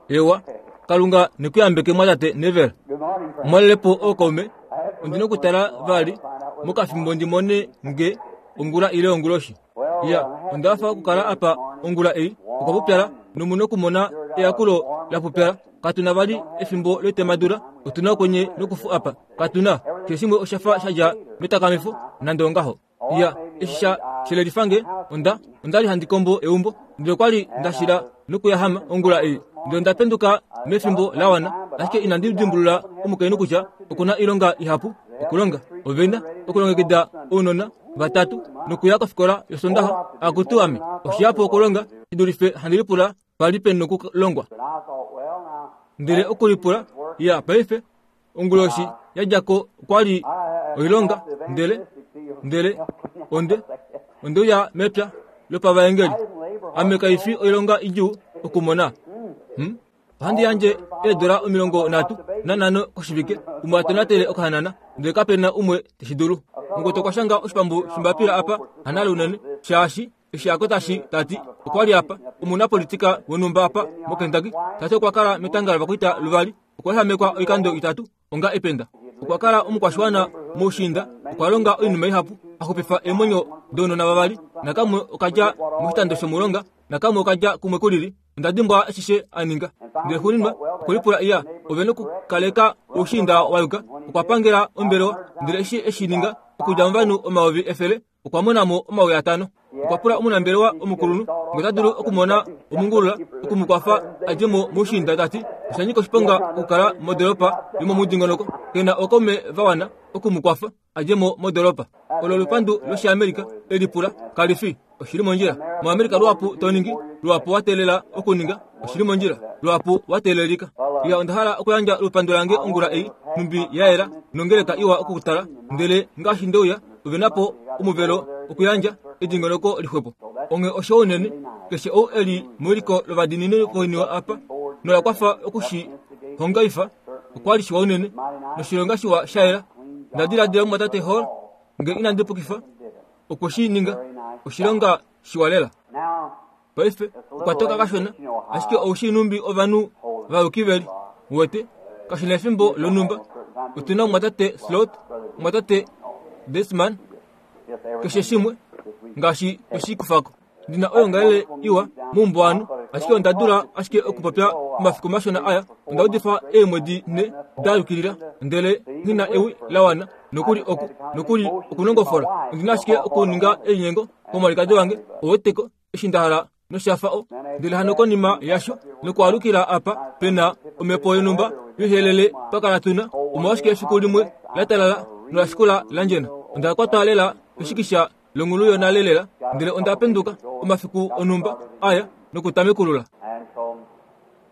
Ewa, Kalunga ne ku yambeke mwatate Neville. Mwalele po ookaume, ondi na okutala vali mokafimbo ndi mone nge ongula ile onguloshi. Ya, onda hafa okukala apa ongula ei. Okwa pupyala, nomu na okumona eyakulo la pupyala. Katu na vali efimbo loitemadula, otu na okwenye nokufu apa. Katu na. Keshe shimwe osha fa sha dja metakamifo, nande ongaho. Ya, eshi sha shelelifa nge, onda, onda li handi kombo eumbo, ndele okwa li nda shila nokuyahama ongula ei. Ndele onda penduka mefimbo la wana, ashike inandi dimbulula omukainhu kutya oku na oilonga ihapu okulonga. Ove na okulongekida ounona vatatu nokuya kofikola yOsondaxa. Akutu ame, oshihapu okulonga shi dulife handi lipula pa li pe nokulongwa. Ndele okulipula, ya, paife, onguloshi ya dja ko okwa li oilonga, ndele, ndele onde, onde uya mepya lopavaengeli. Ame kai fi oilonga idjuu okumona. Hmm? Ohandi yandje eedola 35 koshivike umwe a tonatele okahanana, ndele kape na umwe te shi dulu. Mukwetu okwa shanga oshipambu shombapila apa, hanale unene, shaashi eshi a kota shi ta ti okwa li apa omunapolitika wonhumba apa moKentucky, ta ti okwa kala metanga lovakwaita luvali, okwa ehamekwa oikando itatu onga ependa. Okwa kala omukwashiwana moushiinda, okwa longa oinima ihapu, a xupifa eemwenyo dounona vavali, nakamwe okadja moshitando shomulonga, nakamwe okadja kumwe kulili. Onda dimbwa ashishe a ninga. Ndele xuuninwa okwe lipula iya, ove nokukaleka oushiinda wa yuka. Okwa pangela ombelewa, ndele eshi e shi ninga, okudja movanhu 100,000, okwa mona mo 5000. Okwa pula omunambelewa omukulunhu ngee ota dulu okumona omungulula oku mu kwafa a dje mo moushiinda, ta ti osha nyika oshiponga okukala modoolopa yomomudingonoko ke na ookaume va wana oku mu kwafa a dje mo modoolopa. Olo olupandu lOshiamerika, e lipula. Kali fi oshili mondjila. MoAmerika luhapu to ningi, luhapu wa teelela okuninga oshili mondjila, luhapu wa teelelika. Iya, onda hala okuyandja olupandu lange ongula ei, nhumbi ya yela nongeleka iwa okutala, ndele ngaashi nde uya, ove na po omuvelo okuyandja edingonoko lixwepo. Onghee osho unene, keshe ou e li mewiliko lovadiinini koiniwe apa, nola kwafa oku shi hongaifa, okwa li shiwa unene, noshilonga shiwa sha yela. Nda diladila mumwatate Hall, nge inandi pukifa, okwe shi ninga oshilonga shiwa lela. Paife okwa toka kashona, ashike ou shii nhumbi ovanhu vayuki ve li. Uwete, kashi na efimbo lonhumba. Otu na omumwatate Slot, omumwatate Desman, keshe shimwe, ngaashi twe shi kufa ko. Ndi na oyoongalele iwa moumbuwanhu, ashike onda dula ashike okupopya omafiku mashona aya. Onda udifa eemwedi nhe da yukilila, ndele nghi na ewi la wana nokuli oku, nokuli okunongofola. Ondi na ashike okuninga elinyengo komwalikadi wange, ouweteko, eshi nda hala nosha fa o. Ndele hano konima yasho, nokwaalukila apa pe na omhepo yonhumba yoihelele twa kala tu na, omolwashike efiku limwe la talala nola shikula la ndjena. Onda kwatwa lela keshikisha longulu yonale lela, ndele onda penduka omafiku onhumba aya nokutamekulula.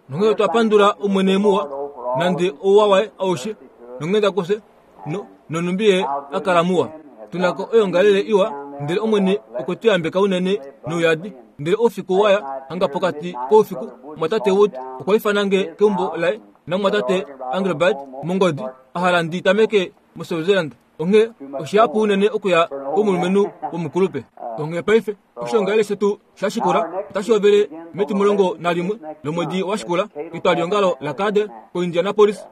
Nonghee otwa pandula Omwene muwa, nande ouwa waye aushe nonghenda kufye, no, nonhumbi ye a kala muwa. Tu na ko oyoongalele iwa, ndele Omwene okwe tu yambeka unene nouyadi. Ndele oufiku wa ya hanga pokati koufiku, Mumwatate Wood okwa ifana nge keumbo laye naMumwatate Engelbert mongodi, a hala ndi tameke moSwaziland. Onghee oshihapu unene okuya komulumenhu womukulupe. Onghee paife oshoongalele shetu sha shikula otashi hovele metimulongo nalimwe lomwedi wa shikula ketwaliongalo laCadell koIndianapolis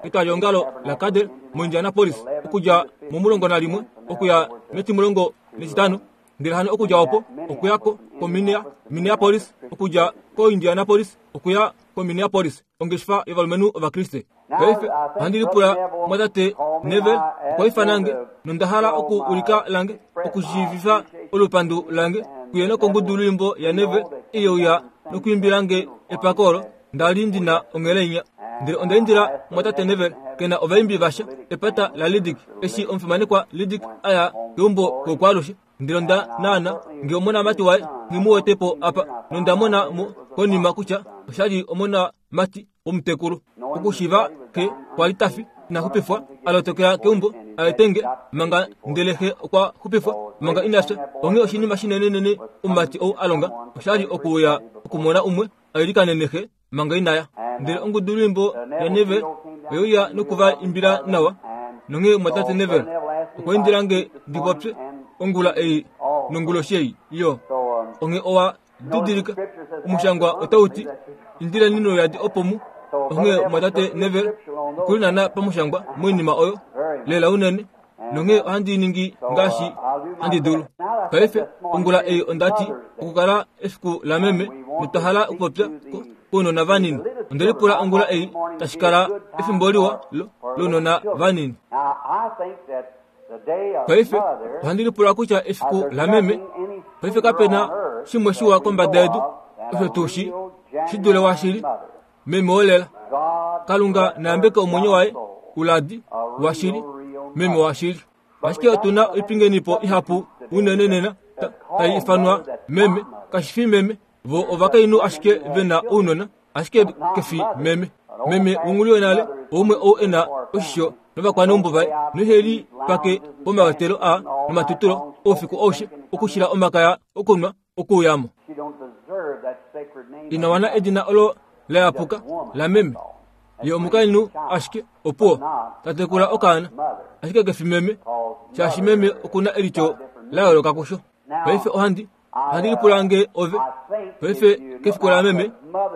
ketwaliongalo laCadell moIndianapolis okudja momulongo nalimwe okuya metimulongo netitano ndele hano okudja opo okuya ko koMinneapolis okudja koIndianapolis okuya koMinneapolis ongeshefa yovalumenhu Ovakriste. Paife ohandi lipula mwatate Neville okwa ifana nge nonda hala oku ulika lange okushiivifa olupandu lange kuye nokongudulwiimbo yaNeville ei uya nokuimbila nge epako olo nda li ndi na ongheleinya. Ndele onda indila mwatate Neville ke na ovaimbi vasha epata laLiddick eshi omufimanekwa Liddick a ya keumbo koukwaalushe. Ndele onda naana nge omonamati waye nghi mu wete po apa, nonda mona mo konima kutya osha li omonamati womutekulu. Okushiiva xe kwa li ta fi, ina xupifwa, a lotokela keumbo a ete nge manga, ndele xe okwa xupifwa manga ina fya. Onghee oshinima shinenenene omumati ou a longa osha li okuuya okumona umwe a ilikanene xe manga ina ya. Ndele ongudulwiimbo yaNeville oye uya noku va imbila nawa, nonghee omumwatate Neville okwa indila nge ndi popye ongula ei nonguloshi ei. Iyo, onghee owa didilika. Omushangwa otau ti, Indileni nouyadi opo mu Onghee omwatate Neville okuli naana pamushangwa moinima oyo, lela unene, nonghee ohandi ningi ngaashi handi dulu. Paife, ongula ei onda ti, okukala efiku lameme, notwa hala okupopya kounona vanini. Onde lipula ongula ei tashi kala efimbo liwa lo, lounona vanini. Paife, ohandi lipula kutya efiku lameme, paife kape na shimwe shiwa kombada yedu, osho tuu shi, shi dule washili, meme wolela. Kalunga na yambeke omwenyo waye uladi washili, meme washili. Ashike otu na oipingenipo ihapu unene nena tai ifanwa meme, kashi fi meme. Vo ovakainhu ashike ve na ounona, ashike ke fi meme. Meme wonghulu yonale oumwe ou e na oshisho novakwaneumbo vaye nohe li pake pomavatelo a nomatutulo oufiku aushe okushila omakaya okunwa okuuya mo. Ina wana edina olo la yapuka lameme. Ye omukainhu ashike opuwo ta tekula okaana, ashike ke fi meme, shaashi meme oku na elityo la yooloka kusho. Paife ohandi ohandi lipula nge ove paife kefiku lameme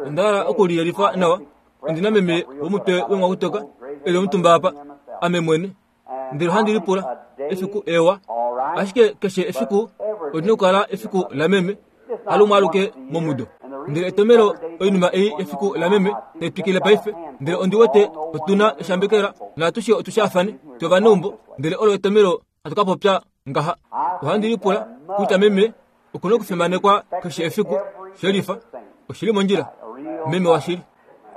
onda hala oku liyelifa nawa. Ondi na meme womutwe wemwakutoka e li omutumba apa, ame mwene. Ndele ohandi lipula efiku ewa, ashike keshe efiku oli na okukala efiku lameme, halumwe aluke momudo. Ndele etomelo oinima ei efiku lameme tai twikile paife, ndele ondi wete otu na eshambekela naatushe otu shaafane tovaneumbo, ndele olo etomelo hatu ka popya ngaha. Ohandi lipula kutya meme oku na okufimanekwa keshe efiku, shelifa, oshi li mondjila, meme washili.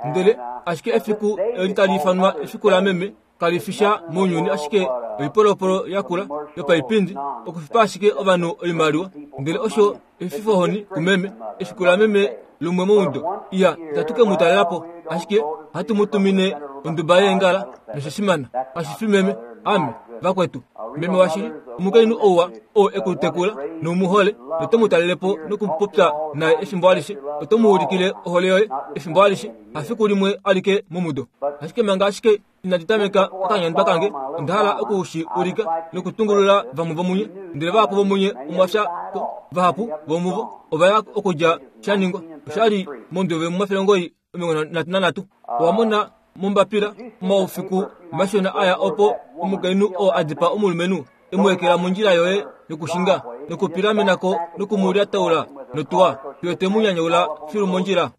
Ndele ashike efiku eli tali ifanwa efiku lameme kali fi sha mounyuni ashike oipolopolo yakula yopaipindi okufipa ashike ovanhu oimaliwa. Ndele osho efifohoni kumeme, efiku lameme lumwe momudo. Iya, itatu ke mu talela po, ashike ohatu mu tumine onduba yeengala nosha fimana. Kashi fi meme, ame, vakwetu. Meme washili, omukainhu ouwa oo e ku tekula nou mu hole, noto mu talele po nokupopya naye efimbo alishe, oto mu ulikile ohole yoye efimbo alishe, hafiku limwe alike momudo. Ashike manga ashike inandi tameka okanyandwa kange, onda hala oku shi ulika nokutungulula vamwe vomunye. Ndele vahapu vomunye omwa fya ko, vahapu vomuvo ova ya okudja sha ningwa. Osha li mondove momafele 93. Owa mona mombapila omaufiku mashona aya opo omukainhu oo a dipaa omulumenhu e mu ekela mondjila yoye yokushinga nokupilamena ko noku mu lyataula notuwa fiyo te mu nyanyaula filu mondjila.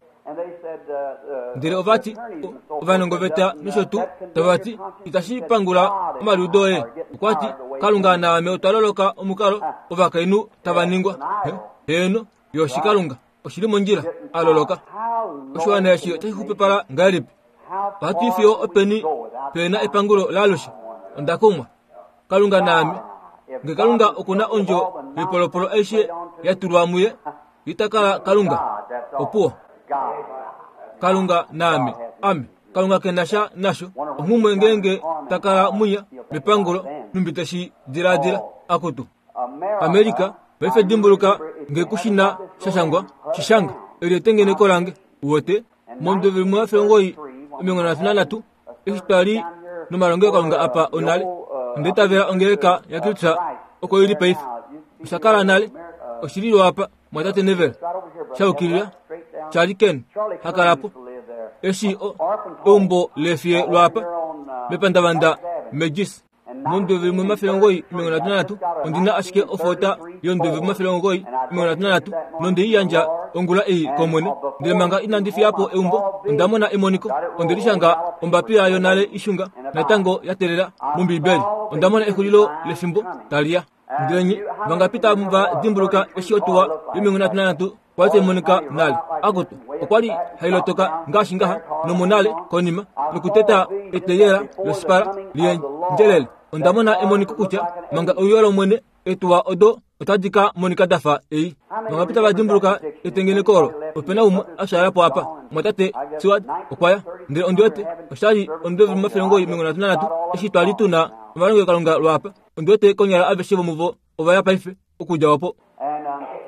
Ndele ova ti, ovanongoveta nosho tuu, tava ti, itashi pangula omaliudo oye. Okwa ti, Kalunga naame otwa loloka omukalo ovakainhu tava ningwa. Heeno, yo oshikalunga. Oshi li mondjila, a loloka. Oshiwana eshi otashi xupipala ngahelipi? Ohatu i fiyo openi pe na epangulo laalushe? Onda kumwa. Kalunga naame. Nge Kalunga oku na ondjo yoipolopolo aishe ya tulwa muye, ita kala Kalunga. Opuwo. Kalunga naame. Ame. Kalunga ke na sha nasho. Onghumwe ngeenge ta kala munya mepangulo, nhumbi te shi diladila. Akutu. Amerika, paife dimbuluka nge ku shi na sha shangwa, shi shanga. Eli etengeneko lange. Uwete? Momudo 1933, eshi twa li nomalongelokalunga apa onale, onda itavela ongeleka yaKristus oko i li paife. Osha kala nale. Oshi li lwaapa, mwatate Neville. Sha yukilila. Charlie Ken ha kala po. Eshi o, eumbo leefiye lwaapa, mepandavanda Megis. Mondove 933, ondi na ashike ofoota yondove 933, nonde i yandja ongula ei kOmwene. Ndele manga inandi fiya po eumbo, onda mona emoniko. Onde li shanga ombapila yonale ishunga, natango ya telela mOmbiibeli. Onda mona exulilo lefimbo tali ya. Ndele nye vangapi tava va dimbuluka eshi otuwa yo33 kwali tai monika nale? Akutu, okwa li hai lotoka ngaashi ngaha nomonale konima nokuteta eteyela losipala liendjelele. Onda mona emoniko kutya manga euyo lOmwene etuwa odo otadi ka monika da fa ei. Vangapi tava dimbuluka etengeneko olo? Ope na umwe a fyaala po apa. Mwatate Seward okwa ya. Ndele ondi wete osha li omudo 1933 eshi twa li tu na omalongelokalunga lwaapa. Ondi wete konyala aveshe vomuvo ova ya paife okudja opo.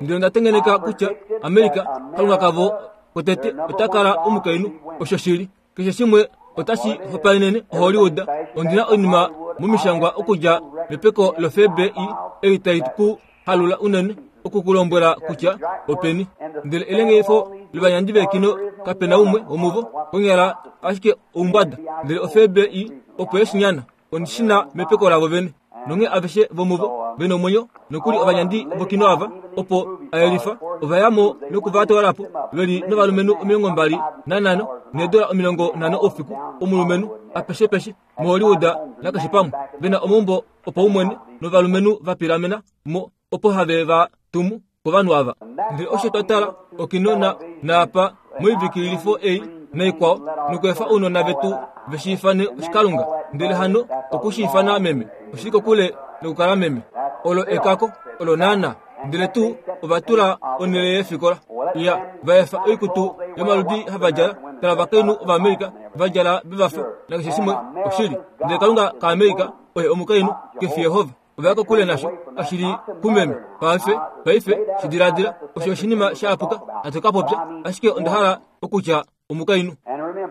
Ndele onda tengeneka kutya Amerika, kalunga kavo kotete, ota kala omukainhu. Osho shili. Keshe shimwe otashi hopaenene Hollywood. Ondi na oinima momishangwa okudja mepeko lofebre i ei tai ku halula unene. oku ku lombwela kutya openi. Ndele elengeifo lovanyandi veekino kape na umwe womuvo, konyala ashike oumbwada. Ndele oFBI opo ye shi nyana. Ondi shi na mepeko lavo vene. Nonghee aveshe vomuvo ve nomwenyo, nokuli ovanyandi vokino ava, opo a yelifa, ova ya mo noku va twala po, ve li novalumenhu 25 needola 50 oufiku, omulumenhu, apeshepeshe, moHollywood nakeshe pamwe, ve na omaumbo opaumwene, novalumenhu va pilamena mo opo have va tumu kovanhu ava. Ndele osho twa tala okino na naapa moivikililifo ei naikwao, nokweefa ounona vetu ve shi ifane oshikalunga, ndele hano oku shi ifana meme, oshi li kokule nokukala meme. Olo ekako, olo naana. Ndele tuu ova tula onhele yeefikola ya va efa oikutu yomaludi hava djala, tala ovakainhu Ovaamerica va djala ve va fa, nakeshe shimwe oshili. Ndele Kalunga kaAmerica oye omukainhu, ke fi Yehova. Ova ya kokule nasho, kashi li kumeme. Paife, paife, shi diladila, osho oshinima sha apuka, hatu ka popya, ashike onda hala okutya omukainhu.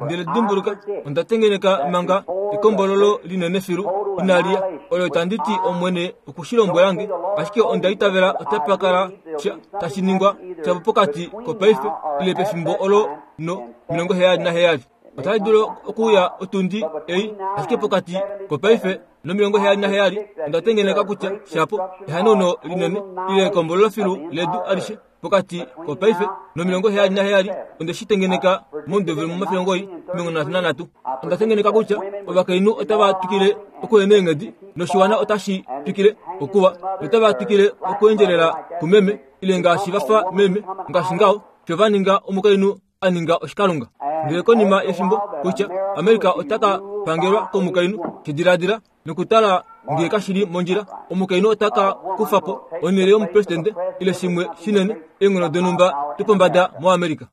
Ndele dimbuluka, onda tengeneka manga ekombololo linene filu inali ya, olo tandi ti Omwene oku shi lombwela nge, ashike onda itavela otapa kala sha tashi ningwa shapo pokati kopaife ile pefimbo olo no 77. Otali dulu okuuya otundi ei, ashike pokati kopaife no 77 onda tengeneka kutya shapo ehanauno linene ile ekombololo filu ledu alishe pokati kopaife no77 onde shi tengeneka momudo 1933. Onda tengeneka kutya ovakainhu otava twikile okuya meenghedi noshiwana otashi twikile okuwa notava twikile okuendjelela kumeme ile ngaashi va fa meme ngaashi ngaho sho va ninga omukainhu a ninga oshikalunga. Ndele konima yefimbo kutya Amerika ota ka pangelwa komukainhu, shi diladila nokutala ngee kashi li mondjila, omukainhu ota ka kufa po onhele yomupresidente ile shimwe shinene, eenghono donhumba dopombada moAmerica.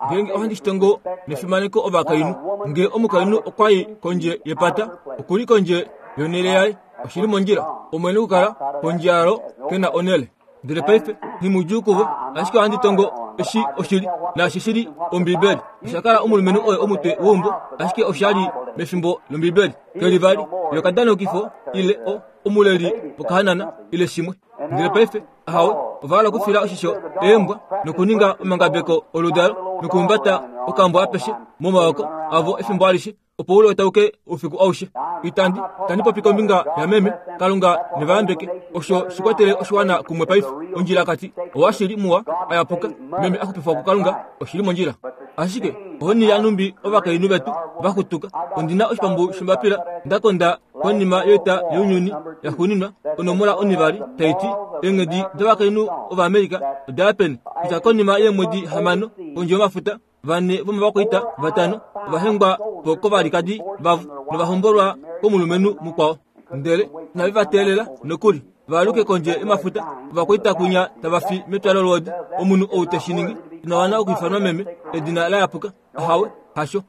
Ngeenge ohandi shi tongo nefimaneko ovakainhu, ngee omukainhu okwa i kondje yepata, oku li kondje yonhele yaye, oshi li mondjila. Omwene okukala pondje yalo ke na onhele. Ndele paife, nghimudjuu kuvo, ashike ohandi tongo eshi oshili, naashi shi li Ombibeli. Osha kala omulumenhu oye omutwe weumbo, ashike osha li mefimbo lOmbibeli. Ke li vali yokadanokifo ile o, omuleli wokahanana ile shimwe. Ndele paife, ahawe, ova hala okufila oshisho eembwa nokuninga omangabeko oludalo nokuhumbata okambwa apeshe momaoko avo efimbo alishe. opo u lotauke oufiku aushe. Itandi, tandi popi kombinga yameme, Kalunga ne va yambeke. Osho shi kwatele oshiwana kumwe paife. Ondjilakati, owashili muwa, a yapuka, meme a xupifwa kuKalunga, oshi li mondjila. Ashike, ohoni yanumbi ovakainhu vetu va xutuka. Ondi na oshipambu shombapila nda konda konima yoita younyuni yaxuuninwa, onomola onivali, tai ti, Eenghedi dovakainhu Ovaamerica oda ya peni? Kutya konima yeemwedi hamano, kondje yomafuta, Vane vomovakwaita vatano ova hengwa po kovalikadi vavo nova hombolwa komulumenhu mukwao. Ndele inave va teelela nokuli va aluke kondje yomafuta. Ovakwaita kwinya tava fi metwalo lwoodi. Omunhu ou te shi ningi ina wana okwiifanwa meme, edina la yapuka. Ahawe, hasho.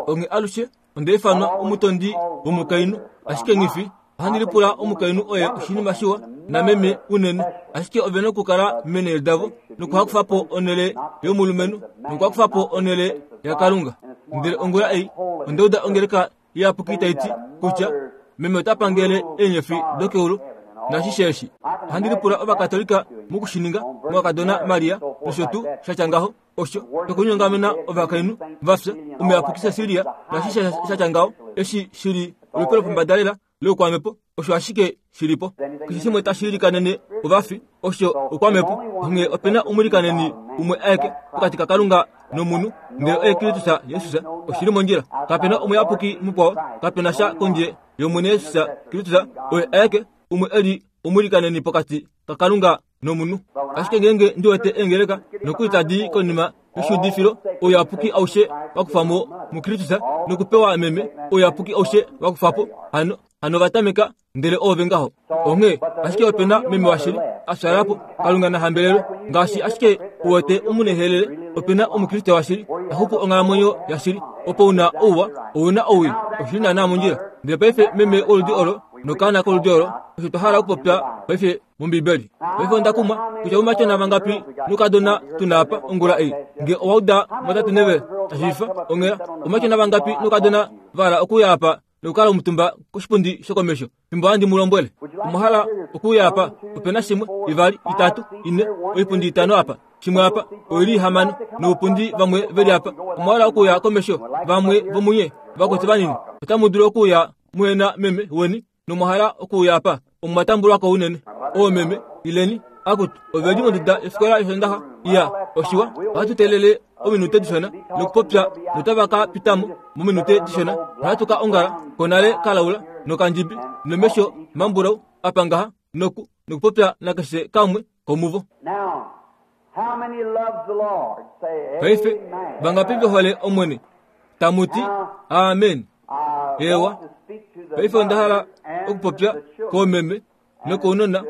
Onghee alushe onda ifanwa omutondi womukainhu, ashike nghi fi Ohandi lipula omukainhu oye oshinima shiwa nameme unene, ashike ove na okukala meenhele davo nokuhakufa po onhele yomulumenhu nokuhakufa po onhele yaKalunga. Ndele ongula ei onda uda ongeleka iyapuki tai ti kutya meme ota pangele eenyofi dokeulu naashishe eshi. Ohandi lipula Ovakatolika moku shi ninga mokakadona Maria nosho tuu sha tya ngaho. Osho nokunyongamena ovakainhu va fya, omuyapuki Cecilia naashishe sha tya ngaho, eshi shi li olupe lopombada lela loukwamhepo, osho ashike shi li po. Keshe shimwe tashi ilikanene ovafi, osho oukwamhepo. Onghee ope na omuilikaneni umwe aeke pokati kaKalunga nomunhu, ndele oye Kristus Jesus. Oshi li mondjila. Kape na omuyapuki mukwao, kape na sha kondje yOmwene Jesus Kristus, oye aeke umwe e li omuilikaneni pokati kaKalunga nomunhu. Ashike ngeenge ndi wete eengeleka nokuli tadi i konima yoshuudifilo, ouyapuki aushe wa kufa mo muKristus nokupewa meme, ouyapuki aushe wa kufa po, hano, hano va tameka, ndele oove ngaho. Onghee, ashike ope na meme washili a fyala po, Kalunga na hambelelwe. Ngaashi ashike u wete omunehelele, ope na Omukriste washili ta xupu onghalamwenyo yashili. Opo u na ouwa, ou na owii, oshi li naanaa mondjila. Ndele paife meme woludi olo nokaana koludi olo, osho twa hala okupopya paife mOmbibeli. Paife onda kumwa kutya oumatyona vangapi noukadona tu na apa ongula ei. Nge owa uda motate Neville ta shiivifa onghela, oumatyona vangapi noukadona va hala okuuya apa? nokukala omutumba koshipundi shokomesho fimbo handi mu lombwele. Omwa hala okuuya apa? Ope na shimwe, ivali, itatu, ine, oipundi itano apa, shimwe apa, oi li ihamano, noupundi vamwe ve li apa. Omwa hala okuuya komesho? Vamwe vomunye vakwetu vanini, otamu dulu okuuya muhena meme weni nomwa hala okuuya apa? Omwa tambulwa ko unene. Oomeme, ileni. Akutu, ove li monduda yofikola yOsondaxa. Iya, oshiwa. Ohatu teelele ominute dishona nokupopya notava ka pita mo mominute dishona. Ohatu ka ongala konale kalaula nokandjibi nomesho mambulau apa ngaha noku nokupopya nakeshe kamwe komuvo. Paife, vangapi ve hole Omwene? Tamu ti, Amen. Eewa. Paife onda hala okupopya koomeme nokounona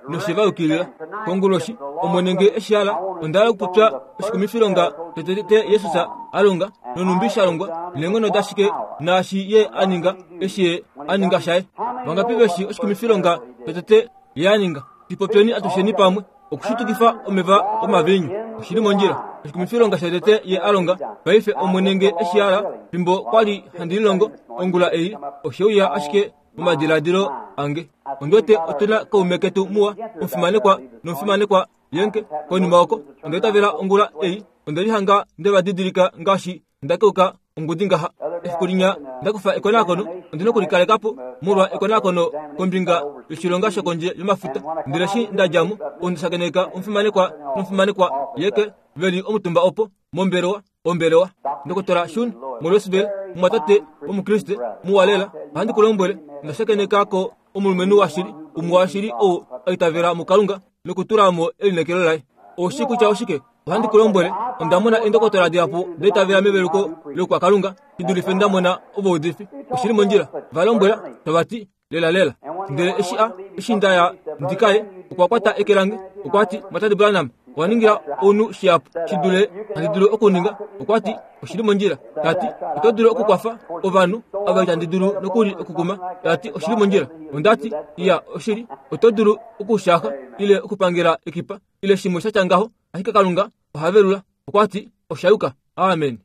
noshe va yukilila. Konguloshi, Omwene nge e shi hala, onda hala okupopya oshikumifilonga tetetete Jesus a longa, nonhumbi sha longwa, neenghono dashike, naashi Ye a ninga, eshi Ye a ninga shaye. Vangapi ve shi oshikumifilonga totete Ye a ninga? Shi popyeni atusheni pamwe. Okushitukifa omeva omaviinyu. Oshi li mondjila. Oshikumifilonga shotete Ye a longa. Paife, Omwene nge e shi hala, fimbo kwa li handi lilongo ongula ei, oshe uya ashike momadiladilo ange. Ondi wete otu na kaume ketu muwa, omufimanekwa nomufimanekwa Yenke, konima oko. Onda itavela ongula ei, onde lihanga nde va didilika ngaashi nda keuka ongudi ngaha. Efiku linya nda kufa ekonakono, ondi na okulikaleka po molwa ekonakono kombinga yoshilonga shokondje yomafuta. Ndele eshi nda dja mo, onda shakeneka omufimanekwa nomufimanekwa Yeke ve li omutumba opo, mombelewa, ombelewa. Ndokotola Shun moLouisville, omumwatate Omukriste muwa lela, ohandi ku lombwele, onda shakeneka ko omulumenhu washili, umwe washili ou a itavela muKalunga nokutula mo elineekelo laye. Ou shii kutya oshike? Ohandi ku lombwele, onda mona eendokotola dihapu da itavela meveluko loukwakalunga shi dulife nda mona ovaudifi. Oshi li mondjila. Va lombwela, tava ti, Lelalela. Ndele eshi a, eshi nda ya ndi ka ye, okwa kwata eke lange, okwa ti, Mwatate Branham, owa ningila ounhu shihapu shi dule handi dulu okuninga. Okwa ti, Oshi li mondjila. Ta ti, Oto dulu okukwafa ovanhu ava itandi dulu nokuli okukuma. Ta ti, Oshi li mondjila. Onda ti, Iya, oshili, oto dulu okushaaxa ile okupangela ekipa ile shimwe sha tya ngaho, ashike Kalunga oha velula. Okwa ti, Osha yuka. Amen.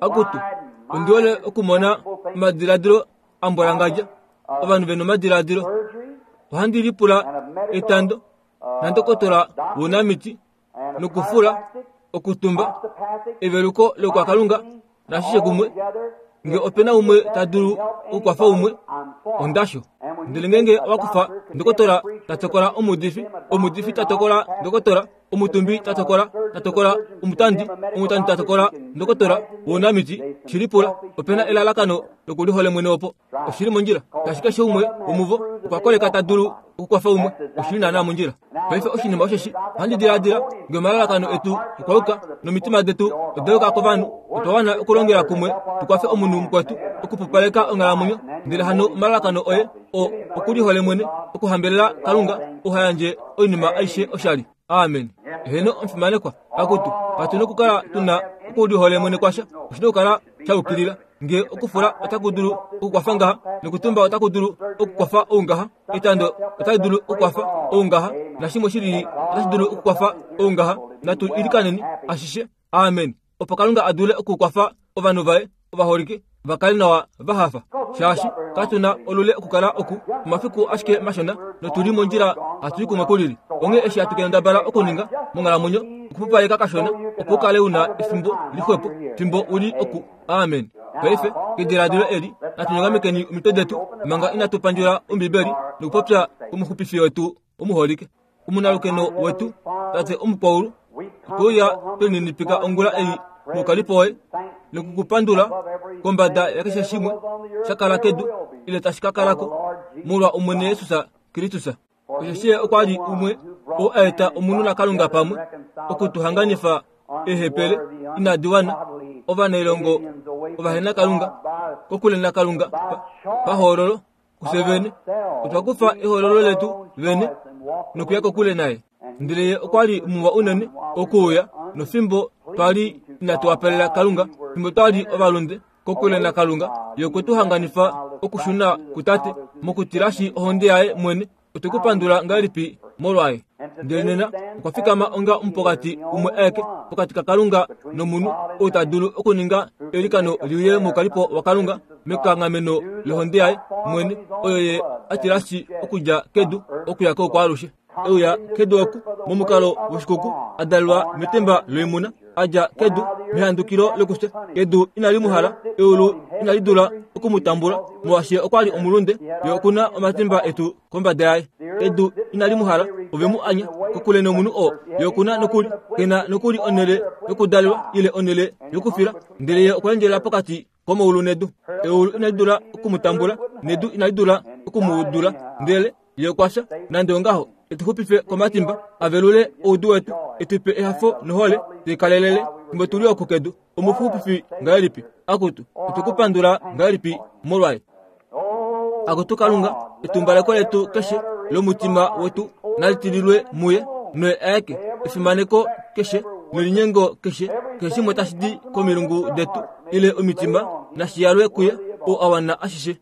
Akutu, ondi hole okumona omadiladilo a mbwalangadja, ovanhu ve na omadiladilo. Ohandi lipula etando nandokotola wounamiti nokufula, okutumba, eveluko lokwakalunga nashishe kumwe. Nge ope na umwe ta dulu okukwafa umwe, ondasho. Ndele ngeenge owa kufa ndokotola ta tokola omuudifi, omuudifi ta tokola ndokotola, omutumbi ta tokola ta tokola omutandi, omutandi ta tokola ndokotola wounamiti, shi lipula, ope na elalakano lokulihole mwene opo. Oshi li mondjila. Ngaashi keshe umwe womuvo okwa koleka ta dulu okukwafa umwe, oshi li naanaa mondjila. Paife oshinima osheshi, ohandi diladila, nge omalalakano etu okwa yuka nomitima detu oda yuka kovanhu, otwa wana okulongela kumwe tu kwafe omunhu mukwetu okupupaleka onghalamwenyo. Ndele hano omalalakano oye o okulihole mwene, okuhambelela Kalunga, ou ha yandje oinima aishe oshali. Amen. Eheno, omufimanekwa. Akutu, katu nokukala tu na okulihole mwene kwasha. Oshi nokukala sha yukilila. Nge okufula otaku dulu okukwafa ngaha, nokutumba otaku dulu okukwafa ou ngaha, etando otali dulu okukwafa ou ngaha, nashimwe shi lili otashi dulu okukwafa ou ngaha, natu ilikaneni ashishe. Amen. Opo Kalunga a dule okukwafa ovanhu vaye ovaholike va kale nawa va hafa, shaashi katu na olule okukala oku omafiku ashike mashona notu li mondjila hatu i kumwe kulili. Onghee eshi hatu kendabala okuninga monghalamwenyo okupupaleka kashona opo u kale u na efimbo lixwepo fimbo u li oku. Amen. Paife, kediladilo eli, natu nyongamekeni omitwe detu manga inatu pandjula Ombibeli nokupopya kOmuxupifi wetu omuholike. Omunalukeno wetu, Tate Omukwaulu, otwe uya twe lininipika ongula ei moukalipo woye noku ku pandula kombada yakeshe shimwe sha kala kedu ile tashi ka kala ko molwa Omwene Jesus Kristus. Osheshi ye okwa li umwe oo a eta omunhu naKalunga pamwe oku tu hanganifa eehepele inadi wana, ovanailongo ovahenakalunga, kokule naKalunga pahoololo kufye vene. Otwa kufa ehoololo letu vene nokuya kokule naye. Ndele ye okwa li muwa unene okuuya nofimbo twa li inatu wapalela Kalunga, fimbo twa li ovalunde kokule naKalunga, ye okwe tu hanganifa okushuna kuTate mokutilashi ohonde yaye mwene. Otwe ku pandula ngahelipi? molwaye. Ndele nena okwa fikama onga omupokati umwe aeke pokati kaKalunga nomunhu, ou ta dulu okuninga eilikano li uye moukalipo waKalunga mekanghameno lohonde yaye mwene, oyo ye a tilashi okudja kedu okuya koukwaalushe. E uya kedu oku momukalo woshikuku, a dalelwa metemba loimuna, a dja kedu mehandukilo lokufya. Edu inali mu hala, eulu inali dula oku mu tambula, molwaashi ye okwa li omulunde, ye oku na omatimba etu kombada yaye. Edu inali mu hala, ove mu anya kokule nomunhu oo. Ye oku na nokuli, ke na nokuli onhele yokudalelwa ile onhele yokufila, ndele ye okwa endjelela pokati komaulu nedu. Eulu inali dula oku mu tambula, nedu inali dula oku mu dula, ndele ye okwa fya. Nande ongaho, e tu xupife komatimba, a velule oudu wetu, e tu pe ehafo nohole tai kalelele fimbo tu li oku kedu. Omuxupifi ngahelipi? Akutu, otwe ku pandula ngahelipi molwaye? Akutu Kalunga, etumbaleko letu keshe lomutima wetu nali tililwe muye, noye aeke efimaneko keshe nelinyengo keshe, keshe shimwe tashi di komilungu detu ile omitima nashi yalwe kuye, ou a wana ashishe.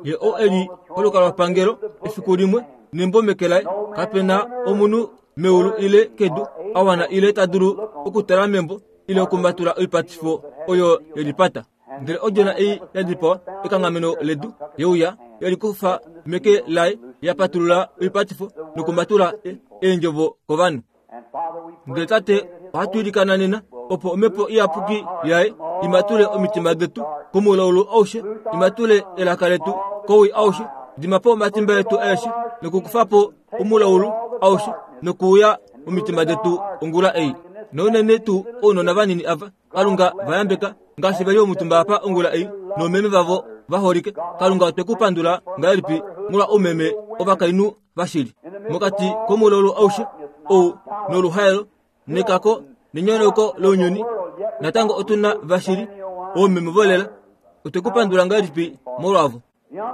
Ye ou e li kolukalwapangelo efiku limwe nembo meke laye, kape na omunhu meulu ile kedu a wana ile ta dulu okutala membo ile okumatula oipatifo oyo ye lipata. Ndele odjona ei ya dipawa ekanghameno ledu ye uya ye likufa meke laye, ya patulula oipatifo nokumatula eendjovo kovanhu. Ndele Tate, ohatu ilikana nena opo Omhepo Iyapuki yaye i matule omitima detu komulaulu aushe, i matule elaka letu kowii aushe, dima po omatimba etu aeshe nokukufa po omulaulu aushe nokuuya momitima detu ongula ei. Nounene tuu ounona vanini ava, Kalunga va yambeka ngaashi ve li omutumba apa ongula ei noomeme vavo va holike. Kalunga otwe ku pandula ngahelipi molwa oumeme ovakainhu vashili mokati komulaulu aushe ou noluhaelo nekako nenyonauko lounyuni. Natango otu na vashili oomeme volela. Otwe ku pandula ngahelipi molwavo?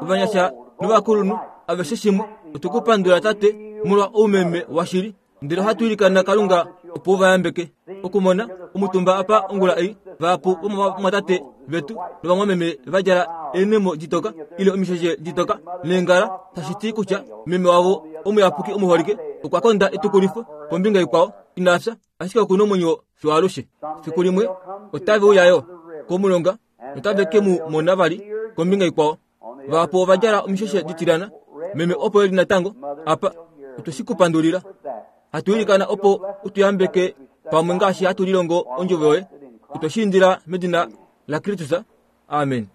Ovanyasha novakulunhu aveshe shimwe, otwe ku pandula Tate molwa oumeme washili. Ndele ohatu ilikana Kalunga opo u va yambeke okumona omutumba apa ongula ei, vahapu vomovamwatate vetu novamwameme va djala eenhemo ditoka ile omisheshe ditoka neengala, tashi ti kutya meme wavo omuyapuki omuholike okwa konda etukulifo kombinga ikwao, ina fya, ashike oku na omwenyo fiyo alushe. Fiku limwe otave uya yo komulonga notave ke mu mona vali kombinga ikwao. Vahapu ova djala omisheshe ditilyana. Meme opo e li natango apa. Otwe shi ku pandulila. Hatu ilikana opo u tu yambeke pamwe ngaashi hatu lilongo ondjovo yoye. Otwe shi indila medina laKristus. Amen.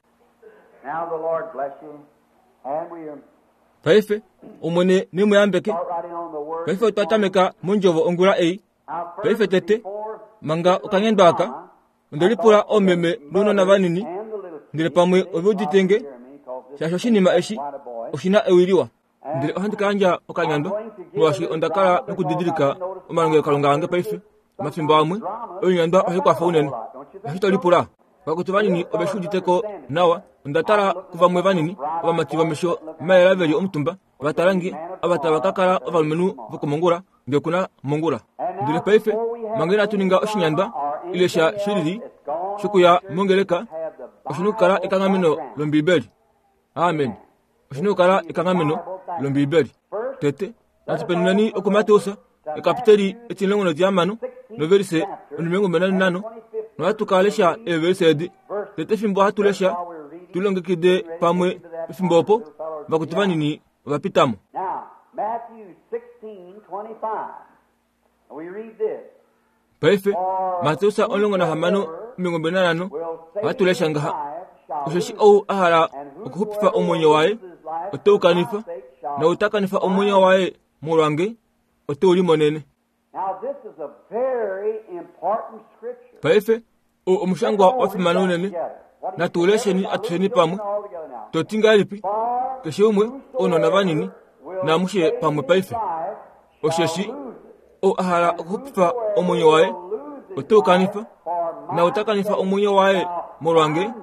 Paife, Omwene ne mu yambeke. Paife otwa tameka mondjovo ongula ei. Paife tete, manga okanyandwa aka, Onde lipula oomeme nounona vanini, ndele pamwe ove udite nge, shaashi oshinima eshi oshi na ewi liwa. Ndele ohandi ka yandja okanyandwa, molwaashi onda kala nokudidilika omalongelokalunga ange paife. Omafimbo amwe, oinyandwa ohai kwafa unene. Eshi to lipula? Vakwetu vanini ove shi udite ko nawa. Onda tala kuvamwe vanini, ovamati vomesho mayela ve li omutumba, va tala nge, ava tava ka kala ovalumenhu vokomongula, nge ku na mongula. Ndele paife, manga inatu ninga oshinyandwa ile sha shilili shokuya mongeleka, oshi na okukala ekanghameno lOmbiibeli. Amen. Oshi na okukala ekanghameno lOmbiibeli. Tete, natu penuneni okuMateus, ekapiteli etimulongo notihamano, novelise onimilongo mbali nanhano, nohatu ka lesha eevelise edi. Tete fimbo hatu lesha, tu longekide pamwe pefimbo opo vakutu vanini ova pita mo. Paife, Mateus 16:25, ohatu lesha ngaha, Osheshi ou a hala okuxupifa omwenyo waye, ote u kanifa, nou ta kanifa omwenyo waye molwange, ote u limonene. Paife, ou omushangwa wa fimana unene. Natu lesheni atusheni pamwe. To ti ngahelipi? Keshe umwe, ounona vanini, naamushe pamwe paife. Osheshi, ou a hala okuxupifa omwenyo waye, ote u kanifa, naau ta kanifa omwenyo waye molwange,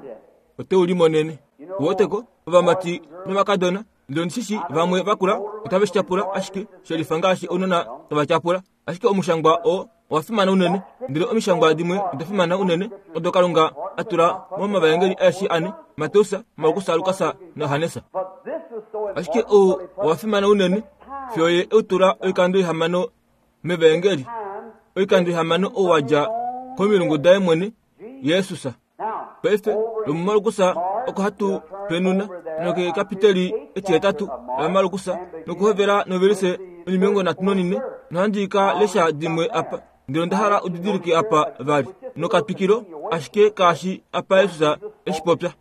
ote u limonene. Uweteko, ovamati novakadona, ndele ondi shi shii vamwe vakula otave shi tyapula ashike shelifa ngaashi ounona tava tyapula. Ashike omushangwa oo owa fimana unene, ndele omishangwa dimwe oda fimana unene odo Kalunga a tula momavaengeli aeshe ane, Mateus, Markus, Lukas naJohannes. Ashike ou owa fimana unene. Fiyo ye e u tula oikando ihamano mEvaengeli, oikando ihamano ou wa dja komilungu daye mwene, Jesus. Paife, lomuMarkus oko hatu penuna nokekapiteli etihetatu laMarkus nokuhovela novelise 34, nohandi ka lesha dimwe apa. Ndele onda hala u didilike apa vali nokatwikilo ashike kaashi apa Jesus e shi popya.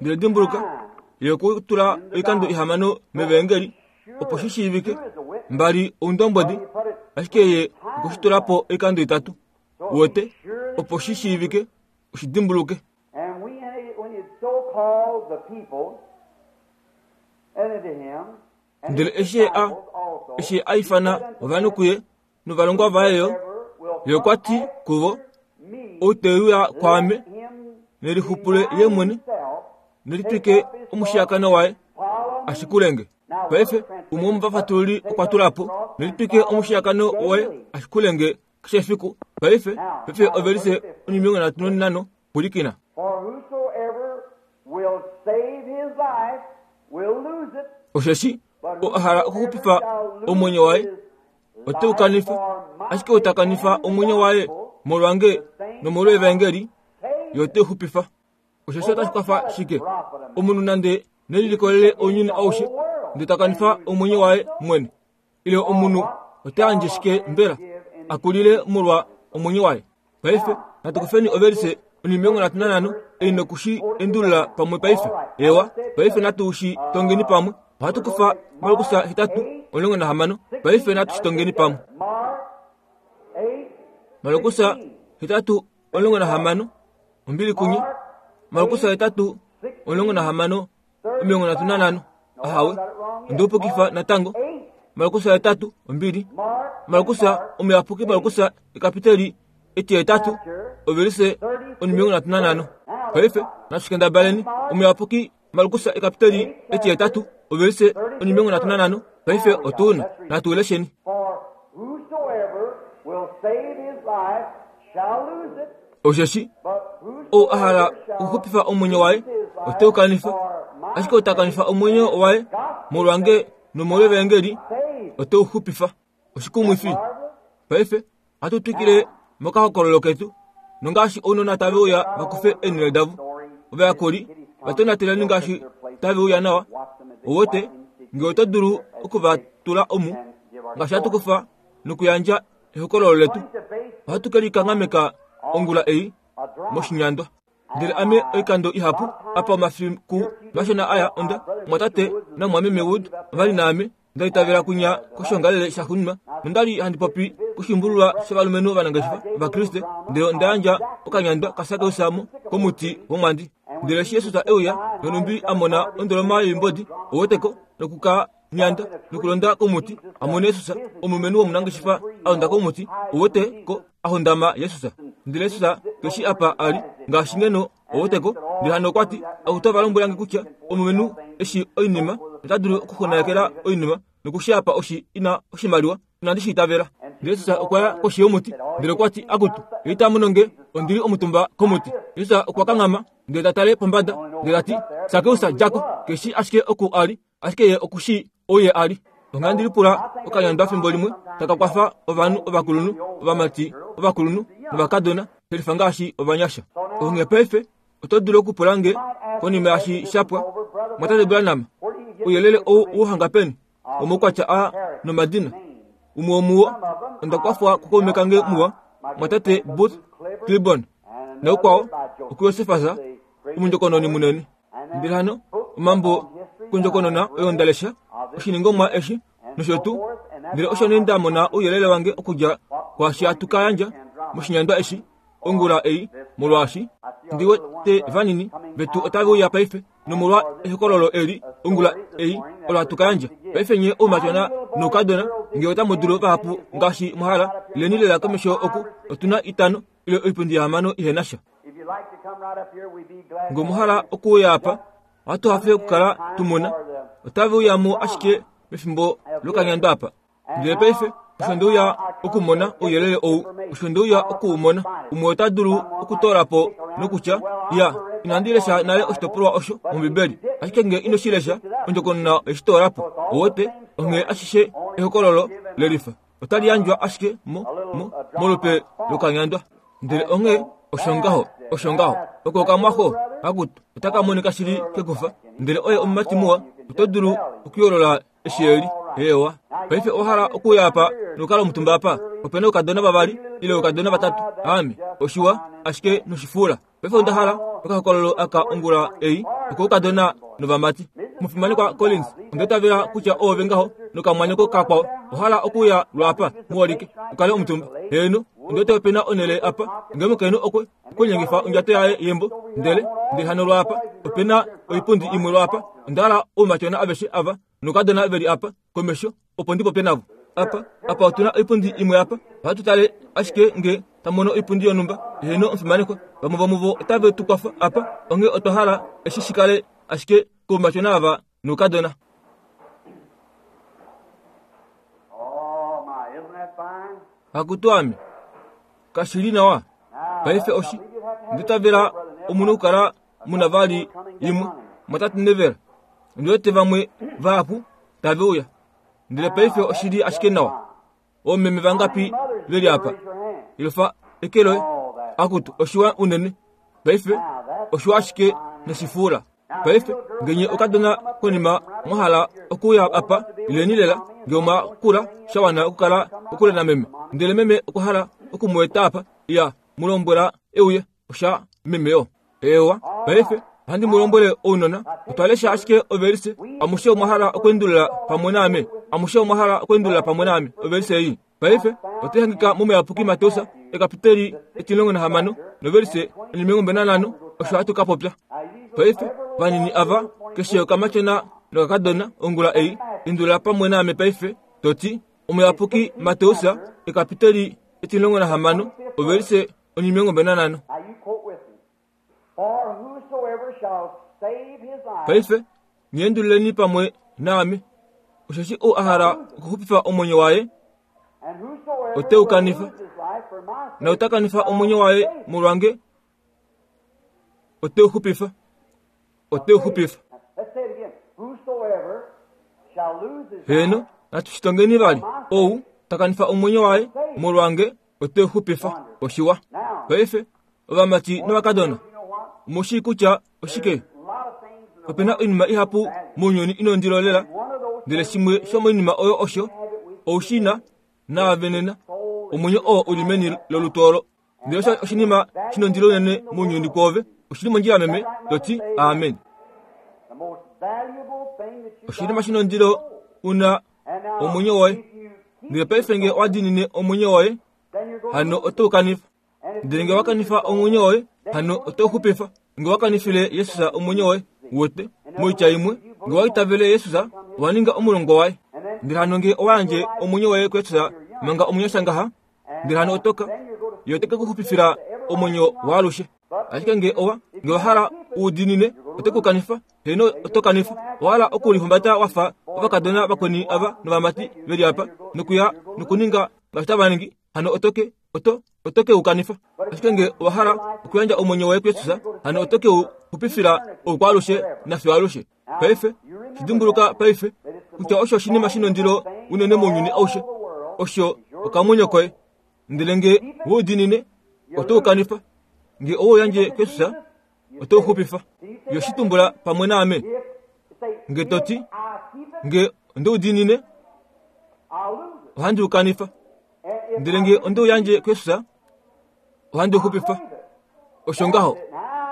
Ndele dimbuluka, ye okwe tula oikando ihamano mEvaengeli opo shi shiivike mbali oundombwedi, ashike ye okwe shi tula po oikando itatu. Uwete, opo shi shiivike, u shi dimbuluke. Ndele eshi ye a, eshi ye a ifana ovanhu kuye novalongwa vaye yo, ye okwa ti kuvo, Ou te uya kwaame, ne lixupule ye mwene, ne litwike omushiyakano waye, a shikule nge. Paife, umwe womovafatululi okwa tula po, ne litwike omushiyakano waye, a shikule nge keshe efiku. Paife, paife ovelise 35, pwilikina. Osheshi oo a hala okuxupifa omwenyo waye ote u kanifa, ashike ou ta kanifa omwenyo waye molwange nomolwevaengeli, ye ote u xupifa. Osheshi otashi kwafa shike omunhu nande ne lilikolele ounyuni aushe, ndele ta kanifa omwenyo waye mwene? Ile omunhu ota yandje shike mbela a kulile molwa omwenyo waye? Paife natu kufeni ovelise 35 ei noku shi endulula pamwe paife. Ewa, paife natu shi tongeni pamwe. Ohatu kufa Markus 8:16. Paife natu shi tongeni pamwe. Markus 8:16 ombili kunye. Markus 8:16 35. Ahawe, onde upukifa natango. Markus 8 ombili. Markus omuyapuki Markus ekapiteli etihetatu ovelise 35. Paife natu kendabaleni omuyapuki Markus ekapiteli etihetatu ovelise 35. Paife otu na natu lesheni. Osheshi ou a hala okuxupifa omwenyo waye ote u kanifa, ashike ou ta kanifa omwenyo waye molwange nomolwevaengeli ote u xupifa. Oshikumwifi! Paife ohatu twikile mokahokololo ketu, nongaashi ounona tave uya va kufe eenhele davo, ovayakuli va tonateleni ngaashi tave uya nawa. Ou wete, nge oto dulu oku va tula omu, ngaashi hatu kufa nokuyandja ehokololo letu, ohatu ke likanghameka ongula ei moshinyandwa. Ndele ame oikando ihapu apa omafiku mashona aya onda mwatate namwameme Wood ova li naame nda itavela kunya koshiongalele shaxuuninwa nonda li handi popi koshimbululwa shovalumenhu ovanangeshefa Ovakriste, ndele onda yandja okanyandwa kaSakeus mo komuti womwandi. Ndele eshi Jesus e uya nonhumbi a mona ondoloma yoimbodi, ouweteko, noku ka nyanda nokulonda komuti a mone Jesus, omulumenhu womunangeshefa a londa komuti, ouwete ko, a hondama Jesus. Ndele Jesus ke shii apa a li, ngaashi ngeno, ouwete ko. Ndele hano okwa ti, Akutu ova lombwela nge kutya omulumenhu e shii oinima nota dulu okuxunganekela oinima noku shi apa oshi ina oshimaliwa. Inandi shi itavela. Ndele Jesus okwa ya koshi yomuti, ndele okwa ti, Akutu, ye ita mono nge, ondi li omutumba komuti. Jesus okwa kanghama, ndele ta tale pombada, ndele ta ti, Sakeus, dja ko. Ke shii ashike oku a li, ashike ye oku shii ou ye a li. Onghee lipula okanyandwa fimbo limwe taka kwafa ovanhu ovakulunhu, ovamati ovakulunhu novakadona, shelifa ngaashi ovanyasha. Onghee paife oto dulu okupula nge konima yashi sha pwa, Mwatate Branham, ouyelele ou u hanga peni? Omaukwatya a nomadina. Umwe womuwo onda kwafwa kukaume kange muwa, Mwatate Booth Clibborn, naukwao okuJosefas, omundjokononi munene. Ndele hano omambo kondjokonona oyo nda lesha oshiningomwa eshi nosho tuu, ndele osho nee nda mona ouyelele wange okudja kwaashi hatu ka yandja moshinyandwa eshi ongula ei, molwaashi ndi wete vanini vetu otave uya paife, nomolwa ehokololo eli ongula ei olo hatu ka yandja paife. Nye oumatyona noukadona, nge otamu dulu vahapu ngaashi mwa hala, ileni lela komesho oku, otu na itano ile oipundi yahamano ihe na sha. Nge omwa hala okuuya apa, ohatu hafe okukala tu mona. Otave uya mo ashike mefimbo lokanyandwa apa. Ndele paife, osho nde uya okumona ouyelele ou, osho nde uya oku u mona. Umwe ota dulu okutoola po nokutya, Ya, inandi lesha nale oshitopolwa osho mOmbibeli. Ashike nge ino shi lesha, ondjokonona oye shi toola po. Ou wete? Onghee ashishe ehokololo lelifa otali yandjwa ashike mo, mo, molupe lokanyandwa. Ndele onghee osho ngaho, osho ngaho. Oko okamwaxo, akutu, otaka monika shili kekufa. Ndele oye omumati muwa, oto dulu okuyoolola eshi e li. Eewa. Paife owa hala okuuya apa nokukala omutumba apa? Ope na oukadona vavali ile oukadona vatatu. Aame. Oshiwa, ashike noshifuula. Paife onda hala okahokololo aka ongula ei okoukadona novamati. Mufimanekwa Collins, onda itavela kutya oove ngaho nokamwanyoko kakwao owa hala okuuya lwaapa, muholike, u kale omutumba. Heeno, ondi wete ope na onhele apa nge omukainhu okwe okulinyengifa ondjato yaye yembo, ndele, ndele hano lwaapa ope na oipundi imwe lwaapa. Onda hala oumatyona aveshe ava noukadona ve li apa komesho opo ndi popye navo. Apa, apa otu na oipundi imwe apa. Ohatu tale ashike nge ta mono oipundi yonhumba. Heeno, omufimanekwa, vamwe vomuvo otave tu kwafa apa, onghee otwa hala eshi shi kale ashike koumatyona ava noukadona. Akutu ame, kashi li nawa. Paife oshi ndi tavela omu na okukala mu na vali imwe mwatate Neville. Ondi wete vamwe vahapu tave uya. Ndele paife oshi li ashike nawa. Oomeme vangapi ve li apa? Ilofa eke loye. Akutu, oshiwa unene. Paife oshiwa ashike noshifuula. Paife, nge nye okadona konima mwa hala okuuya apa, ileni lela, nge omwa kula sha wana okukala kokule nameme. Ndele meme okwa hala oku mu eta apa, iya, mu lombwela e uye. Osha meme yo. Eewa, paife, ohandi mu lombwele ounona, otwa lesha ashike ovelise, amushe omwa hala okweendulula pamwe naame? Amushe omwa hala okweendulula pamwe naame ovelise ei? Paife, otai hangika mOmuyapuki Mateus, ekapiteli etimulongo nahamano, novelise 15, osho hatu ka popya. Paife, vanini ava, keshe okamatyona nokakadona, ongula ei, endulula pamwe naame paife, to ti, Omuyapuki Mateus, ekapiteli 16, ovelise 15. Paife, nyendululeni pamwe naame. Osheshi ou a hala okuxupifa omwenyo waye, ote u kanifa, na ota kanifa omwenyo waye molwange, ote u xupifa. Ote u xupifa. Heeno, natu shi tongeni vali. Ou ta kanifa omwenyo waye molwange, ote u xupifa. Oshiwa. Paife, ovamati novakadona, omu shii kutya oshike? Ope na oinima ihapu mounyuni ino ndilo lela, ndele shimwe shomoinima oyo osho ou shi na naave nena, omwenyo oo u li meni lolutu olo. Ndele osho oshinima shi nondilo unene mounyuni kwoove. Oshi li mondjila meme, to ti amen. Oshinima shi nondilo u na omwenyo woye. Ndele paife nge owa diinine omwenyo woye, hano oto u kanifa. Ndele nge wa kanifa omwenyo woye, hano oto u xupifa. Nge wa kanifile Jesus omwenyo woye, wote, moitya imwe, nge wa itavele Jesus, owa ninga omulongwa waye. Ndele hano nge owa yandje omwenyo woye kuJesus manga omunyasha ngaha, ndele hano oto ka, ye ote ke ku xupifila omwenyo waalushe. Ashike nge owa, nge wa hala u diinine, ote ku kanifa. Heeno, oto kanifa. Owa hala okulihumbata wa fa ovakadona vakweni ava novamati ve li apa, nokuya nokuninga ngaashi tava ningi, hano oto ke, oto, oto ke u kanifa. Ashike nge owa hala okuyandja omwenyo woye kuJesus, hano oto ke u xupifila oukwaalushe nafiyo alushe. Paife, shi dimbuluka paife, kutya osho oshinima shi nondilo unene mounyuni aushe, osho okamwenyo koye. Ndele nge we u diinine, oto u kanifa. Nge owe u yandje kuJesus, oto u xupifa. Yo shi tumbula pamwe naame. Nge to ti, Nge onde u diinine, ohandi u kanifa. Ndele nge onde u yandje kuJesus, ohandi u xupifa. Osho ngaho.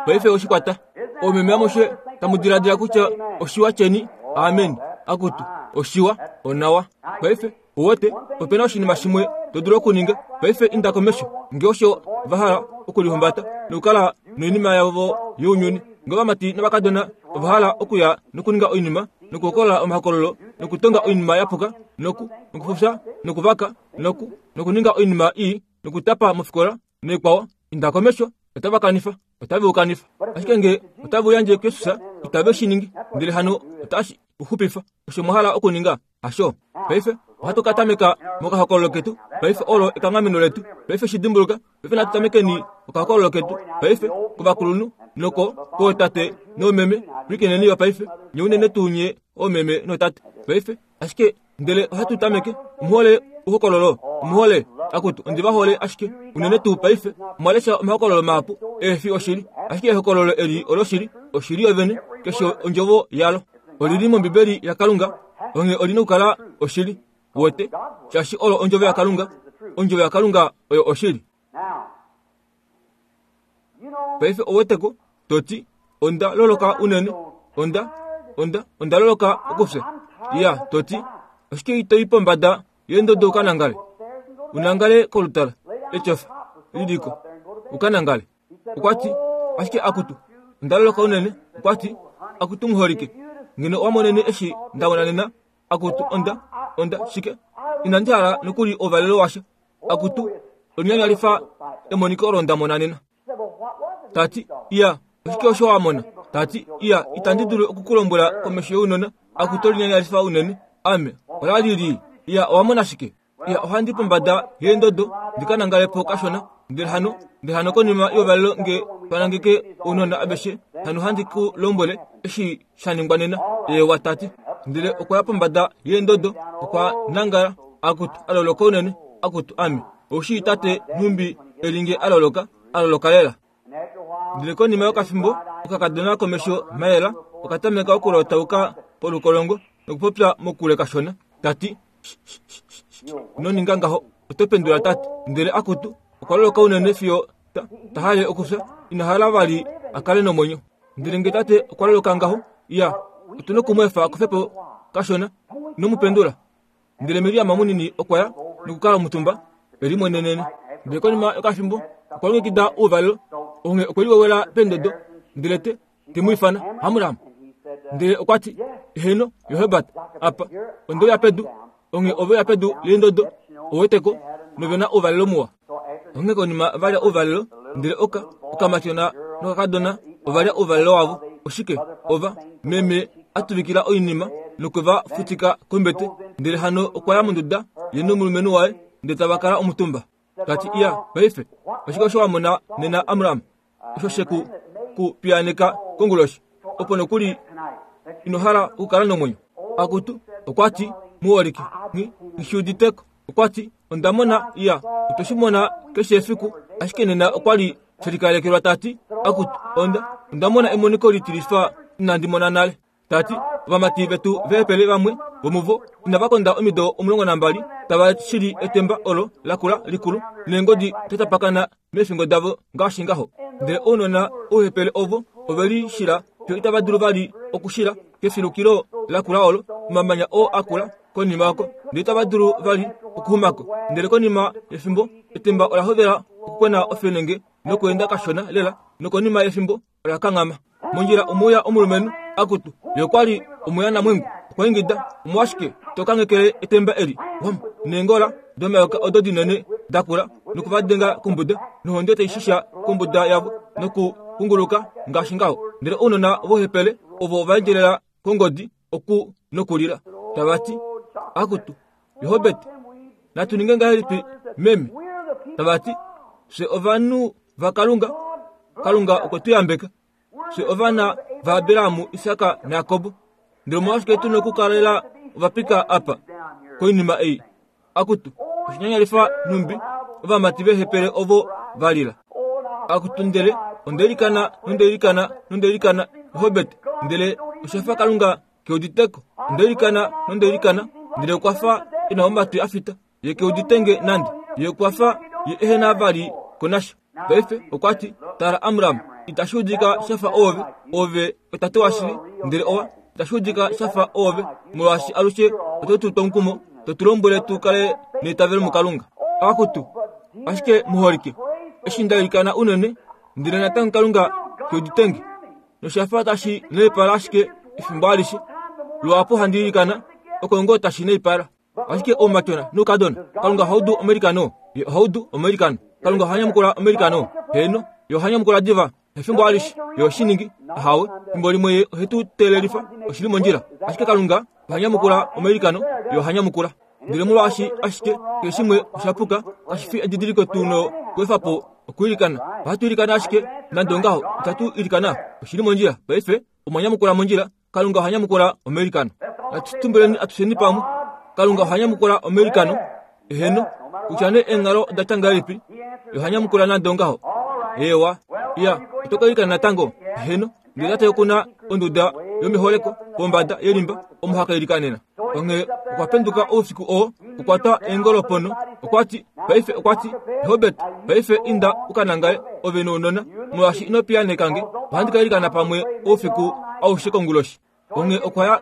Paife oshi kwata. Oomeme amushe tamu diladila kutya oshiwa cheni? Amen. Akutu, oshiwa, onawa. Paife, uwete, ope na oshinima shimwe to dulu okuninga. Paife inda komesho. Nge osho va hala okulihumbata nokukala noinima yavo younyuni, nge ovamati novakadona ova hala okuya nokuninga oinima, nokuhokolola omahokololo, nokutonga oinima ya puka, noku, nokufufya, nokuvaka, noku, nokuninga oinima ii, nokutapa mofikola, Noikwao, inda komesho, otava kanifa, otave u kanifa. Ashike nge otave u yandje kuJesus, itave shi ningi, ndele hano otashi u xupifa. Osho mwa hala okuninga, hasho? Paife ohatu ka tameka mokahokololo ketu. Paife olo ekanghameno letu. Paife shi dimbuluka. Paife natu tamekeni okahokololo ketu. Paife kovakulunhu noko kootate noomeme, pwilikineni yo paife, nye unene tuu nye oomeme nootate. Paife, ashike. Ndele ohatu tameke. Omuhole uhokololo. Omuhole. Akutu, ondi va hole ashike. Unene tuu paife, omwa lesha omahokololo mahapu ehe fi oshili. Ashike ehokololo eli oloshili, oshili yovene, keshe ondjovo yalo. Oli li mOmbibeli yaKalunga, onghee oli nokukala oshili. Uwete? Shaashi olo ondjovo yaKalunga. Ondjovo yaKalunga oyo oshili. Paife ouweteko, to ti, Onda loloka unene. Onda, onda, onda loloka okufya. Ya, to ti, oshike ito i pombada yendodo u ka nangale? U nangale kolutala, etyofa, liliko, u ka nangale. Okwa ti, Ashike akutu, onda loloka unene. Okwa ti, Akutu muholike, ngeno owa monene eshi nda mona nena, akutu, onda, onda, shike? Inandi hala nokuli ouvalelo washa. Akutu, olinyanyalifa emoniko olo nda mona nena. Ta ti, Iya, oshike osho wa mona? Ta ti, Iya, itandi dulu oku ku lombwela komesho younona. Akutu, olinyanyalifa unene. Ame, ola li lii. Iya, owa mona shike? Iya, ohandi pombada yeendodo ndi ka nangale po kashona. Ndele hano, ndele hano konima youvalelo nge twa nangeke ounona aveshe, hano handi ku lombwele eshi sha ningwa nena. Eewa, ta ti. Ndele okwa ya pombada yeendodo, okwa nangala. Akutu, a loloka unene. Akutu, ame. Ou shii tate nhumbi e li nge a loloka, a loloka lela. Ndele konima yokafimbo, okakadona komesho mayela oka tameka okulotauka polukolongo nokupopya mokule kashona, ta ti, Ino ninga ngaho, oto pendula tate. Ndele akutu, okwa loloka unene fiyo ta, ta hale okufya, ina hala vali a kale nomwenyo. Ndele nge tate okwa loloka ngaho, ya, otu noku mu efa a kufe po kashona. Ino mu pendula. Ndele Miriam munini okwa ya nokukala omutumba e limwenenene. Ndele konima yokafimbo okwa longekida ouvalelo, onghee okwe liwewela pendodo, ndele te te mu ifana Amram. Ndele okwa ti, Eheno, Johebat, apa, onde uya pedu, onghee ove uya pedu leendodo, ou weteko, nove na ouvalelo muwa. Onghee konima va lya ouvalelo, ndele oka, okamatyona nokakadona ova lya ouvalelo wavo. Oshike? Ova, meme a tuvikila oinima nokwe va futika kombete, ndele hano okwa ya monduda ye nomulumenhu waye, ndele tava kala omutumba. Ta ti, Iya, paife, oshike osho wa mona nena, Amram? Osho she ku ku piyaaneka konguloshi, opo nokuli ino hala okukala nomwenyo. Akutu, okwa ti, Muholike, nghi, nghi udite ko. Okwa ti, Onda mona, iya, otwe shi mona keshe efiku, ashike nena okwa li she likalekelwa. Ta ti, Akutu, onda, onda mona emoniko litilifa inandi mona nale. Ta ti, Ovamati vetu veepele vamwe vomuvo inava konda omido 12 tava shili etemba olo lakula likulu neengodi da tapakana meefingo davo ngaashi ngaho. Ndele ounona ouhepele ovo ove li shila fiyo itava dulu vali okushila kefilukilo lakula olo, omamanya oo a kula konima oko, ndele itava dulu vali okuxuma ko. Ndele konima yefimbo, etemba ola hovela okukwena ofenenge nokweenda kashona lela, nokonima yefimbo ola kanghama. Mondjila omwe uya omulumenhu, akutu, ye okwa li omuyanamwengu. Okwa ingida, Omolwashike to kanghekele etemba eli? Wham! Neengola domayoka odo dinene da kula noku va denga kombuda, nohonde tai shisha kombuda yavo nokukunguluka ngaashi ngaho. Ndele ounona vohepele ovo ova endjelela kongodi oku nokulila, tava ti, Akutu, Johabet, natu ninge ngahelipi meme? Tava ti, Fye ovanhu vaKalunga, Kalunga okwe tu yambeka. Fye ovana vaAbraham, Isak naJakob. Ndele omolwashike tu nokukalela ovapika apa koinima ei? Akutu, oshinyanyalifa nhumbi ovamati vehepele ovo va lila. Akutu, ndele onde ilikana nonde ilikana nonde ilikana, Robert, ndele osha fa Kalunga ke udite ko. Onde ilikana nonde ilikana, ndele okwa fa e na omatwi a fita. Ye ke udite nge nande. Ye okwa fa ye ehe na vali ko nasha. Paife okwa ti, Tala Amram, itashi udika sha fa oove, oove otate washili, ndele owa, itashi udika sha fa oove, molwaashi alushe oto tu twa omukumo, to tu lombwele tu kale neitavelo muKalunga. Akutu, ashike muholike, eshi nda ilikana unene, ndele natango Kalunga ke udite nge, nosha fa tashi naipala ashike efimbo alishe. Luhapu handi ilikana, oko ngoo tashi naipala. Ashike oumatyona noukadona, Kalunga oha udu omailikano. Ye oha udu omailikano. Kalunga oha nyamukula omailikano. Heeno, Ye oha nyamukula diva, efimbo alishe. Ye ohe shi ningi. Ahawe, efimbo limwe Ye ohe tu teelelifa, oshi li mondjila. Ashike Kalunga oha nyamukula omailikano. Ye oha nyamukula. Ndele molwaashi ashike keshe shimwe osha puka, kashi fi edidiliko tu nokuefa po okwiilikana. Ohatu ilikana ashike, nande ongaho, itatu ilikana. Oshi li mondjila. Paife, omwa nyamukula mondjila. Kalunga oha nyamukula omailikano. Natu tumbuleni atusheni pamwe. Kalunga oha nyamukula omailikano. Eheno, kutya nee eenghalo oda tya ngahelipi, ye oha nyamukula nande ongaho. Eewa. Iya, oto ka ilikana natango? Eheno. Ndele tate oku na onduda yomeholeko pombada yelimba omo ha ka ilikanena. Onghee okwa penduka oufiku oo, okwa twa eengolo ponho, okwa ti, Paife okwa ti, Robert, paife inda u ka nangale, ove nounona, molwaashi ino piyaaneka nge. Ohandi ka ilikana pamwe oufiku aushe konguloshi. Onghee okwa ya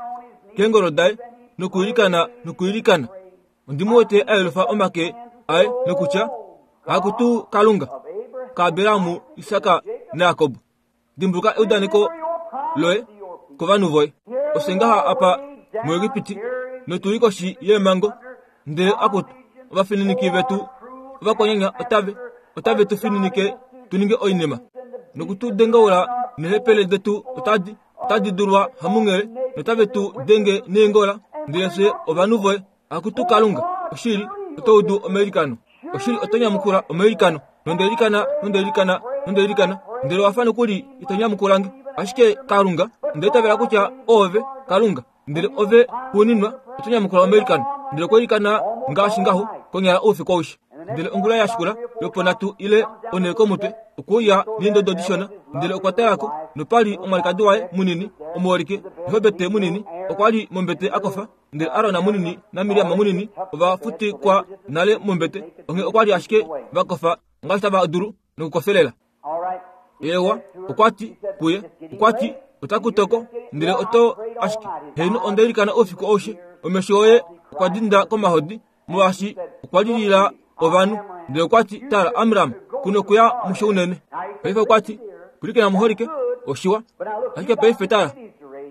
keengolo daye nokuilikana nokuilikana. Ondi mu wete a yelufa omake aye nokutya, Akutu Kalunga kaAbraham, Isak naJakob, dimbuluka eudaneko loye kovanhu voye. Ofye ngaha apa muEgipiti notu li koshi yeemhango, ndele akutu, ovafininiki vetu ovakwanyanya otave otave tu fininike tu ninge oinima noku tu dengaula neehepele detu otadi otadi dulwa hamunghele notave tu denge neengola, ndele fye ovanhu voye. Akutu Kalunga, oshili, oto udu omailikano. Oshili, oto nyamukula omailikano. Nonde ilikana, nonde ilikana, nonde ilikana, ndele owa fa nokuli ito nyamukula nge. Ashike Kalunga, onda itavela kutya oove Kalunga, ndele ove xuuninwa oto nyamukula omailikano. Ndele okwa ilikana ngaashi ngaho konyala oufiku aushe. Ndele ongula ya shikula lwoponhatu ile onhe komutwe, okwe uya neendodo dishona, ndele okwa tala ko, nopa li omwalikadi waye munini, omuholike, Jogebed munini, okwa li mombete a kofa. Ndele Aron munini naMiriam munini ova futikwa nale mombete, onghee okwa li ashike va kofa ngaashi tava dulu nokukofelela. Eewa, okwa ti kuye, okwa ti, Otaku toko, ndele oto ashike. Heeno, onda ilikana oufiku aushe. Omesho oye okwa dinda komahodi, molwaashi okwa lilila ovanhu. Ndele okwa ti, Tala, Amram, ku nokuya musho unene. Paife okwa ti, Pwilikina muholike, oshiwa. Ashike paife tala,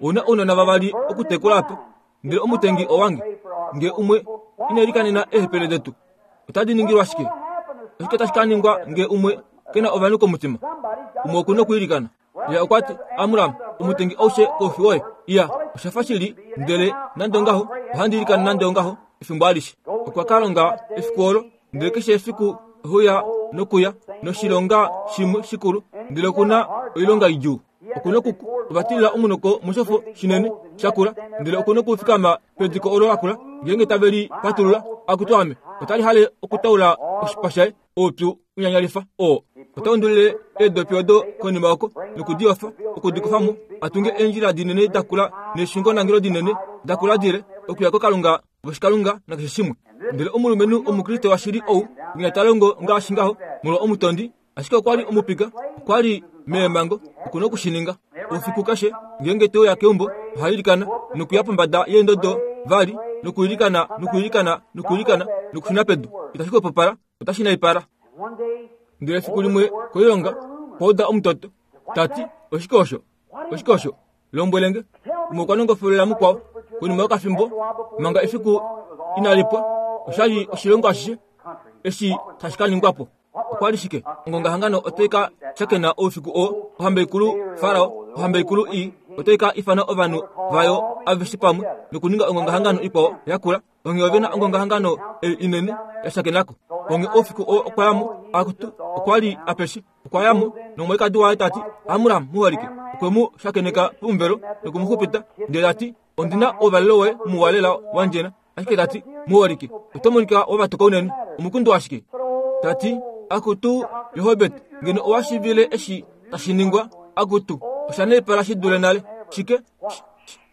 ou na ounona vavali okutekula apa, ndele omutengi owange. Nge umwe ina ilikanena eehepele detu, otadi ningilwa shike? Oshike tashi ka ningwa nge umwe ke na ovanhu komutima? Umwe oku na okwiilikana. Ye okwa ti, Amram, omutengi aushe koufi woye. Iya, osha fa shili, ndele nande ongaho, ohandi ilikana nande ongaho efimbo alishe. Okwa ka longa efiku olo, ndele keshe efiku ohuya nokuya noshilonga shimwe shikulu, ndele oku na oilonga idjuu. Oku noku ovatilila omunoko moshofo shinene shakula, ndele oku nokufikama pediko olo lakula, ngeenge tave li patulula, akutu ame, otali hale okutaula oshipa shaye. Oupyu unyanyalifa oo ota undulile eedopi odo konima oko noku di yofa, oku di kufa mo, a tunge eendjila dinene da kula neeshungonangelo dinene da kula dile okuya kokalunga voshikalunga nakeshe shimwe. Ndele omulumenhu Omukriste washili ou winya ta longo ngaashi ngaho molwa omutondi, ashike okwa li omupika, okwa li meemhango, oku na oku shi ninga. Oufiku keshe ngeenge te uya keumbo, oha ilikana nokuya pombada yeendodo vali nokuilikana nokuilikana nokuilikana nokushuna pedu. Itashi xwepopala, otashi naipala. Ndele efiku limwe koilonga okwa uda omutoto ta ti, Oshike osho? Oshike osho? Lombwele nge. Umwe okwa nongofolela mukwao. Konima yokafimbo, manga efiku inali pwa, osha li oshilongo ashishe eshi tashi ka ningwa po. Okwa li shike? Ongongahangano otai ka shakena oufiku oo. Ohamba ikulu Farao, ohamba ikulu ii, otai ka ifana ovanhu vayo aveshe pamwe nokuninga ongongahangano ikwao yakula. Onghee ove na ongongahangano ei inene ya shakenako. Onghee oufiku oo okwa ya mo, akutu, okwa li apeshe. Okwa ya mo, nomwalikadi waye ta ti, Amram, muholike. Okwe mu shakeneka pomuvelo noku mu xupita, ndele ta ti, Ondi na ouvalelo woye muwa lela wa ndjena. Ashike ta ti, Muholike, oto monika wa vatuka unene. Omukundu washike? Ta ti, Akutu, Jogebed, ngeno owa shiivile eshi tashi ningwa. Akutu, osha naipala shi dule nale. Shike?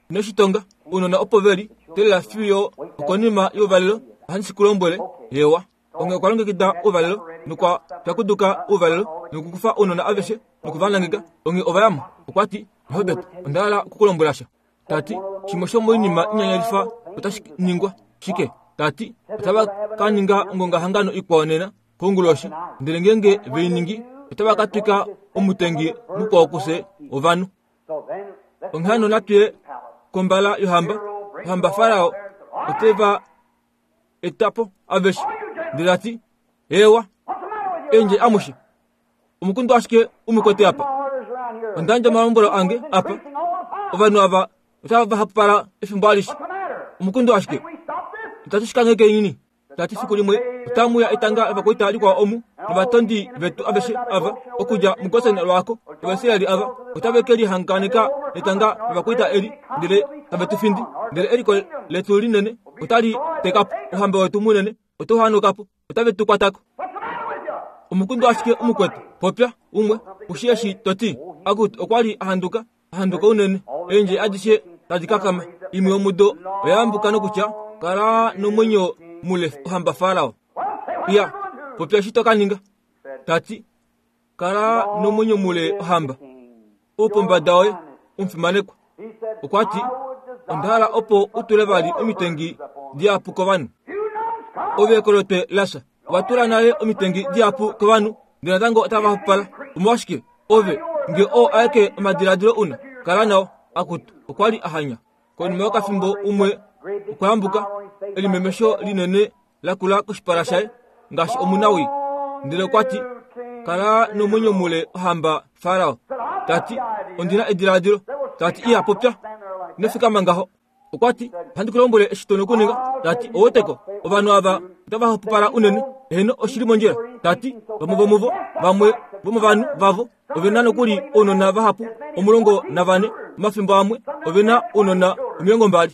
Ino shi tonga. Ounona opo ve li, teelela fiyo okonima youvalelo, ohandi shi ku lombwele. Eewa. Onghee okwa longekida ouvalelo nokwa pyakuduka ouvalelo nokukufa ounona aveshe noku va nangeka. Onghee ova ya mo. Okwa ti, Jogebed, onda hala oku ku lombwela sha. Ta ti, Shimwe shomoinima inyanyalifa otashi ningwa. Shike? Ta ti, Otava ka ninga ongongahangano ikwao nena konguloshi, ndele ngeenge ve i ningi, otava ka twika omutengi mukwao kufye ovanhu. Onghee hano natu ye kombala yohamba. Ohamba Farao ote va eta po aveshe. Ndele ta ti, Eewa, endje amushe. Omukundu ashike u mu kwete apa. Onda yandja omalombwelo ange apa. Ovanhu ava otava va hapupala efimbo alishe. Omukundu ashike. Itatu shi kangheke nini. Ta ti fiku limwe otamu uya etanga lovakwaita likwao omu, novatondi vetu aveshe ava, okudja muGosen lwaako, Ovaisraeli ava otave ke lihanganeka netanga lovakwaita eli, ndele tave tu findi. Ndele eliko letu linene. Otali teka po. Ouhamba wetu munene otau hanuka po. Otave tu kwata ko. Omukundu ashike omukwetu. Popya, umwe, ushi eshi to ti. Akutu, okwa li a handuka, a handuka unene. Eendje adishe tadi kakama. Imwe yomudo oya ambuka nokutya, Kala nomwenyo mule, ohamba Farao. Iya, popya eshi to ka ninga. Ta ti, Kala nomwenyo mule, ohamba. Oupombada woye, omufimanekwa. Okwa ti, Onda hala opo u tule vali omitengi dihapu kovanhu. Ove kolotwe lasha, wa tula nale omitengi dihapu kovanhu, ndele natango otava hapupala. Omolwashike ove, nge oo aeke omadiladilo una, kala nao. Akutu, okwa li a hanya. Konima yokafimbo umwe okwa yambuka, elimemesho linene la kula koshipala shaye ngaashi omunawii. Ndele okwa ti, Kala nomwenyo mule ohamba Farao. Ta ti, Ondi na ediladilo. Ta ti, Iya popya. Ino fikama ngaho. Okwa ti, Ohandi ku lombwele eshi to nokuninga. Ta ti, Oweteko, ovanhu ava otava hapupala unene. Eheno, oshi li mondjila. Ta ti, Vamwe vomuvo, vamwe vomovanhu vavo, ove na nokuli ounona vahapu, 14, omafimbo amwe ove na ounona 20.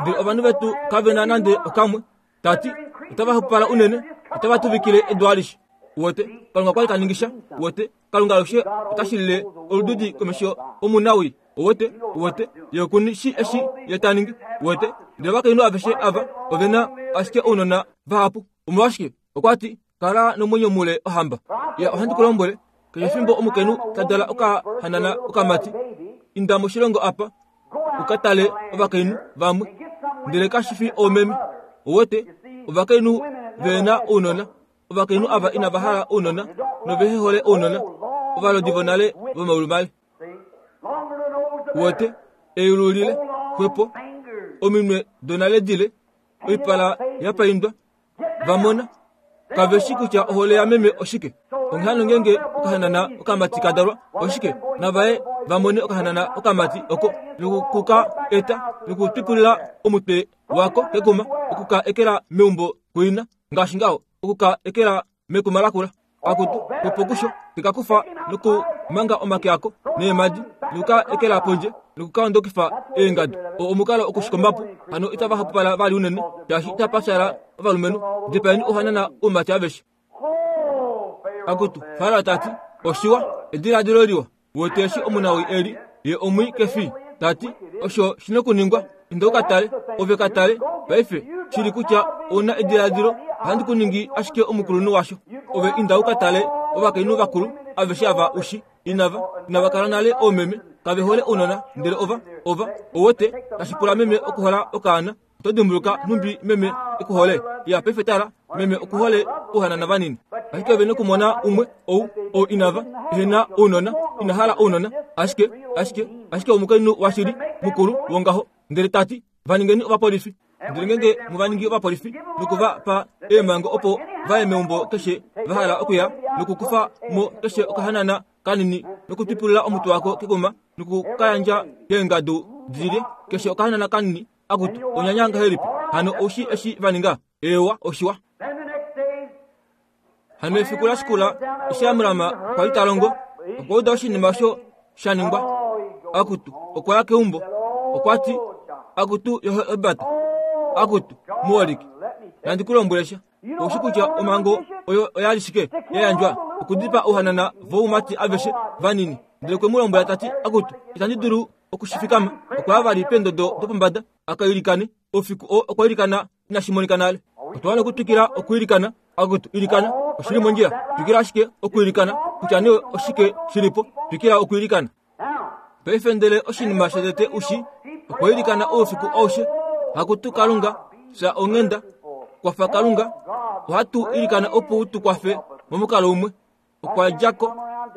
Ndele ovanhu vetu kave na nande okamwe. Ta ti, Otava hapupala unene, otava tuvikile edu alishe. Uwete, Kalunga okwa li ta ningi sha. Uwete, Kalunga alushe ota shilile olududi komesho omunawii. Uwete, uwete, ye oku shi eshi ye ta ningi. Uwete, ndele ovakainhu aveshe ava ove na ashike ounona vahapu. Omolwashike? Okwa ti, Kala nomwenyo mule, ohamba. Ya, ohandi ku lombwele, keshe fimbo omukainhu ta dala okahanana okamati, inda moshilongo apa u ka tale ovakainhu vamwe, ndele kashi fi oomeme. Uwete, ovakainhu ve na ounona, ovakainhu ava inava hala ounona novehe hole ounona, ovalodi vonale vomaulu male. Uwete, eyulu lile, xwepo, ominwe donale dile, oipala ya paindwa, va mona kave shi kutya ohole yameme oshike. Onghee hano ngeenge okahanana okamati ka dalwa, oshike navaye va mone okahanana okamati oko noku ka eta nokutwipulila omutwe wako kekuma, oku ka ekela meumbo kuina, ngaashi ngaho, oku ka ekela mekuma lakula. Akutu, opo kusho te ka kufa nokumanga omake ako neemadi noku ka ekela pondje noku ka ondokifa eengadu. Oo omukalo okushikomba po. Hano itava hapupala vali unene, shaashi itapa fyaala ovalumenhu. Dipaeni ouhanana oumati aveshe. Akutu, Farao ta ti, oshiwa, ediladilo liwa. Wete eshi omunawii e li, ye omwii ke fi. Ta ti, Osho shi nokuningwa. Inda u ka tale. Ove ka tale, paife, shili kutya ou na ediladilo, ohandi ku ningi ashike omukulunhu washo. Ove inda u ka tale ovakainhu vakulu aveshe ava u shi. Inava, inava kala nale oomeme. Kave hole ounona, ndele ova, ova, ou wete, tashi pula meme okuhola okaana. Oto dimbuluka nhumbi meme e ku hole? Ya, paife tala, meme oku hole ouhanana vanini. Ashike ove nokumona umwe ou, ou inava, ehe na ounona, ina hala ounona, ashike, ashike, ashike omukainhu washili, mukulu, wongaho. Ndele ta ti, Va ningeni ovapolifi. Ndele ngeenge mu va ningi ovapolifi noku va pa eemhango opo va ye meumbo keshe va hala okuya, nokukufa mo keshe okahanana kanini nokutwipulila omutwe wako kekuma noku ka yandja keengadu di lye, keshe okahanana kanini, Akutu, onyanya ngahelipi! Hano ou shii eshi va ninga? Eewa, oshiwa. Hano efiku la shikula, eshi Amram kwa li ta longo, okwa uda oshinima osho sha ningwa. Akutu, okwa ya keumbo. Okwa ti, Akutu, Yohebat. Akutu, muholike. Nandi ku lombwele sha. Ou shi kutya omhango oyo oya li shike ya yandjwa? Okudipaa ouhanana voumati aveshe vanini. Ndele okwe mu lombwela ta ti, Akutu, itandi dulu oku shi fikama. Okwa ya vali peendodo dopombada a ka ilikane. Oufiku oo okwa ilikana inashi monika nale. Otwa wana okutwikila okwiilikana. Akutu, ilikana. Oshi li mondjila. Twikila ashike okwiilikana, kutya nee oshike shi li po. Twikila okwiilikana. Paife ndele oshinima shotete u shi, okwa ilikana oufiku aushe, Akutu Kalunga, fya onghenda, kwafa Kalunga, ohatu ilikana opo u tu kwafe momukalo umwe. Okwa dja ko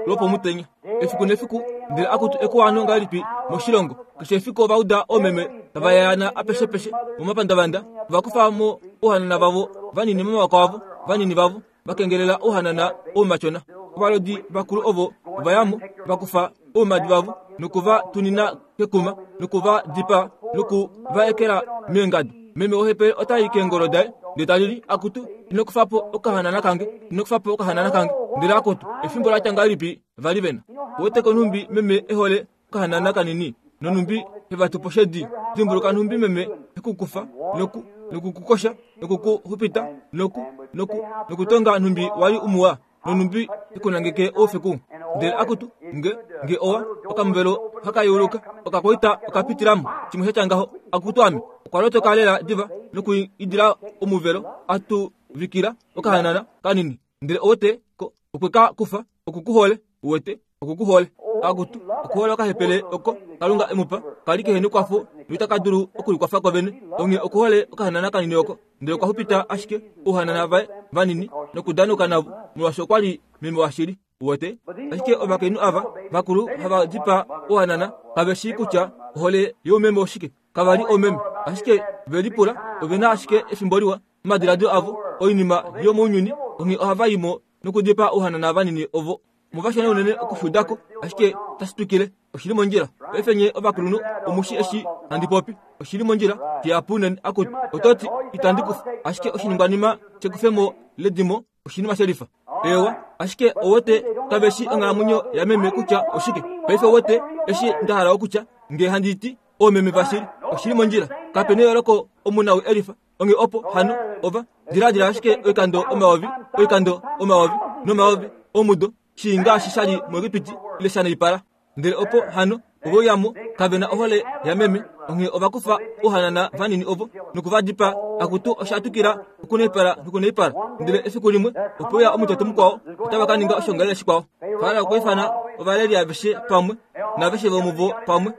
lwopomutenya efiku nefiku, ndele akutu ekuwano ngahelipi moshilongo. Keshe efiku ova uda oomeme tava yayaana apeshepeshe momapandavanda, ova kufa mo ouhanana vavo vanini momawako avo, vanini vavo va kengelela ouhanana oumatyona. Ovalodi vakulu ovo ova ya mo, va kufa oumadi vavo noku va tunina kekuma noku va dipaa noku va ekela meengadu. Meme wohepele ota i keengolo daye ndele ta lili, Akutu, ino kufa po okahanana kange, ino kufa po okahanana kange. Ndele akutu, efimbo la tya ngahelipi va li ve na! Ouwete ko nhumbi meme e hole okahanana kanini, nonhumbi he va tu poshedi. Dimbuluka nhumbi meme he ku kufa noku. noku ku kosha noku ku xupita noku noku nokutonga nhumbi wa li umuwa nonhumbi ikunangeke oufiku. Ndele akutu, nge, nge owa, okamuvelo haka yeuluka, okakwaita okapitilamo, shimwe sha tya ngaho. Akutu ame, okwa lotoka lela diva noku idila omuvelo, a tuvikila okahanana kanini. Ndele owete ko, okwe ka kufa, oku ku hole, uwete, oku ku hole. Akutu, okuhola okahepele oko Kalunga e mu pa, ka li kehe nekwafo noitaka dulu okulikwafa ko vene. Onghee okuhole okahanana kanini oko. Ndele okwa xupita ashike ouhanana vaye vanini nokudanuka navo, molwaashi okwa li meme washili. Uwete? Ashike ovakainhu ava vakulu hava dipaa ouhanana kave shii kutya ohole youmeme oshike. Kava li oomeme, ashike ve lipula ove na ashike efimbo liwa momadiladilo avo, oinima yomounyuni, onghee ohava i mo nokudipaa ouhanana vanini ovo. Omuvashona unene okufuda ko, ashike otashi twikile. Oshi li mondjila. Paife nye ovakulunhu omu shi eshi handi popi. Oshi li mondjila. Shihapu unene. Akutu, oto ti, Itandi kufa. Ashike oshiningwanima shekufemo ledimo oshinima shelifa. Eewa, ashike owete kave shi onghalamwenyo yameme kutya oshike. Paife owete eshi nda hala okutya, nge handi ti, Oomeme vashili. Oshi li mondjila. Kape neyooloko omunawi elifa. Onghee opo hano ova diladila ashike oikando omayovi, oikando omayovi nomayovi omudo, shii ngaashi sha li muEgipiti ile sha naipala. Ndele opo hano ove uya mo, kave na ohole yameme, onghee ova kufa ouhanana vanini ovo noku va dipaa. Akutu, osha twikila okunaipala nokunaipala. Ndele efiku limwe ope uya omutoto mukwao, otava ka ninga oshiongalele shikwao. Farao okwa ifana ovaleli aveshe pamwe, naaveshe vomuvo pamwe.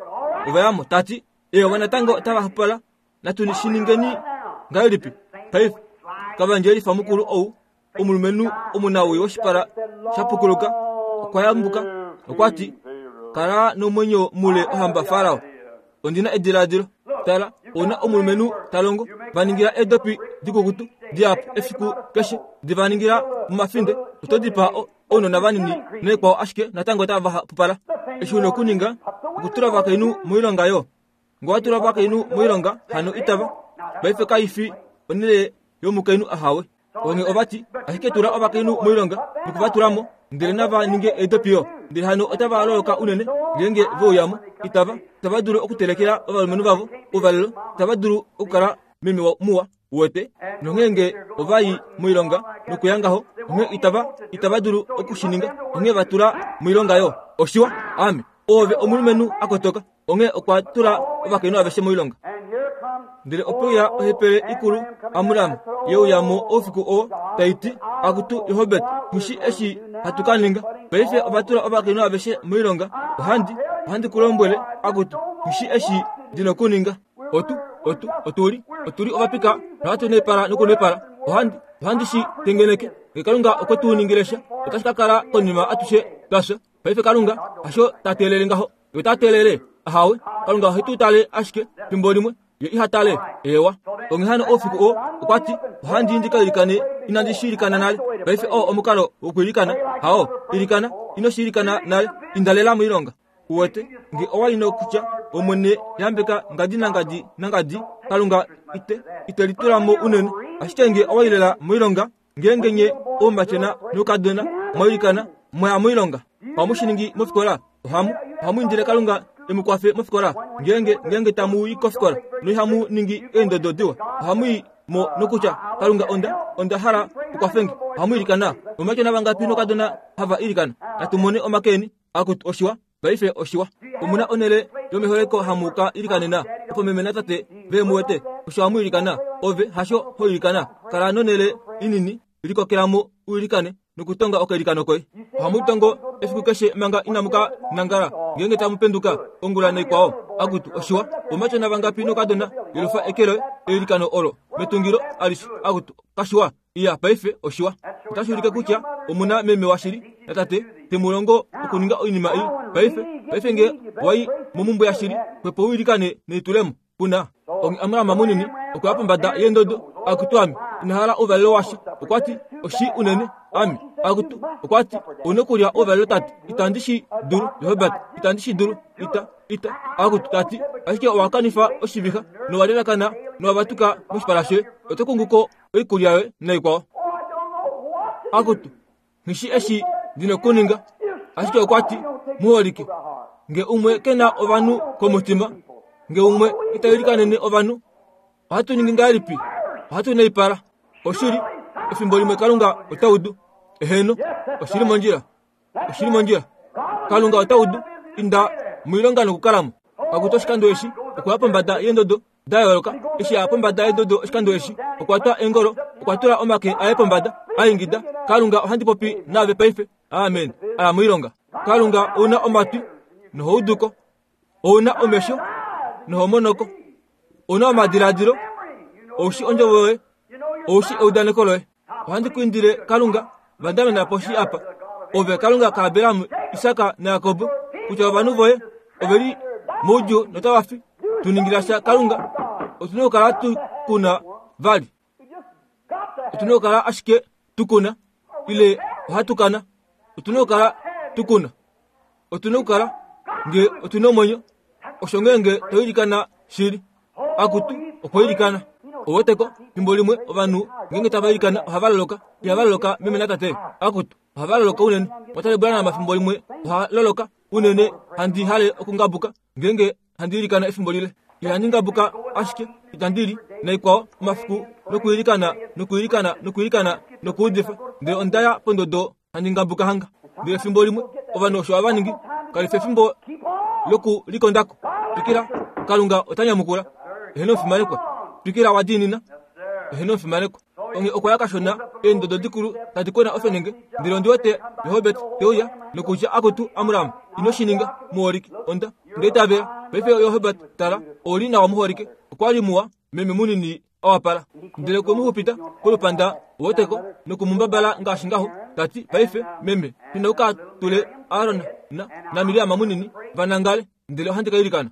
Ova ya mo, ta ti, Eewa, natango otava hapupala Natu shi ningeni ngahelipi paife? Kavandjelifa mukulu ou, omulumenhu omunawii woshipala sha pukuluka, okwa yambuka. Okwa ti, Kala nomwenyo mule ohamba Farao. Ondi na ediladilo. Tala, ou na omulumenhu ta longo. Va ningila eedopi dikukutu dihapu efiku keshe. Di va ningila momafinde. Oto dipaa ounona vanini naikwao ashike natango otava hapupala. Eshi u na okuninga, okutula ovakainhu moilonga yo. Nge owa tula ovakainhu moilonga, hano itava. Paife kai fi onhele yomukainhu ahawe. Onghee ova ti, ashike tula ovakainhu moilonga noku va tula mo, ndele nava ninge eedopi yo. Ndele hano otava loloka unene ngeenge ve uya mo. Itava, itava dulu okutelekela ovalumenhu vavo ouvalelo. Itava dulu okukala meme muwa. Uwete? Nonghee nge ova i moilonga nokuya ngaho, onghee itava, itava dulu oku shi ninga. Onghee va tula moilonga yo. Oshiwa. Ame. Oove omulumenhu a kotoka. Onghee okwa tula ovakainhu aveshe moilonga. Ndele ope uya ohepele ikulu, Amram, ye uya mo oufiku oo, tai ti, Akutu Johobet, ku shi eshi hatu ka ninga. Paife ova tula ovakainhu aveshe moilonga. Ohandi, ohandi ku lombwele, akutu, ku shi eshi ndi nokuninga. Otu, otu, otu li, otu li ovapika nohatu nepala nokunepala. Ohandi, ohandi shi tengeneke. Nge Kalunga okwe tu ningile sha, otashi ka kala konima atushe twa fya. Paife Kalunga hasho ta teelele ngaho. Ye ota teelele? Ahawe. Kalunga ohe tu tale ashike fimbo limwe, ye iha tale. Eewa. Onghee hano oufiku oo, okwa ti, Ohandi ndi ka ilikane, inandi shi ilikana nale. Paife oo omukalo wokwiilikana, hao? Ilikana, ino shi ilikana nale, inda lela moilonga. Uwete, nge owa li nokutya, Omwene, yambeka ngadi nangadi nangadi, Kalunga ite, ite litula mo unene. Ashike nge owa i lela moilonga, Ngeenge nye oumatyona noukadona mwa ilikana, mwa ya moilonga, ohamu shi ningi mofikola? Ohamu, ohamu indile Kalunga e mu kwafe mofikola? Ngeenge, ngeenge tamu i kofikola noihamu ningi eendodo diwa, ohamu i mo nokutya, Kalunga, onda, onda hala u kwafe nge. Ohamu ilikana. Oumatyona vangapi noukadona hava ilikana? Natu mone omake eni. Akutu, oshiwa. Paife oshiwa. Omu na onhele yomeholeko hamu ka ilikanena, opo meme natate ve mu wete. Osho hamu ilikana. Ove hasho ho ilikana. Kala nonhele inini, likokela mo u ilikane nokutonga okailikano koye. Ohamu tongo efiku keshe manga inamu ka nangala, ngeenge tamu penduka ongula naikwao. Akutu, oshiwa. Omatyona vangapi nokadona yelufa eke loye eilikano olo metungilo alishe. Akutu, kashiwa. Iya, paife oshiwa. Otashi ulike kutya omu na meme washili natate te mu longo okuninga oinima ei. Paife, paife nge wa i momumbwe yashili, xwepo u ilikane nelitulemo. Kuna. Onghee Amram munini okwa ya pombada yeendodo, Akutu ame, ina hala ouvalelo washa. Okwa ti, Oshii unene. Ame, akutu, okwa ti, ou na okulya ouvalelo tate. Itandi shi dulu, Johabed. Itandi shi dulu. Ita, ita, akutu, ta ti, ashike owa kanifa oshivixa, nowa lelakana, nowa vatuka moshipala shoye. Oto kungu ko oikulya yoye naikwao. Akutu, nghi eshi ndi nokuninga. Ashike okwa ti, Muholike, nge umwe ke na ovanhu komutima, nge umwe ita ilikanene ovanhu, ohatu ningi ngahelipi? Ohatu naipala. Oshili, efimbo limwe Kalunga ota udu. Eheno, oshili mondjila. Oshili mondjila. Kalunga ota udu. Inda moilonga nokukalamo. Akutu oshikando eshi, okuya pombada yeendodo da yooloka. Eshi a ya pombada yeendodo oshikando eshi, okwa twa eengolo, okwa tula omake aye pombada, a ingida, Kalunga, ohandi popi naave paife. Amen. A ya moilonga. Kalunga, ou na omatwi noho udu ko. Ou na omesho noho mono ko. Ou na omadiladilo, ou shi ondjovo yoye, ou shi eudaneko loye. Ohandi ku indile, Kalunga, vandamena poshi apa, ove Kalunga kaAbraham, Isak naJakob, kutya ovanhu voye ove li moudjuu notava fi. Tu ningila sha, Kalunga. Otu na okukala tu kuna vali. Otu na okukala ashike tu kuna, ile ohatu kana. Otu na okukala tu kuna. Otu na okukala nge otu na omwenyo. Osho ngeenge to ilikana shili. Akutu, okwa ilikana. Oweteko, fimbo limwe ovanhu ngeenge tava ilikana ohava loloka. Ihava loloka meme natate. Akutu, ohava loloka unene. Mwatale Branham fimbo limwe oha loloka unene handi hale okungabuka ngeenge handi ilikana efimbo lile. Ihandi ngabuka ashike itandi li naikwao omafiku nokuilikana nokuilikana nokuilikana nokuudifa ndele onda ya pondodo handi ngabuka hanga. Ndele efimbo limwe ovanhu osho hava ningi kali fi efimbo lokulikondako. Twikila, Kalunga ota nyamukula. Eheno omufimanekwa. Twikila wa diinina. Eheno omufimanekwa. Onghee okwa ya kashona eendodo dikulu tadi kwena ofenenge ndele ondi wete Rehobet te uya nokutya akutu Amram ino shi ninga muholike onda onda itavela paife Rehobet tala ou li nawa muholike okwa li muwa meme munini a wapala ndele okwe mu xupita kolupanda woteko noku mu mbabala ngaashi ngaho ta ti paife meme ina u ka tule Aron na naMiriam munini va nangale ndele ohandi ka ilikana.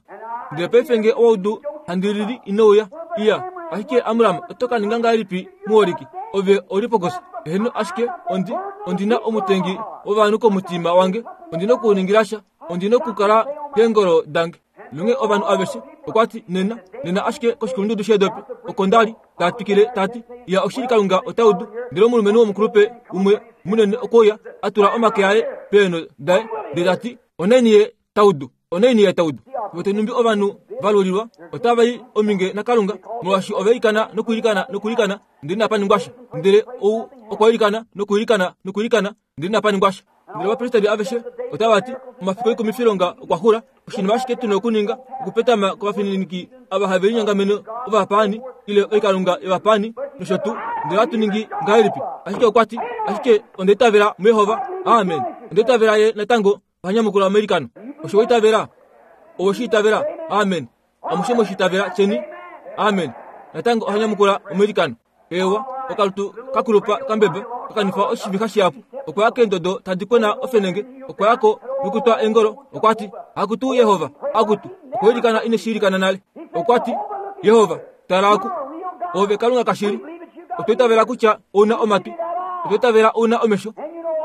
Ndele paife nge owa udu handi lili ino uya. Iya, ashike Amram oto ka ninga ngahelipi muholike? Ove ou li pokosa. Eheno, ashike ondi, ondi na omutengi wovanhu komutima wange. Ondi na okuningila sha. Ondi na okukala keengolo dange. Nonghee ovanhu aveshe, okwa ti, Nena, nena ashike koshikulundudu sheedopi, oko nda li, ta twikile ta ti, Iya, oshili Kalunga ota udu. Ndele omulumenhu womukulupe umwe munene okwe uya, a tula omake aye peenho daye, ndele ta ti, Onaini ye ta udu, onaini ye ta udu. Vote numbi ovanhu va lulilwa otava i ominge naKalunga, molwaashi ova ilikana nokuilikana nokuilikana, ndele inapa ningwa sha. Ndele ou okwa ilikana nokuilikana nokuilikana, ndele inapa ningwa sha. Ndele ovapristeri aveshe otava ti, Omafiku oikumifilonga okwa xula, oshinima ashike tu na okuninga okupetama kovafininiki ava have linyongamene ovapaani ile oikalunga yovapaani nosho tuu. Ndele ohatu ningi ngahelipi? Ashike okwa ti, Ashike onda itavela muJehova. Amen. Onda itavela ye natango Oha nyamukula omailikano. Osho wa itavela? Owe shi itavela? Amen. Amushe mwe shi itavela tyeni amen. Natango oha nyamukula omailikano. Eewa, okalutu ka kulupa kambeba ka kanifa oshivixa shihapu. Okwa ya keendodo tadi kwena ofenenge. Okwa ya ko nokutwa eengolo. Okwa ti, Akutu Yehova, akutu. Okwa ilikana ine shi ilikana nale. Okwa ti, Yehova, tala oku. Oove Kalunga kashili. Otwa itavela kutya ou na omatwi. Otwa itavela ou na omesho.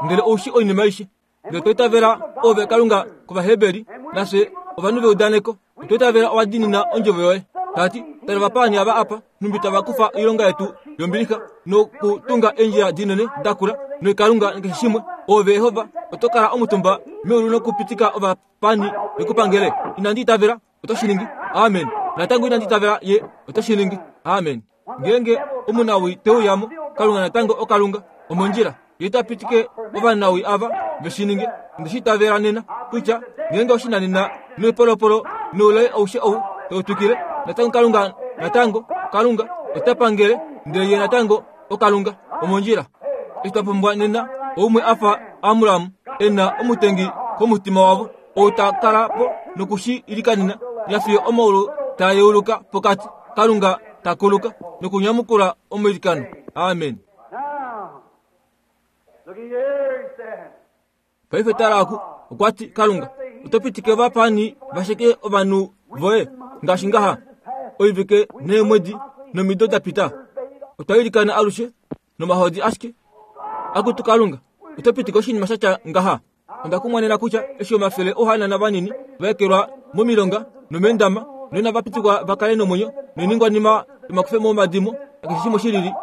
Ndele ou shi oinima aishe. Ndele otwa itavela Ove Kalunga kOvaheberi, nafye ovanhu veudaneko. Otwa itavela owa diinina ondjovo yoye. Ta ti, Tala ovapaani ava apa, nhumbi tava kufa oilonga yetu yombilixa nokutunga eendjila dinene dakula noikalunga nakeshe shimwe. Ove Yehova, oto kala omutumba meulu nokupitika ovapaani ve ku pangele. Inandi itavela oto shi ningi. Amen. Natango inandi itavela ye ote shi ningi. Amen. Ngeenge omunawii te uya mo, Kalunga natango oKalunga. Omondjila. Ye ta pitike ovanawii ava ve shi ninge. Onde shi itavela nena, kutya ngeenge oshinanena noipolopolo noulai aushe ou tau twikile, natango Kalunga, natango Kalunga ota pangele, ndele Ye natango oKalunga. Omondjila. Eshi twa pumbwa nena oumwe a fa Amram e na omutengi komutima wavo, ou ta kala po noku shi ilikanena nafiyo omaulu taa yeuluka pokati, Kalunga ta kuluka nokunyamukula omailikano. Amen. Paife tala oku, okwa ti, Kalunga, oto pitike ovapaani va sheke ovanhu voye ngaashi ngaha oivike neemwedi nomido da pita. Otwa ilikana alushe nomahodi ashike. Akutu Kalunga, oto pitike oshinima sha tya ngaha? Onda kumwanena kutya eshi omafele ouhanana vanini va ekelwa momilonga nomeendama noinava pitikwa va kale nomwenyo noiningwanima yomakufemo omadimo nakeshe shimwe shi lili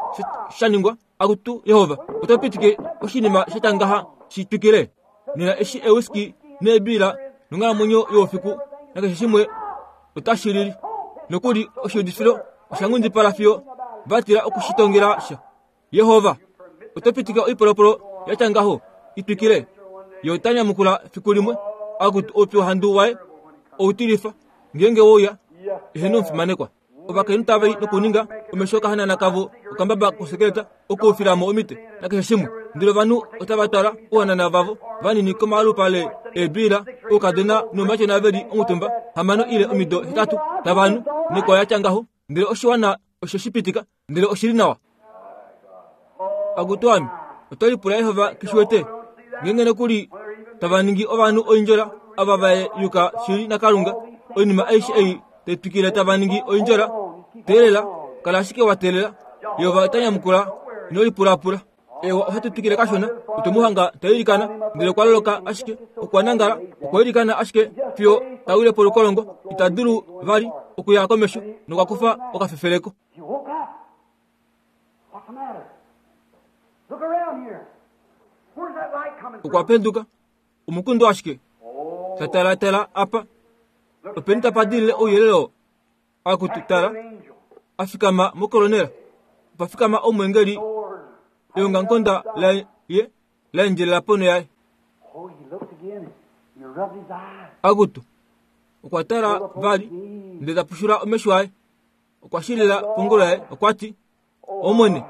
sha ningwa, akutu Yehova, oto pitike oshinima sha tya ngaha shi twikile? Nena eshi ewiski neebiila nonghalamwenyo youfiku nakeshe shimwe otashi lili nokuli oshiudifilo osha nghundipala fiyo. Va tila oku shi tongela sha. Yehova, oto pitika oipolopolo ya tya ngaho i twikile? Ye ota nyamukula fiku limwe, akutu oupyuhandu waye outilifa, ngeenge we uya, eheno omufimanekwa. Ovakainhu tava i nokuninga omesho okahanana kavo okambaba kosekeleta okuufila mo omite nakeshe shimwe. Ndele ovanhu otava twala ouhanana vavo vanini komalupale eebiila, oukadona noumatyona ve li omutumba hamano ile omido hetatu tava nu nekwa ya tya ngaho. Ndele oshiwana oshe shi pitika, ndele oshi li nawa. Akutu ame, oto lipula Yehova ke shi wete? Ngeenge nokuli tava ningi ovanhu oindjola ava va yuka shili naKalunga, oinima aishe ei tai twikile tava ningi oindjola, teelela, kala ashike wa teelela. Yehova ota nyamukula, ino lipulapula. Ewa, ohatu twikile kashona, otwe mu hanga ta ilikana, ndele okwa loloka ashike, okwa nangala, okwa ilikana ashike fiyo ta wile polukolongo, ita dulu vali okuya komesho nokwa kufa okafefeleko. He woke up. What's the matter? Look around here. Where's that light coming Okwa from? penduka. Omukundu ashike. Oh, Ta talatala apa. look Openi tapa dilile ouyelele oo. Akutu tala. an angel. A fikama mokolonela. Opa fikama omwengeli Lord. eongamukonda laye la endjelela ponho yaye. Oh, he looked again and he rubbed his eyes. Akutu. Okwa tala vali ndele ta pushula omesho aye. Okwa shilila pongolo yaye okwa ti, Omwene,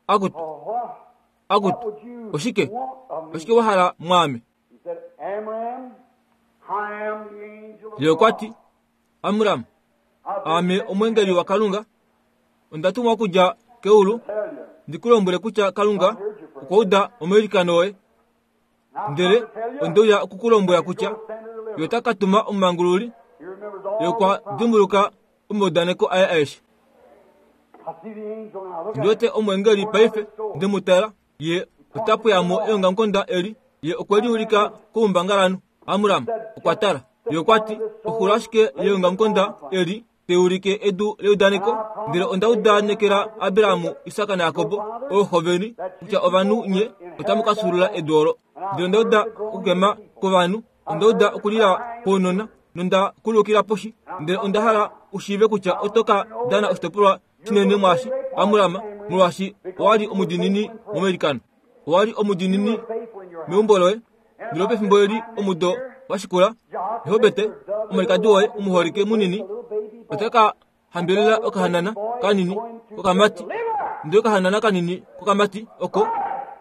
akutu, akutu, oshike, oshike wa hala mwaame? Ye okwa ti, Amram, aame omwengeli waKalunga, onda tumwa okudja keulu ndi ku lombwele kutya Kalunga okwa uda omailikano oye. Ndele onde uya oku ku lombwela kutya ye ota ka tuma omumangululi. Ye okwa dimbuluka omaudaneko aye aeshe. Ndi wete omwengeli paife, nde mu tala, ye ota pweya mo eongamukonda eli, ye okwe li ulika koumbangalanhu. Amram okwa tala. Ye okwa ti, Oxulo ashike yeongamukonda eli te ulike edu leudaneko, ndele onda udanekela Abraham, Isak naJakob, ooxo veni, kutya ovanhu nye otamu ka fyuulula edu olo. Ndele onda uda okukema kwovanhu, onda uda okulila kwounona, nonda kulukila poshi, ndele onda hala u shiive kutya oto ka dana oshitopolwa shinene mwaashi, Amram, molwaashi owa li omudiinini momailikano. Owa li omudiinini meumbo loye, ndele pefimbo eli omudo wa shikula, Jehobete, omwalikadi woye omuholike munini, ota ka hambelela okahanana kanini kokamati, ndele okahanana kanini kokamati oko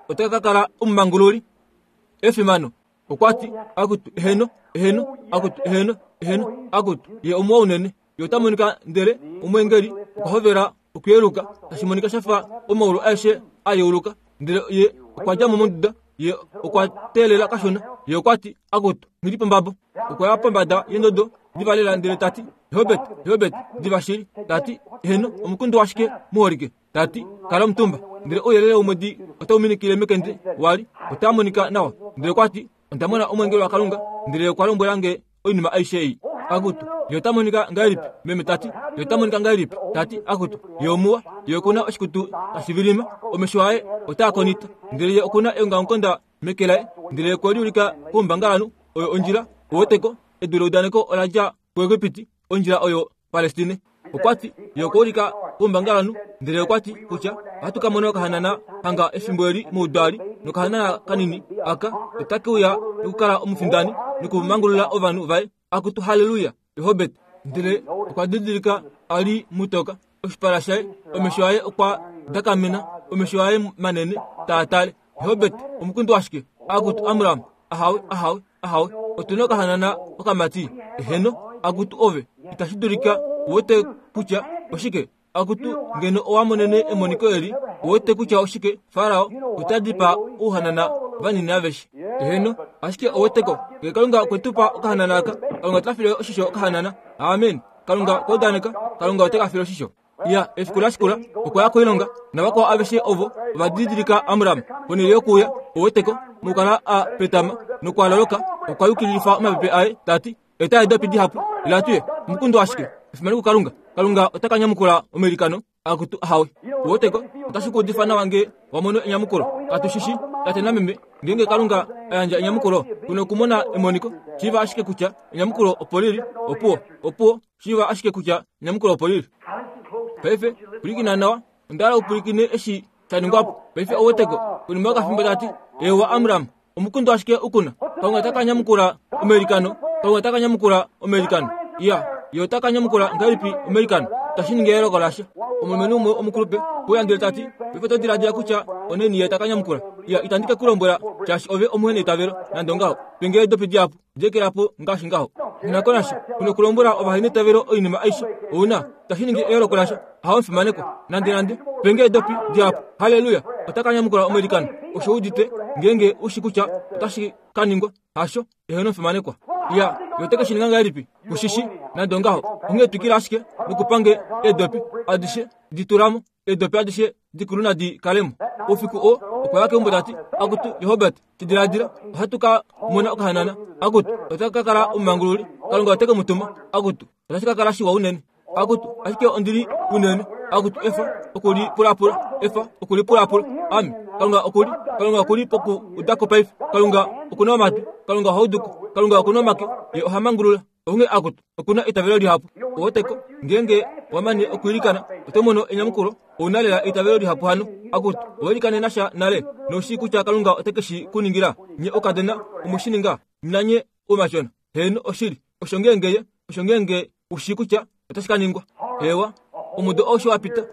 otaka ka kala omumangululi. Efimano! Okwa ti, Akutu, eheno, eheno, akutu, eheno, eheno, akutu, ye omuwa unene. Ye ota monika ndele omweengeli okwa hovela okuyeluka, tashi monika sha fa omaulu aeshe a yeuluka. Ndele ye okwa dja mo monduda, ye okwa teelela kashona. Ye okwa ti, Akutu, nghi li pombabo. Okwa ya pombada yendodo diva lela ndele ta ti, Jehobet, Jehobet, diva shili. Ta ti, Eheno, omukundu washike muholike? Ta ti, Kala omutumba. Ndele ouyelele womwedi otau minikile mekende wa li, otaa monika nawa. Ndele okwa ti, Onda mona omweengeli waKalunga, ndele ye okwa lombwela nge oinima aishe ei. Akutu, ye ota monika ngahelipi? Meme ta ti, ye ota monika ngahelipi? Ta ti, akutu, ye omuwa, ye oku na oshikutu tashi vilima, omesho aye otaa konita, ndele ye oku na eongamukonda meke laye, ndele ye okwe liulika koumbangalanhu, oyo ondjila, uweteko, edu leudaneko ola dja kuEgipiti, ondjila oyo Palestine. Okwa ti, Ye okwa ulika koumbangalanhu, ndele okwa ti kutya ohatu ka mona okahanana hanga efimbo eli moudwaali, nokahanana kanini aka otake uya nokukala omufindani nokumangulula ovanhu vaye. Akutu, halleluya! Rehobet. Ndele okwa didilika a li mutoka, oshipala shaye, omesho aye okwa dakamena, omesho aye manene taa tale. Rehobet, omukundu washike? Akutu, Amram, ahawe, ahawe, Ahawe, otu na okahanana okamati. Eheno, akutu ove, itashi dulika u wete kutya oshike. Akutu, ngeno owa monene emoniko eli, u wete kutya oshike, Farao ota dipaa ouhanana vanini aveshe. Eheno, ashike ou weteko, ngee Kalunga okwe tu pa okahanana aka, Kalunga ota file oshisho okahanana. Amen. Kalunga okwa udaneka, Kalunga ote ka file oshisho. Ya, efiku la shikula, okwa ya koilonga, navakwao aveshe ovo ova didilika Amram ponhele yokuuya, oweteko, mokukala a petama nokwa loloka, okwa yukililifa omapepe aye, ta ti, Eta eedopi dihapu, ila tu ye. Omukundu ashike, efimano kuKalunga. Kalunga ota ka nyamukula omailikano akutu ahawe. Oweteko, otashi ku udifa nawa nge wa mono enyamukulo. Katu shi shi, tate nameme, ngeenge Kalunga a yandja enyamukulo, ku nokumona emoniko. Shiiva ashike kutya enyamukulo opo li li. Opuwo, opuwo. Shiiva ashike kutya enyamukulo opo li li. Paife, pwilikina nawa. Onda hala upwilikine eshi sha ningwa po. Paife ou weteko, konima yokafimbo ta ti, Eewa, Amram, omukundu ashike u kuna. Kalunga ota ka nyamukula omailikano. Kalunga ota ka nyamukula omailikano. Iya, Ye ota ka nyamukula ngahelipi omailikano? Itashi ningi eyooloko lasha. Omulumenhu umwe omukulupe okwe uya ndele ta ti, Paife oto diladila kutya onaini Ye ta ka nyamukula? Iya, itandi ke ku lombwela, shaashi ove omuheneitavelo, nande ongaho. Pe nge eedopi dihapu. Di po ngaashi ngaho. Nako nasha, u nokulombwela ovaheneitavelo oinima aishe. Ou na, tashi ningi eyooloko lasha. Hawo omufimanekwa. Nande nande. Penge edopi dihapu. Halleluya! Ota ka nyamukula omailikano. Osho udite, ngeenge u shi kutya otashi ka ningwa. Hasho, eheno omufimanekwa. Ya, ye ote ke shi ninga ngahelipi? Ku shi shi, nande ongaho. Onghee twikila ashike nokupange eedopi adishe di tula mo. Eedopi adishe dikulu nadi kale mo. Oufiku oo, okwa ya keumbo ta ti, Akutu, Jehobert, ti diladila, ohatu ka mona okahanana. Akutu, ota ka kala omumangululi. Kalunga ote ke mu tuma. Akutu, otashi ka kala shiwa unene. Akutu, ashike ondi li unene. Akutu, efa oku li pulapula. Efa oku li pulapula. Ame, Kalunga oku li, Kalunga oku li poku uda ko paife. Kalunga oku na omatwi. Kalunga oha udu ko. Kalunga oku na omake. Ye oha mangulula. Onghee akutu, oku na eitavelo lihapu. Oweteko, ngeenge wa mane okwiilikana, oto mono enyamukulo. Ou na lela eitavelo lihapu hano. Akutu, owa ilikanena sha nale, nou shii kutya Kalunga ote ke shi ku ningila. Nye oukadona, omwe shi ninga, nanye oumashona. Heeno, oshili. Osho ngeenge ye, osho ngeenge u shii kutya otashi ka ningwa. Eewa, omudo aushe wa pita.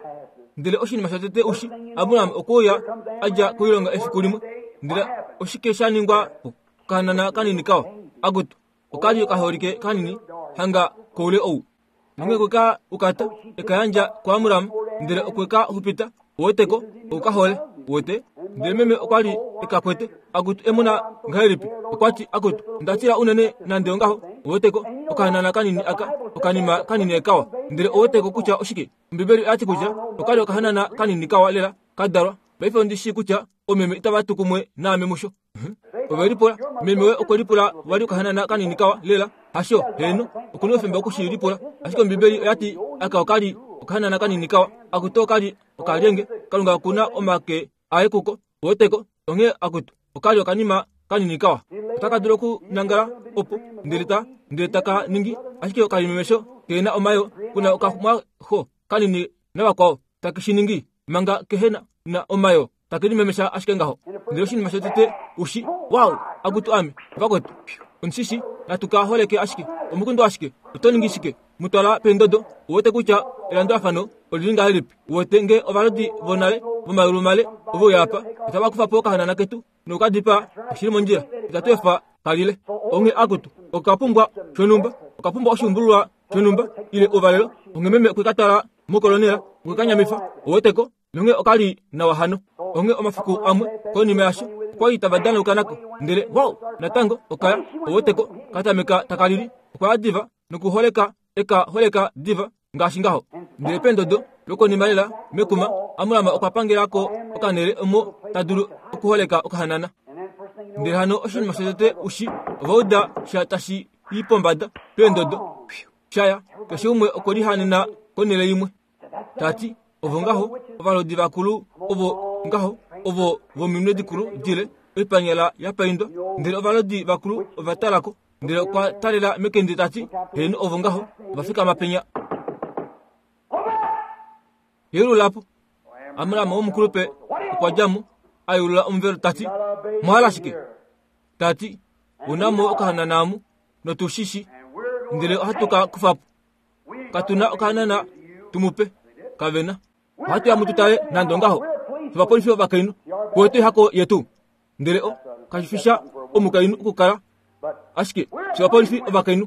Ndele oshinima shotete u shi, Abraham okwe uya a dja koilonga efiku limwe. Ndele oshike sha ningwa po? Okahanana kanini kawa. Akutu, Oka li okaholike kanini hanga koule ou. Nonge okwe ka ukata, e ka yandja kuAmram, ndele okwe ka xupita. Uweteko, oku ka hole. Uwete? Ndele meme okwa li e ka kwete. Akutu, emona ngahelipi! Okwa ti, Akutu, onda tila unene nande ongaho. Uweteko, okahanana kanini aka, okanima kanini ekawa. Ndele uweteko kutya oshike? Ombibeli oya ti kutya oka li okahanana kanini kawa lela, ka dalwa. Paife ondi shii kutya oomeme itava tu kumwe naame musho. Ove lipula, meme we okwe lipula vali okahanana kanini kawa lela. Hasho, heeno, oku na oufemba oku shi lipula. Ashike Ombibeli oya ti aka oka li okahanana kanini kawa. Akutu oka li okalyenge. Kalunga oku na omake aye kuko. Uweteko? Onghee akutu, oka li okanima kanini kawa. Otaka dulu okunangala opo, ndele ta, ndele taka ningi ashike okalimemesho ke na omayoo, ku na okamwaxo kanini navakwao, take shi ningi manga kehe na omayoo. Take limemesha ashike ngaho. Ndele oshinima shotete ushi, wow, akutu ame, vakwetu, omushishi, natu ka holeke ashike, omukundu ashike, oto ningi shike? Mu twala peendodo, uwete kutya elandulafano oli li ngahelipi. Uwete nge ovalodi vonale vomayulu male ove uya apa, otava kufa po okahanana ketu noku ka dipaa, oshi li mondjila, itatu efa ka lile. Onghee akutu, oka pumbwa shonhumba, oka pumbwa oshiumbululwa shonhumba, ile ouvalelo. Onghee meme okwe ka twala mokolonela, okwe ka nyamifa, uweteko. Nonghee oka li nawa hano. Onghee omafiku amwe konima yasho, okwa li tava danauka nako. Ndele, wow, natango oka ya, oweteko, ka tameka taka lili. Okwa ya diva nokuholeka, e ka holeka diva, ngaashi ngaho. Ndele pendodo lokonima lela, mekuma, Amram okwa pangela ko okanhele omo ta dulu okuholeka okahanana. Ndele hano oshinima shotete u shi, ova uda sha tashi i pombada, pendodo, sha ya. Keshe umwe okwe lihanena konhele imwe. Ta ti, Ovo ngaho, ovalodi vakulu, ovo ngaho, ovo vominwe dikulu dile, oipanyala ya paindwa. Ndele ovalodi vakulu ova tala ko, ndele okwa talela mekende ta ti, Heeno, ovo ngaho, ova fikama penya. Yeulula po. Amram womukulupe okwa dja mo, a yeulula omuvelo ta ti, Mwa hala shike? Ta ti, Una mo okahanana amu, notu shi shi, ndele ohatu ka kufa po. Katu na okahanana tu mu pe. Kave na. Ohatu ya mu tu tale nande ongaho. Ovapolifi ovakainhu kuwete hako yetu. Ndele o kashi fi sha omukainhu okukala ashike shovapolifi ovakainhu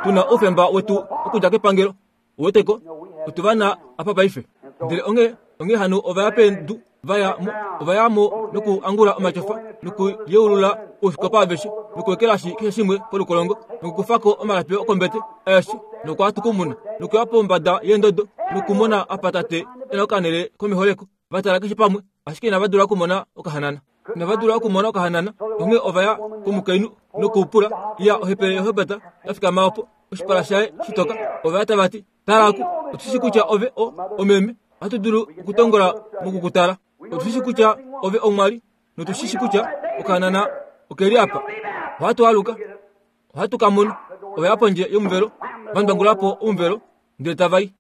tu na oufemba wetu okudja kepangelo. Uweteko, otu va na apa paife. Ndele onghee, onghee hano ova ya pedu va ya mo, ova ya mo nokuangula omatyofa, nokuyeulula ousikopa aveshe, nokuekelashi keshe shimwe polukolongo, nokukufa ko omalapi okombete aeshe, nokwa tukumuna, nokuya pombada yeendodo, nokumona apa tate e na okanhele komeholeko. Va tala keshe pamwe, ashike inava dula okumona okahanana. Inava dula okumona okahanana, onghee ova ya komukainhu nokupula, Ya, ohepele yohebata ya fikama opo, oshipala shaye shitoka. Ova ya tava ti, Tala aku, otu shi kutya ove o, omeme. Ohatu dulu okutongola moku ku tala. Otu shi kutya ove omwali, notu shi shi kutya okahanana oke li apa. Ohatu aluka, ohatu ka mona. Ova ya pondje yomuvelo, va ndwangula po omuvelo, ndele tava i.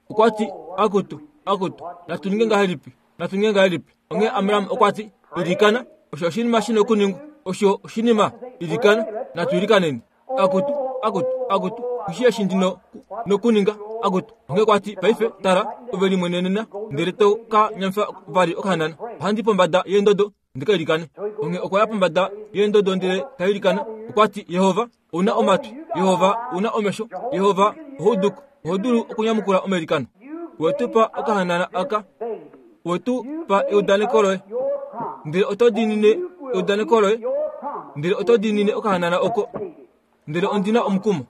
Okwa ti, Akutu, akutu, natu ninge ngahelipi? Natu ninge ngahelipi? Onghee Amram okwa ti, Ilikana, osho oshinima shi nokuningwa. Osho oshinima, ilikana, natu ilikaneni. Akutu, akutu, akutu, oshi eshi ndi no, nokuninga, akutu. Onghee okwa ti, Paife, tala, ove limwenenena, ndele to ka nyamifa vali okahanana. Ohandi i pombada yeendodo ndi ka ilikane. Onghee okwa ya pombada yeendodo ndele ta ilikana. Okwa ti, Yehova, ou na omatwi. Yehova, ou na omesho. Yehova, oho udu ko. Oho dulu okunyamukula omailikano. We tu pa okahanana aka. We tu pa eudaneko loye. Ndele oto diinine eudaneko loye. Ndele oto diinine okahanana oko. Ndele ondi na omukumo.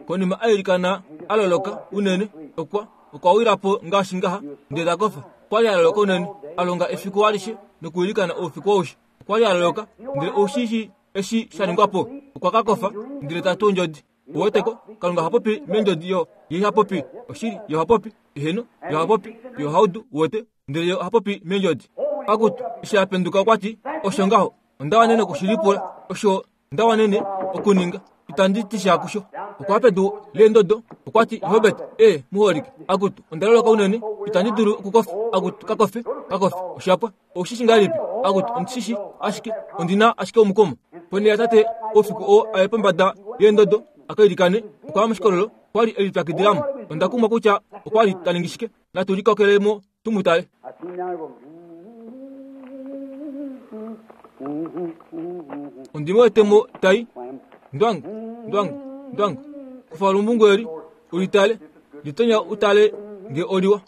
Konima a ilikana a loloka unene, okwa okwa wila po ngaashi ngaha, ndele ta kofa. Okwa li a loloka unene, a longa efiku alishe nokuilikana oufiku aushe. Okwa li a loloka, ndele ou shi shii eshi sha ningwa po? Okwa ka kofa, ndele ta tu ondjodi. Uweteko, Kalunga oha popi meendjodi yo ye iha popi oshili, ye oha popi, eheno, ye oha popi, ye oha udu, uwete, ndele ye oha popi meendjodi. Akutu, eshi a penduka okwa ti, Osho ngaho, onda wanene oku shi lipula, osho nda wanene okuninga, itandi ti sha kusho. Okwa pedu leendodo, okwa ti, Robert, e, muholike, akutu, onda loloka unene, itandi dulu okukofa, akutu, ka kofe, ka kofe, osha pwa. Ou shi shi ngahelipi? Akutu, ondi shi shi ashike, ondi na ashike omukumo. Ponhele yatate, oufiku oo a ye pombada yeendodo a ka ilikane, okwa ya moshikololo, okwa li e lipyakidila mo. Onda kumwa kutya okwa li ta ningi shike. Natu likokele mo tu mu tale. Ondi mu wete mo ta i. Ndwangu, ndwangu, ndwangu. Kufa olumbungu eli, u li tale. Litonya u tale nge oliwa.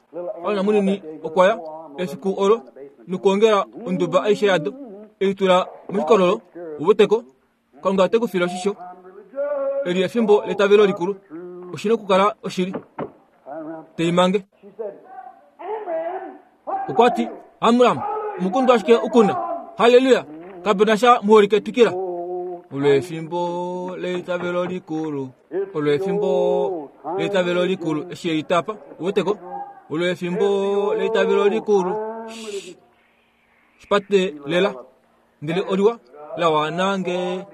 Aron munini okwa ya efiku olo nokuongela onduba aishe yado, ei tula moshikololo, u weteko. Kalunga ote ku file oshisho. Eli efimbo letavelo likulu. Oshi na okukala oshili. Te i mange. Okwa ti, Amram, omukundu ashike u kuna. Halleluya! Kape na sha muholike twikila. Olo efimbo leitavelo likulu. Olo efimbo leitavelo likulu. Eshi e litapa, uweteko? Olo efimbo leitavelo likulu. Shipate lela. Ndele oliwa la wana nge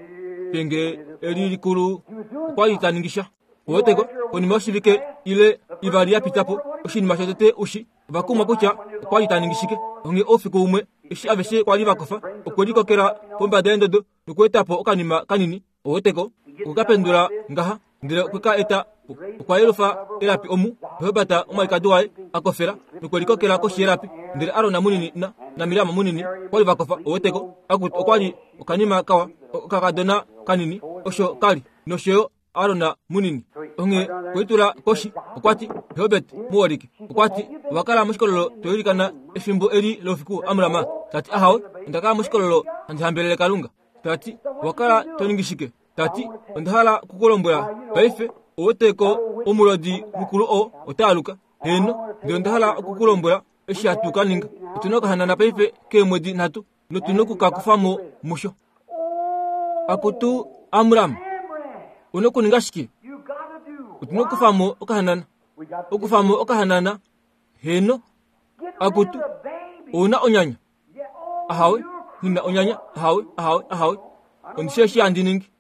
penge eli likulu okwa li ta ningi sha. Uweteko? Konima yoshivike ile ivali ya pita po, oshinima shotete ushi ova kumwa kutya okwa li ta ningi shike. Onghee oufiku umwe eshi aveshe kwa li va kofa, okwe likokela pombada yendodo nokueta po okanima kanini, uweteko, okwe ka pendula ngaha, ndele okwe ka eta po. Okwa yelufa elapi omu Robert omwalikadi waye a kofela nokwe likokela koshi yelapi, ndele Aron munini na, naMiriam munini okwa li va kofa, uweteko, akutu okwa li okanima kawa, okakadona kanini, osho ka li, nosho yo Aron munini. Onghee okwe litula koshi, okwa ti, Robert, muholike. Okwa ti, Owa kala moshikololo to ilikana efimbo eli loufiku, Amram? Ta ti, Ahawe, onda kala moshikololo handi hambelele Kalunga. Ta ti, Owa kala to ningi shike? Ta ti, Onda hala oku ku lombwela paife, ou wete ko omulodi mukulu oo ota aluka. Heeno, ndele onda hala oku ku lombwela eshi hatu ka ninga. Otu na okahanana paife keemwedi nhatu, notu na oku ka kufa mo musho. Akutu Amram, u na okuninga shike? Otu na okukufa mo okahanana. Okufa mo okahanana, heeno. Akutu, ou na onyanya? Ahawe, nghi na onyanya. Ahawe, ahawe, ahawe. Ondi shii eshi handi ningi.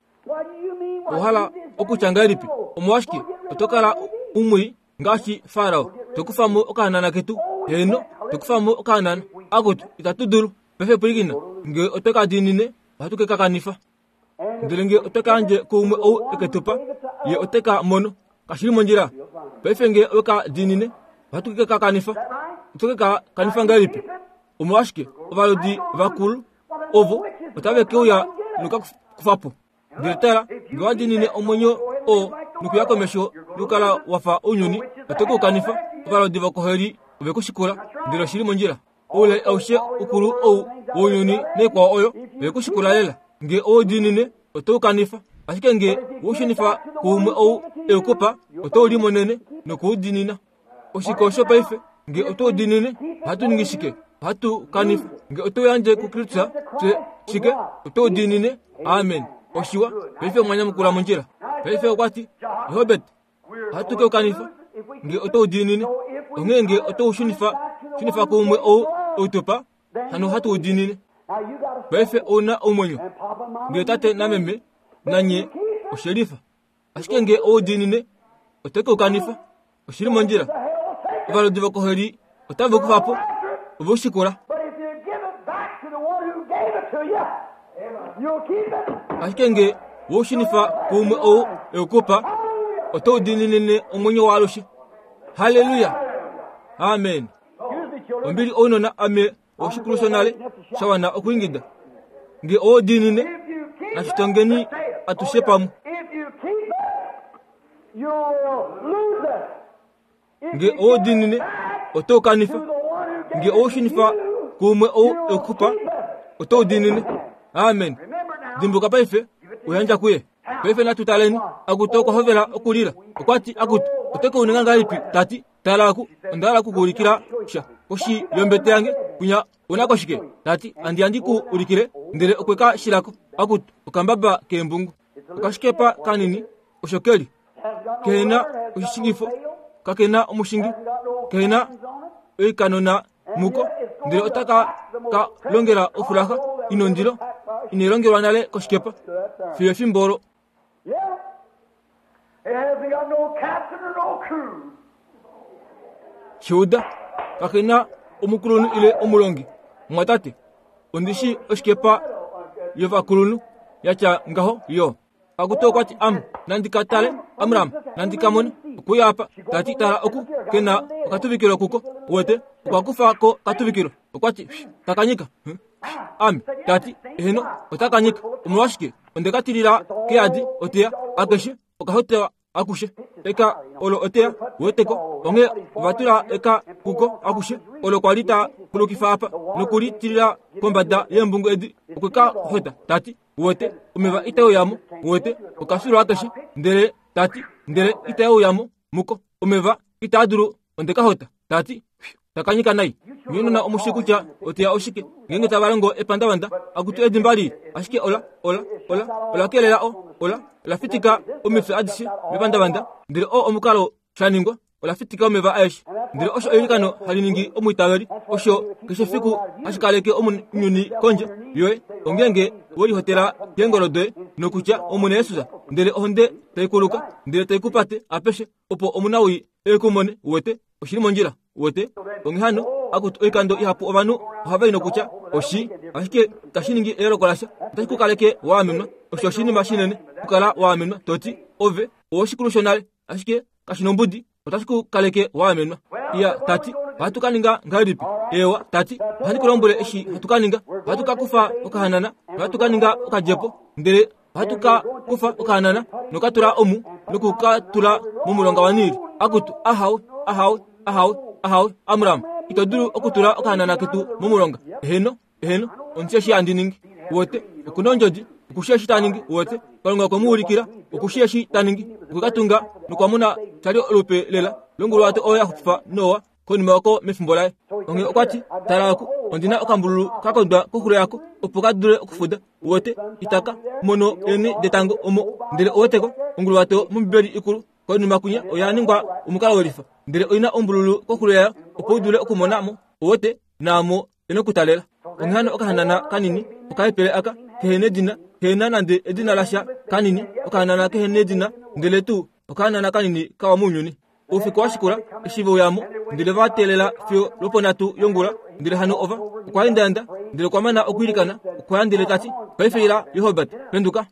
Owa hala okutya ngahelipi? Omolwashike oto kala umwii ngaashi Farao? To kufa mo okahanana ketu? Heeno, to kufa mo okahanana. Akutu, itatu dulu. Paife pwilikina, nge otwe ka diinine, ohatu ke ka kanifa. Ndele nge otwe ka yandje kuumwe ou e ke tu pa, ye ote ka mono. Kashi li mondjila. Paife nge owe ka diinine, ohatu ke ka kanifa. Oto ke ka kanifa ngahelipi? Omolwashike ovalodi vakulu ovo otave ke uya noku ka kufa po? Ndele tala, nge owa diinine omwenyo oo nokuya komesho nokukala wa fa ounyuni, oto ke u kanifa. Ovalodi vokoheli ove ku shikula, ndele oshi li mondjila. Oulai aushe ukulu ou wounyuni naikwao oyo, ove ku shikula lela. Nge owe u diinine, oto u kanifa. Ashike nge we u shunifa kuumwe ou e u ku pa, oto u limonene noku u diinina. Oshike osho paife? Nge otwe u diinine, ohatu ningi shike? Ohatu kanifa. Nge otwe u yandje kuKristus, fye shike? Otwe u diinine. Amen. Oshiwa. Paife omwa nyamukula mondjila. Paife okwa ti, Robert, ohatu ke u kanifa nge otwe u diinine. Onghee nge otwe u shunifa, shunifa kuumwe ou e u tu pa, hano ohatu u diinine. Paife ou na omwenyo. Ndele tate nameme nanye oshelifa. Ashike nge ou diinine, oto ke u kanifa. Oshi li mondjila. Ovalodi vokoheli otave u kufa po, ove u shikula. Ashike nge we u shunifa kuumwe ou e u ku pa, oto u diininine omwenyo waalushe. Halleluya! Amen. Ombili ounona ame oshikulu shonale sha wana okwiingida. Nge owo diinine, natu tongeni atushe pamwe. Nge owo diinine, oto u kanifa. Nge owo shunifa kuumwe ou e ku pa, oto u diinine. Amen. Dimbuka paife, u yandja kuye. Paife natu taleni. Akutu okwa hovela okulila. Okwa ti, Akutu, oto ke u ninga ngahelipi? Ta ti, Tala oku, onda hala oku ku ulikila sha. Koshi yombete yange, kwinya una ko shike? Ta ti, Andi andi ku ulikile. Ndele okwe ka shila ko. Akutu, okambaba keembungu. Okashikepa kanini, osho ke li. Kehe na oshishingifo, kake na omushingi, kehe na oikanona muko, ndele otaka ka longela ofulaxa inondilo inai longelwa nale koshikepa fiyo efimbo olo. Shiuda, kake na omukulunhu ile omulongi. Mumwatate, ondi shii oshikepa yovakulunhu ya tya ngaho yo. Akutu okwa ti, Am, nandi ka tale, Amram, nandi ka mone. Okuya apa, ta ti, tala oku, ke na okatuvikilo kuko. Uwete, okwa kufa ko okatuvikilo. Okwa ti, Takanyika. Ame, ta ti, eheno, otaka nyika. Omolwashike? Onde ka tilila keyadi oteya akeshe, okahotewa akushe. Eka olo oteya, weteko. Onghee ova tula eka kuko akushe, olo kwa li ta kulukifa apa, noku li tilila kombada yeembungu edi, okwe ka hota, ta ti, Uwete, omeva itae uya mo. Uwete, oka filwa akeshe. Ndele ta ti, Ndele itae uya mo muko. Omeva itaa dulu, onde ka hota. Ta ti, Taka nyika nai. Nye nona omu shii kutya oteya oshike, ngeenge tava longo epandavanda, akutu edimba lii, ashike ola, ola, ola, ola kelela o, ola, ola fitika omifya adishe mepandavanda. Ndele oo omukalo sha ningwa, ola fitika omeva aeshe. Ndele osho eilikano hali ningi omwiitaveli, osho keshe fiku hashi kaleke omunyuni kondje yoye, ongeenge we lihotela keengolo doye nokutya, Omwene Jesus, ndele ohonde tai kuluka, ndele tai ku pate apeshe, opo omunawii e ku mone, uwete, oshi li mondjila, uwete. Onghee hano, akutu oikando ihapu ovanhu ohava i nokutya, Oshi, ashike itashi ningi eyooloko lasha, otashi ku kaleke wa amenwa. Osho oshinima shinene, okukala wa amenwa, to ti, Ove owoshikulu shonale, ashike kashi nombudi, otashi ku kaleke wa amenwa. Iya, ta ti, ohatu ka ninga ngahelipi? Eewa, ta ti, ohandi ku lombwele eshi hatu ka ninga. Ohatu ka kufa okahanana, ohatu ka ninga okadjepo, ndele ohatu ka kufa okahanana noka tula omu noku ka tula momulonga waNiili. Akutu, ahawe, ahawe, ahawe, ahawe, Amram, ito dulu okutula okahanana ketu momulonga. Eheno, eheno, ondi eshi handi ningi. Uwete, oku na ondjodi, oku shii eshi ta ningi. Uwete, Kalunga okwe mu ulikila, oku shii eshi ta ningi. Okwe ka tunga nokwa mona sha li olupe lela longuluwato oyo ya xupifa Noa konima oko mefimbo laye. Onghee okwa ti, Tala oku, ondi na okambululu ka kondwa koxulo yako, opo ka dule okufuda. Uwete, itaka mono eenhe detango omo. Ndele uweteko, onguluwato mOmbibeli ikulu konima kwinya oya ningwa omukalo welifa, ndele oi na ombululu koxulo yayo, opo u dule okumona mo. Uwete, naamo e nokutalela. Onghee hano okahanana kanini okahepele aka kehe nedina, kehe na nande edina lasha kanini, okahanana kehe nedina, ndele tuu okahanana kanini kawa mounyuni. Oufiku wa shikula, eshi ve uya mo, ndele va teelela fiyo lwoponhatu yongula, ndele hano ova, okwa endaenda, ndele okwa mana okwiilikana, okwa ya ndele ta ti, Paife ila, Jehobet, penduka.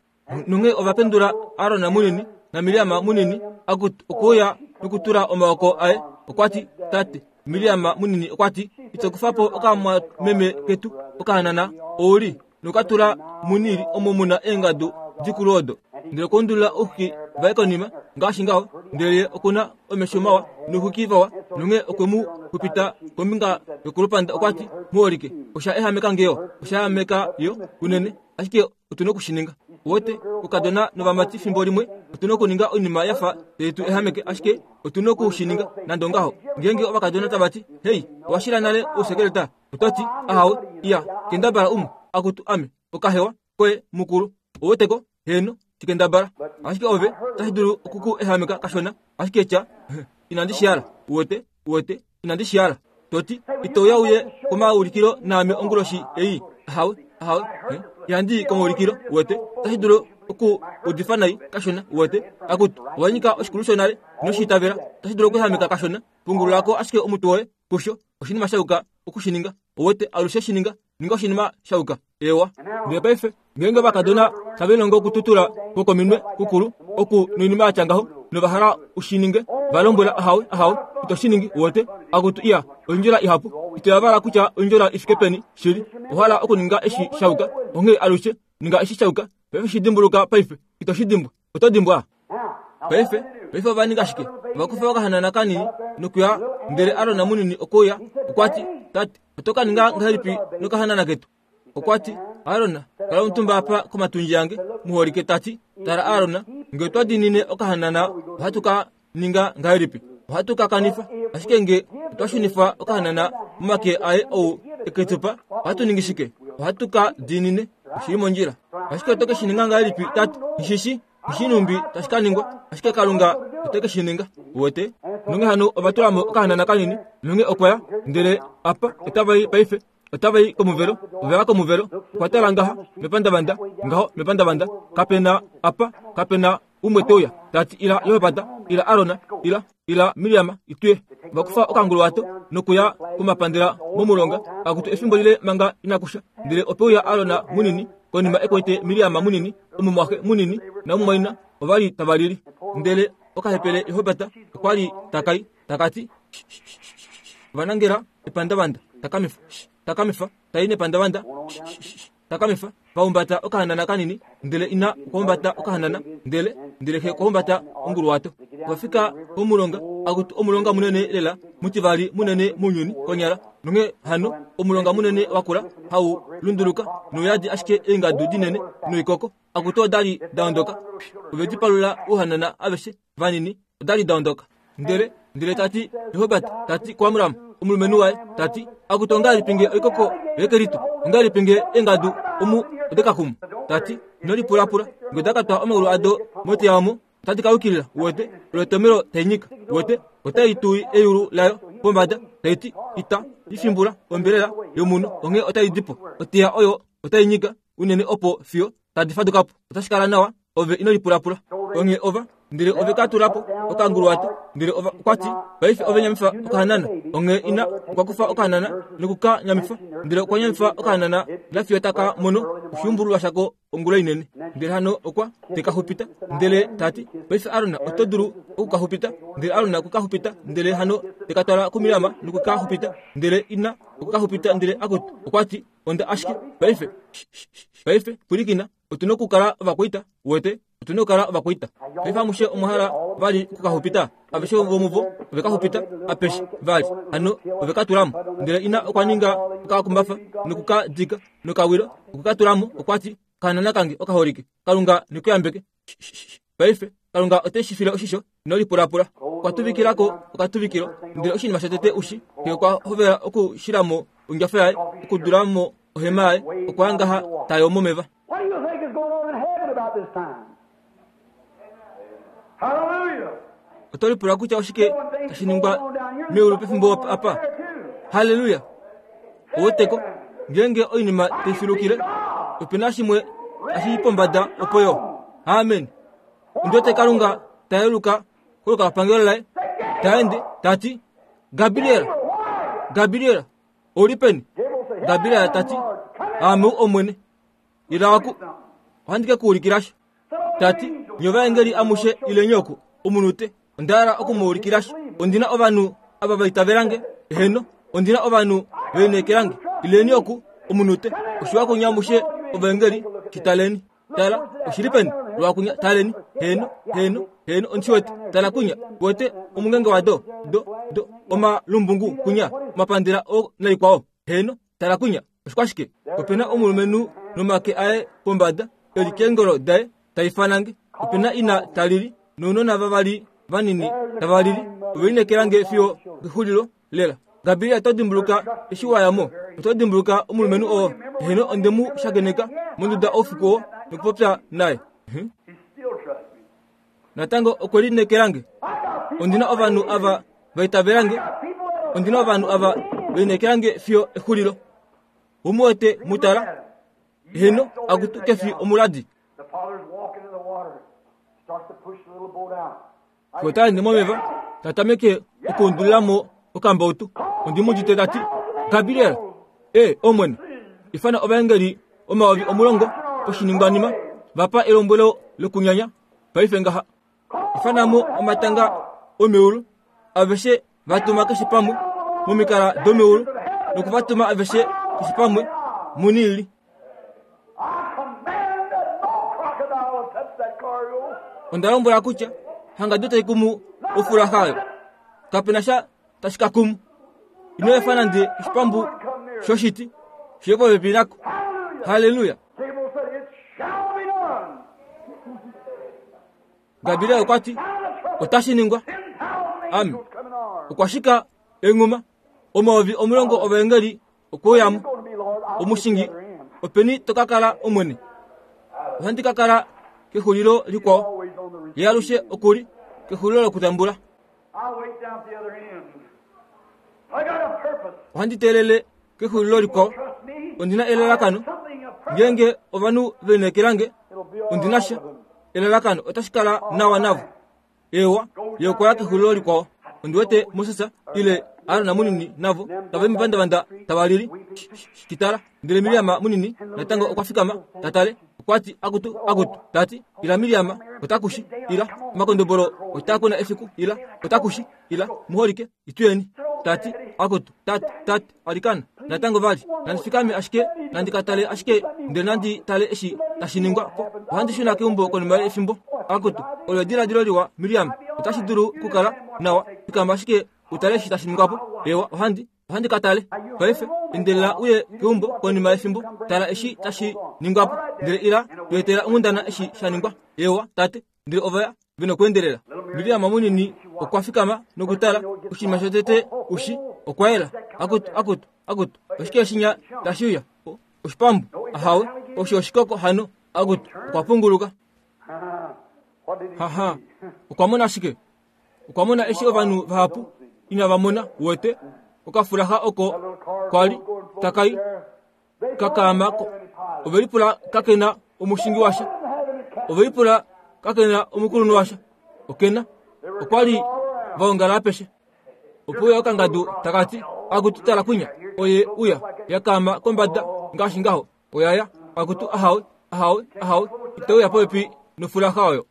Nonghee ova pendula Aron munini naMiriam munini, okwe uya nokutula omaoko aye. Okwa ti, Tate, Miriam munini okwa ti, ito kufa po okamwameme ketu okahanana, ou li noka tula muNiili omo mu na eengadu dikulu odo. Ndele okwa undulila ouxwiki vaye konima, ngaashi ngaho, ndele ye oku na omesho mawa nouxwiki vawa, nonghee okwe mu xupita kombinga yokolupanda. Okwa ti, Muholike, osha ehameka nge yo, osha ehameka yo unene, ashike otu na oku shi ninga. Uwete, oukadona novamati fimbo limwe otu na okuninga oinima ya fa tai tu ehameke, ashike otu na oku shi ninga nande ongaho. Ngeenge ovakadona tava ti, Hei, owa shila nale ousekeleta? Oto ti, Ahawe, iya, kendabala umwe. Akutu, ame, okahewa koye mukulu. Uweteko? Heeno, shi kendabala. Ashike ove, otashi dulu oku ku ehameka kashona, ashike tya, Inandi shi hala. Uwete? Uwete? Inandi shi hala. To ti, Ito uya uye komaulikilo naame onguloshi ei? Ahawe, ahawe. Ihandi i komaulikilo. Uwete? Otashi dulu. Oku udifa nai kashona, uwete. Akutu, owa nyika oshikulu shonale, ino shi itavela. Otashi dulu okuehameka kashona. Pungulula ko ashike omutwe woye kusho. Oshinima sha yuka oku shi ninga. Uwete, alushe shi ninga. Ninga oshinima sha yuka. Ewa. Ndele paife, ngeenge ovakadona tave lilongo okututula ko kominwe kukulu oku noinima ya tya ngaho, nova hala u shi ninge, va lombwela, Ahawe, ahawe, ito shi ningi, uwete. Akutu, iya, oindjola ihapu. Ito yavala kutya oindjola i fike peni, shili. Owa hala okuninga eshi sha yuka, onghee alushe ninga eshi sha yuka. Paife shi dimbuluka paife. Ito shi dimbwa. Oto dimbwa? Paife, paife ova ninga shike? Ova kufa okahanana kanini nokuya, ndele Aron munini okwe uya, okwa ti, Tate, oto ka ninga ngahelipi nokahanana ketu? Okwa ti, Aron, kala omutumba apa komatundji ange, muholike, ta ti, Tala Aron, nge otwa diinine okahanana, ohatu ka ninga ngahelipi? Ohatu ka kanifa. Ashike nge otwa shunifa okahanana momake aye ou e ke tu pa, ohatu ningi shike? Ohatu ka diinine. Oshi li mondjila. Ashike oto ke shi ninga ngahelipi, tate? Nghi shi shii nhumbi tashi ka ningwa, ashike Kalunga ote ke shi ninga. Uwete? Nonghee hano ova tula mo okahanana kanini, nonghee okwa ya, ndele apa otava i paife. Otava i komuvelo, ove ya komuvelo, okwa tala ngaha mepandavanda, ngaho mepandavanda, kape na apa, kape na umwe te uya, ta ti, Ila Jehopata, ila Arona, ila, ila Miriam, ituye. Va kufa okanguluwato nokuya komapandela momulonga, akutu efimbo lile manga inaku sha. Ndele ope uya Arona munini, konima e kwete Miriam munini, omumwaxe munini namumwaina, ova li tava lili. Ndele okahepele Jehopata okwa li taka i, taka ti, Ova nangela epandavanda, takamifa, takamifa, ta i nepandavanda, Takamifa, va humbata okahanana kanini, ndele ina okwa humbata okahanana, ndele, ndele xe okwa humbata onguluwato. Ova fika pomulonga, akutu omulonga munene lela, mutivali munene mounyuni, konyala. Nonghee hano, omulonga munene wakula, hau lunduluka, nouyadi ashike eengadu dinene noikoko, akutu oda li da ondoka. Ove di palula ouhanana aveshe vanini, oda li da ondoka. Ndele, ndele ta ti, Jehobert ta ti kuAmram, omulumenhu waye, ta ti, Akutu ongahelipi nge oikoko yekelitu, ongahelipi nge eengadu omu ode ka kumu? Ta ti, Ino lipulapula, nge oda ka twa omaulu ado moteya omo, otadi ka yukilila, uwete, olo etomelo tai nyika, uwete, otai tu eyulu layo pombada, tai ti, Ita i fimbula ombelela yomunhu, onghee otai di po. Oteya oyo otai nyika unene opo fiyo tadi faduka po. Otashi kala nawa ove ino lipulapula. Onghee ova, ndele ove ka tula po okanguluwato, ndele ova okwa ti, Paife ove nyamifa okahanana. Onghee ina okwa kufa okahanana noku ka nyamifa, ndele okwa nyamifa okahanana nafiyo taka mono oshuumbululwa shako ongula inene. Ndele hano okwa te ka xupita, ndele ta ti, Paife Aron, oto dulu oku ka xupita. Ndele Aron okwe ka xupita, ndele hano te ka twala kuMiriam noku ka xupita, ndele ina okwe ka xupita, ndele akutu, okwa ti, Onda ashike paife, paife pwilikina. Otu na okukala ovakwaita, uwete. Otu na okukala ovakwaita. Paife amushe omwa hala vali oku ka xupita? Aveshe vomuvo ove ka xupita apeshe vali. Hano ove ka tula mo. Ndele ina okwa ninga okakumbafa noku ka dika nokawilo okwe ka tula mo. Okwa ti, Okahanana kange okaholike, Kalunga ne ku yambeke. Paife, Kalunga ote shi file oshisho, ino lipulapula. Okwa tuvikila ko okatuvikilo, ndele oshinima shotete ushi, ye okwa hovela okushila mo ondjafa yaye, okudula mo ohema yaye, okwa ya ngaha ta yoo momeva. What do you think is going on in heaven about this time? Hallelujah! Oto lipula kutya oshike tashi ningwa meulu pefimbo apa? Halleluya! Ouweteko, ngeenge oinima tai filukile, ope na shimwe tashi i pombada opo yo. Amen. Ondi wete Kalunga ta yeluka kolukapangelo laye, ta ende, ta ti, Gabriel, Gabriel, ou li peni? Gabriel ta ti, Aame ou Omwene. Ila oku, ohandi ke ku ulikila sha. Ta ti, Nye ovaengeli amushe ileni oku, omunute. Onda hala oku mu ulikila sha. Ondi na ovanhu ava va itavela nge. Eheno, ondi na ovanhu ve lineekela nge. Ileni oku, omunute. Oshiwa kunye amushe ovaengeli, shi taleni. Tala, oshi li peni? Lwakunya, taleni. Heeno, heeno, heeno, ondi shi wete. Tala kunya, wete omungenge wado, do, do, omalumbungu kunya, omapandela o naikwao. Heeno, tala kunya, oshikwashike? Ope na omulumenhu nomake aye pombada, e li keengolo daye, ta ifana nge. Ope na ina ta lili, nounona vavali vanini tava lili. Ove lineekela nge fiyo kexulilo lela. Gabriel, oto dimbuluka eshi wa ya mo? Oto dimbuluka omulumenhu oo? Heeno, onde mu shakeneka monduda oufiku oo nokupopya naye. Natango okwe lineekela nge. Ondi na ovanhu ava va itavela nge. Ondi na ovanhu ava ve lineekela nge fiyo exulilo. Ou mu wete mu tala? Heeno, akutu ke fi omuladi. Fiyo ta ende momeva, ta tameke okuundulila mo okambautu. Ondi mu udite ta ti, Gabriel, e, Omwene, ifana ovaengeli 10,000 poshiningwanima, va pa elombwelo lokunyanya paife ngaha. Ifana mo omatanga omeulu, aveshe va tuma keshe pamwe momikala domeulu, noku va tuma aveshe keshe pamwe muNiili. Onda lombwela kutya hangadu tai kumu ofulaxa oyo. Kape na sha tashi ka kumu. Ino efa nande oshipambu shoshiti shiye popepi nako. Halleluya! Gabriel okwa ti, Otashi ningwa. Ame. Okwa shika enghuma. 10,000 ovaengeli okwe uya mo. Omushingi, openi to ka kala, Omwene? Ohandi ka kala kexulilo likwao. Ye alushe oku li kexulilo lokutambula. Ohandi teelele kexulilo likwao. Ondi na elalakano. Ngeenge ovanhu ve lineekela nge, ondi na sha. Elalakano otashi kala nawa navo. Eewa, ye okwa ya kexulilo likwao. Ondi wete Moses ile Aron munini navo tava i mepandavanda tava lili. Shitala. Ndele Miriam munini natango okwa fikama ta tale. Okwa ti, Akutu, akutu! Ta ti, Ila Miriam, ota kushi. Ila, omakondobolo otaa kuna efiku. Ila, ota kushi. Ila, muholike, ituyeni. Ta ti, Akutu, tate, tate, alikana, natango vali, nandi fikame ashike, nandi ka tale ashike, ndele nandi tale eshi tashi ningwa po. Ohandi shuna keumbo konima yefimbo. Akutu, olo ediladilo liwa, Miriam. Otashi dulu okukala nawa. Fikama ashike u tale eshi tashi ningwa po. Ewa, ohandi. Ohandi ka tale. Paife, endelela uye keumbo konima yefimbo, tala eshi tashi ningwa po, ndele ila tu etela onghundana eshi sha ningwa. Eewa, tate. Ndele ova ya, ve nokweendelela. Miriam munini okwa fikama nokutala, oshinima shotete ushi, okwa yela. Akutu, akutu, akutu, oshike shinya tashi uya? Oshipambu? Ahawe, osho oshikoko hano. Akutu, okwa punguluka. Haha, okwa mona shike? Okwa mona eshi ovanhu vahapu inava mona, uwete, okafulaxa oko kwa li taka i ka kaama ko. Ove lipula kake na omushingi washa. Ove lipula kake na omukulunhu washa. Oke na. Okwa li va ongala apeshe. Ope uya okangadu taka ti, Akutu tala kwinya, oye uya, ya kaama kombada ngaashi ngaho. Oya ya, akutu ahawe, ahawe, ahawe, ite uya popepi nofulaxa oyo.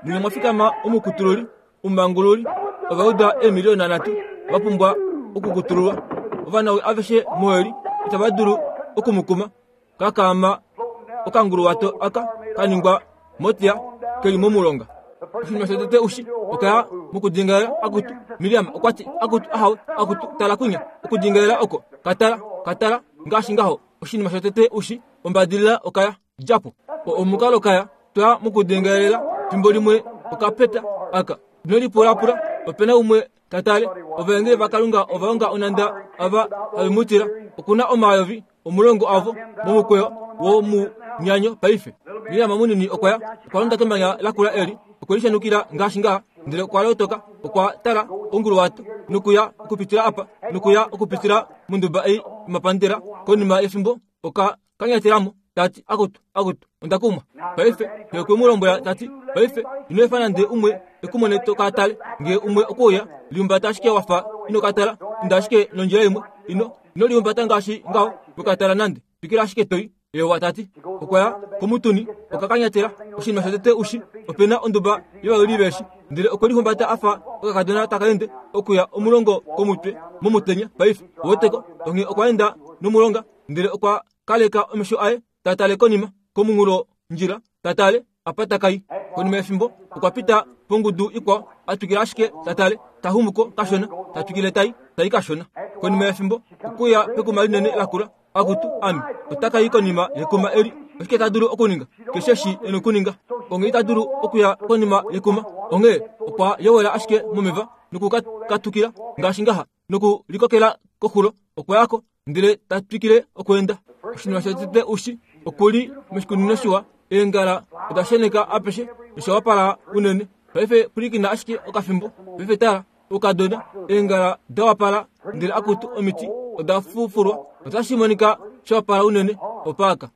Mwinya mwa fikama omukutululi, omumangululi, ova uda eemiliona nhatu va pumbwa okukutululwa. Ovanawi aveshe moeli itava dulu oku mu kuma. Ka kaama okanguluwato aka ka ningwa motiya ke li momulonga. Oshinima shotete ushi, oka ya mokudingaela akutu. Miriam okwa ti, Akutu, ahawe, akutu, tala kwinya. Okudingaela oko, ka tala, ka tala, ngaashi ngaho. Oshinima shotete ushi, ombadilila oka ya. Dja po. Omukalo kaya twa mokudengelela fimbo limwe okapeta aka. Ino lipulapula, ope na umwe ta tale. Ovaengeli vaKalunga ova onga onhanda ava have mu tila. Oku na 10,000 avo momukweyo womunyanyo paife. Miriam munini okwa ya, okwa londa kemanya lakula eli, okwe lishanukila ngaashi ngaha, ndele okwa lotoka, okwa tala onguluwato, nokuya okupitila apa, nokuya okupitila monduba ei yomapandela. Konima yefimbo, oka kanyatela mo, ta ti, Akutu, akutu, onda kumwa. Paife, xe okwe mu lombwela ta ti, Paife, ino efa nande umwe e ku mone to ka tale. Nge umwe okwe uya, lihumbata ashike wa fa ino ka tala, inda ashike nondjila imwe. Ino, ino lihumbata ngaashi ngaho, we ka tala nande. Twikila ashike to i. Ewa, ta ti. Okwa ya komutuni, okwa kanyatela. Oshinima shotete u shi, ope na onduba yovayuli veeshi. Ndele okwe lihumbata a fa okakadona taka ende okuya omulongo komutwe momutenya paife. Oweteko? Onghee okwa enda nomulonga. Ndele okwa kaleka omesho aye ta tale konima, komunghulo ndjila, ta tale apa ta kai. Konima yefimbo, okwa pita pongudu ikwao, a twikila ashike ta tale, ta xumu ko kashona, ta twikile tai, tai kashona. Konima yefimbo, okwe uya pekuma linene lakula. Akutu, ame, ota ka i konima yekuma eli. Oshike ta dulu okuninga? Keshe eshi e nokuninga. Onghee ita dulu okuya konima yekuma. Onghee okwa yowela ashike momeva noku ka katukila ngaashi ngaha. Noku likokela koxulo, okwa ya ko, ndele ta twikile okweenda. Oshinima shotete ushi, oku li moshikunino shiwa, eengala oda sheneka apeshe nosha wapala unene. Paife pwilikina ashike okafimbo. Paife tala, oukadona, eengala da wapala, ndele akutu omiti oda fufulwa. Otashi monika sha wapala unene, opaaka.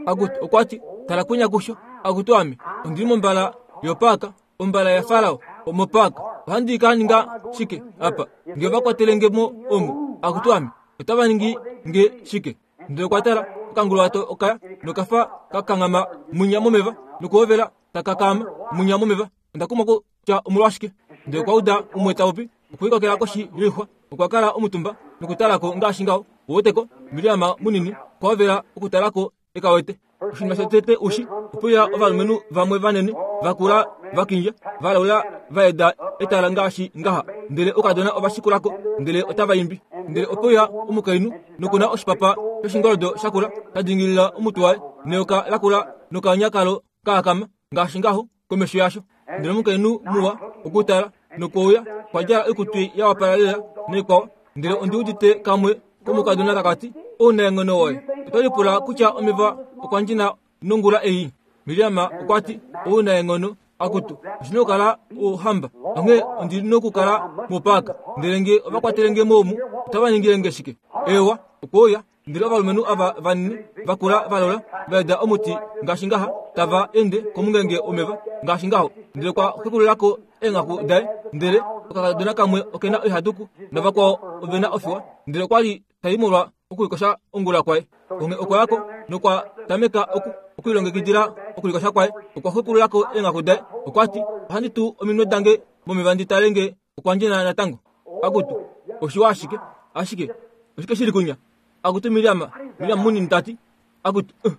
Akutu, okwa ti, tala kwinya kusho. Akutu ame, ondi li mombala yopaaka, ombala yaFarao, omopaaka. Ohandi ka ninga shike apa nge ova kwatele nge mo omu? Akutu ame, otava ningi nge shike? Ndele okwa tala, okanguluwato okaya nokafa ka kanghama mwinya momeva nokuhovela taka kaama mwinya momeva. Onda kumwa kutya omolwashike. Ndele okwa uda umwe ta popi, okwiikokela koshi yoixwa. Okwa kala omutumba nokutala ko ngaashi ngaho. Uweteko, Miriam munini okwa hovela okutala ko e ka wete. Oshinima shotete ushi, opuya ovalumenhu vamwe vanene, vakula, va kindja, va laula, va eda etala ngaashi ngaha. Ndele oukadona ova shikula ko, ndele otava imbi. Ndele opuya omukainhu, noku na oshipapa shoshingoldo shakula sha dingilila omutwe waye, neyoka lakula nokanya kalo kaakama ngaashi ngaho komesho yasho. Ndele omukainhu muwa okutala, nokweuya, okwa djala oikutu ya wapala lela naikwao. Ndele ondi udite kamwe komukadona taka ti, Ounaenghono woye! Oto lipula kutya omeva okwa ndjina nongula ei? Miriam okwa ti, Ounaenghono, akutu, oshi na okukala ouhamba, onghee ondi nokukala mopaaka. Ndele nge ova kwatele nge mo omu, otava ningile nge shike? Eewa, okwe uya. Ndele ovalumenhu ava vanini, vakula valola, va eda omuti ngaashi ngaha, tava ende komungenge womeva ngaashi ngaho. Ndele okwa xwekulula ko eenghaku daye, ndele okakadona kamwe oke na oihaduku navakwao ove na ofiwa. Ndele okwa li ta i molwa okulikosha ongula kwaye. Onghee okwa ya ko nokwa tameka oku okulilongekidila okulikosha kwaye. Okwa xwekulula ko eenghaku daye. Okwa ti, Ohandi tu ominwe dange momeva ndi tale nge okwa ndjena natango. Akutu, oshiwa ashike, ashike oshike shi li kunya? Akutu Miriam, Miriam munini ta ti, akutu, uh.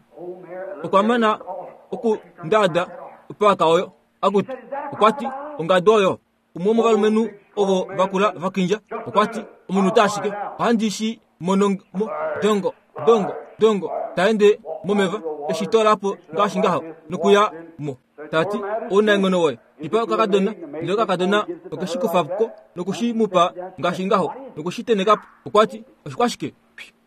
Okwa mana okundaada opaaka oyo. Akutu, okwa ti, ongadu oyo. Umwe womovalumenhu ovo va kula va kindja, okwa ti, omunhu ta ashike, ohandi shi mono mo, dongo, dongo, dongo, ta ende momeva, eshi toola po ngaashi ngaho, nokuya mo. Ta ti, Ounaenghono woye, ipa okakadona, ndele okakadona oke shi kufa ko noku shi mu pa ngaashi ngaho, noku shi teneka po. Okwa ti, Oshikwashike?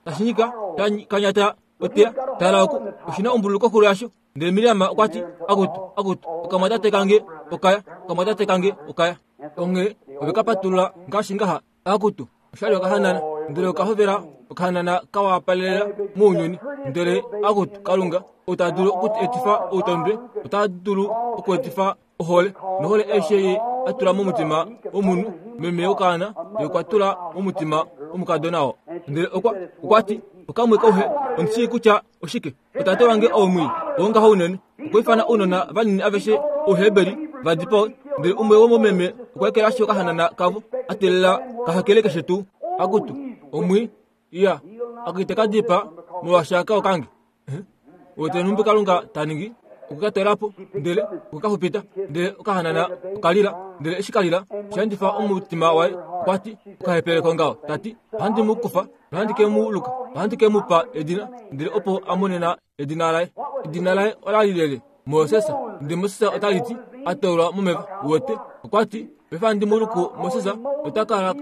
Tashi nyika, ta kanyata oteya. Tala oku, oshi na ombululu koxulo yasho. Ndele Miriam okwa ti, Akutu, akutu, okamwatate kange okaya, okamwatate kange okaya. Onghee ove ka patulula ngaashi ngaha. Akutu, osha li okahanana, ndele oka hovela okahanana ka wapalelela mounyuni. Ndele akutu, Kalunga, ou ta dulu okuetifa outondwe, ota dulu okuetifa ohole, nohole aishe ye a tula momutima womunhu, meme wokaana, ye okwa tula momutima womukadona oo. Ndele okwa, okwa ti, Okamwe kauhe, ondi shii kutya oshike. Otate wange ou mwii, wongaho unene, okwa ifana ounona vanini aveshe Ouheberi va dipawe, ndele umwe womomeme okwa ekelashi okahanana kavo, a teelela ka hakele keshe tuu. Akutu, omwii, iya, aka ite ka dipaa molwaashi aka okange. Wete nhumbi Kalunga ta ningi? Okwe ka toola po, ndele okwe ka xupita. Ndele okahanana oka lila, ndele eshi ka lila, osha endifa omutima waye. Okwa ti, Okahepele kongaho, ta ti, ohandi mu kufa nohandi ke mu luka, ohandi ke mu pa edina. Ndele opo a monena edina laye. Edina laye ola li lele, Moses. Ndele Moses otali ti, a toolwa momeva. Uwete? Okwa ti, Paife handi mu luku Moses, ota kala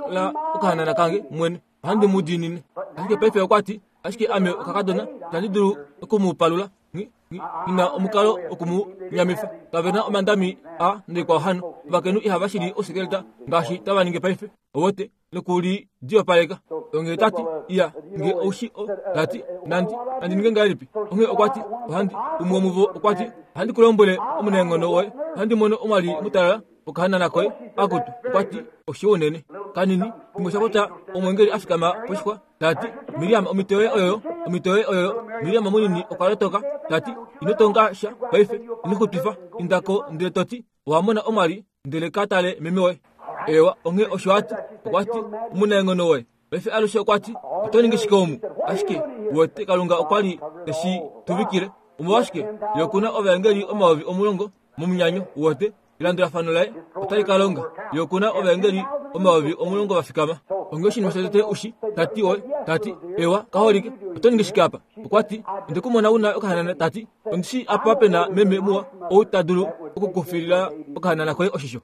okahanana kange mwene. Ohandi mu diinine. Ashike paife okwa ti, Ashike ame okakadona, itandi dulu oku mu palula. Nghi, nghi, nghi na omukalo oku mu nyamifa. Kave na omandami a naikwao hano. Ovakainhu ihava shili ousikeleta ngaashi tava ningi paife. Owote, noku li diopaleka. Onghee ta ti, Iya, nge ou shi o, ta ti, nandi, nandi ninge ngahelipi? Onghee okwa ti, Ohandi, umwe womuvo okwa ti, ohandi ku lombwele omunaenghono woye, ohandi mono omwali mutalala okahanana koye. Akutu, okwa ti, oshiwa unene. Kanini, shimwe sha popya omwengeli a fikama poshixwa, ta ti, Miriam, omhito yoye oyoyo, omhito yoye oyoyo. Miriam munini okwa lotoka, ta ti, Ino tonga sha paife, ino xutwifa, inda ko ndele to ti, owa mona omwali, ndele ka tale meme woye. Eewa, onghee osho a ti. Okwa ti, Omunaenghono woye. Paife alushe okwa ti, Oto ningi shike omu? Ashike, uwete, Kalunga okwa li te shi tuvikile. Omolwashike, Ye oku na ovaengeli 10,000 momunyanyo, uwete. Elandulafano laye otali ka longa. Ye oku na ovaengeli 10,000 va fikama. Onghee oshinima shotete u shi, ta ti, Oye, ta ti, ewa, kaholike, oto ningi shike apa? Okwa ti, Onde ku mona u na okahanana, ta ti, ondi shii apa pe na meme muwa ou ta dulu oku ku filila okahanana koye oshisho.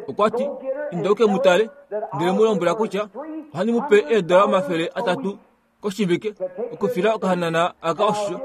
Okwa ti, Inda u ke mu tale, ndele mu lombwela kutya ohandi mu pe eedola 300 koshivike okufila okahanana aka oshisho,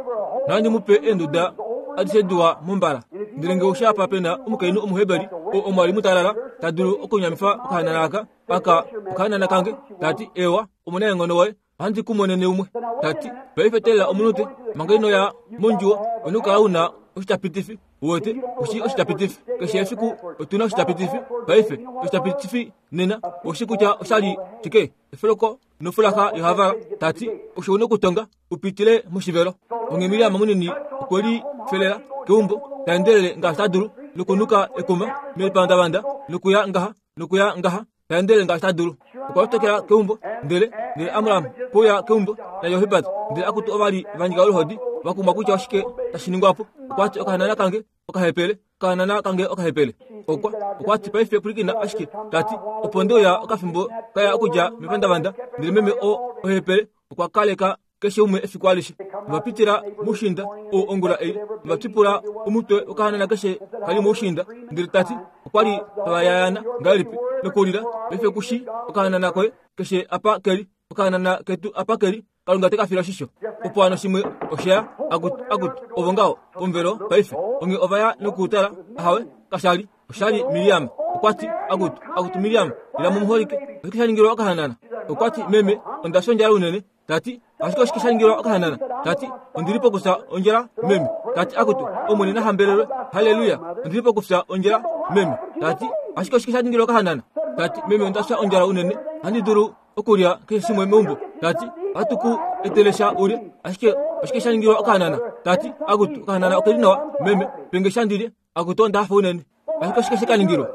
nohandi mu pe eenduda adishe diwa mombala. Ndele nge oushi apa pe na omukainhu Omuheberi oo omwali mutalala ta dulu okunyamifa okahanana aka, aka okahanana kange, ta ti, Eewa, omunaenghono woye, ohandi ku monene umwe. Ta ti, Paife teelela omunute, manga ino ya mondjuwo, ou na okukala u na. oshitapitifi. Uwete, oshi oshitapitifi. Keshe efiku otu na oshitapitifi. Paife, oshitapitifi nena oshi kutya oshali shike? Efoloko nofulaxa yohavala. Ta ti, Osho u nokutonga u pitile moshivelo. Onghee Miriam munini okwe lifelela keumbo, ta endelele ngaashi ta dulu, nokunuka ekuma melipandavanda, nokuya ngaha nokuya ngaha, ta endelele ngaashi ta dulu. Okwa lotokela keumbo, ndele, ndele Amram kwe uya keumbo, naJohebad, ndele akutu ova li va nyika oluhodi, va kumwa kutya oshike tashi ningwa po. Okwa ti, Okahanana kange okahepele, okahanana kange okahepele. Okwa, okwa ti, Paife pwilikina ashike, ta ti, opo nde uya okafimbo ka ya okudja mepandavanda, ndele meme oo ohepele okwa kaleka keshe umwe efiku alishe. Ova pitila moushiinda ou ongula ei, ova twipula omutwe wokahanana keshe ka li moushiinda, ndele ta ti, Okwa li tava yayaana ngahelipi nokulila, paife ku shii okahanana koye keshe apa ke li, okahanana ketu apa ke li, Kalunga te ka fila oshisho. Opo hano shimwe oshe ya, akutu, akutu, ovo ngaho, pomuvelo paife. Onghee ova ya nokutala, ahawe, kasha li. Osha li Miriam. Okwa ti, Akutu, akutu Miriam, ila mumuholike. Oshike sha ningilwa okahanana? Okwa ti, Meme, onda fya ondjala unene. Ta ti, Ashike oshike sha ningilwa okahanana? Ta ti, Ondi li pokufya ondjala, meme. Ta ti, Akutu, Omwene na hambelelwe. Halleluya! Ondi li pokufya ondjala, meme. Ta ti, Ashike oshike sha ningilwa okahanana? Ta ti, Meme, onda fya ondjala unene. Ohandi dulu okulya keshe shimwe meumbo. Ta ti, Ohatu ku etele sha ulye. Ashike oshike sha ningilwa okahanana? Ta ti, Akutu, okahanana oke li nawa, meme. Pe nge sha ndi lye. Akutu, onda hafa unene. Ashike oshike she ka ningilwa?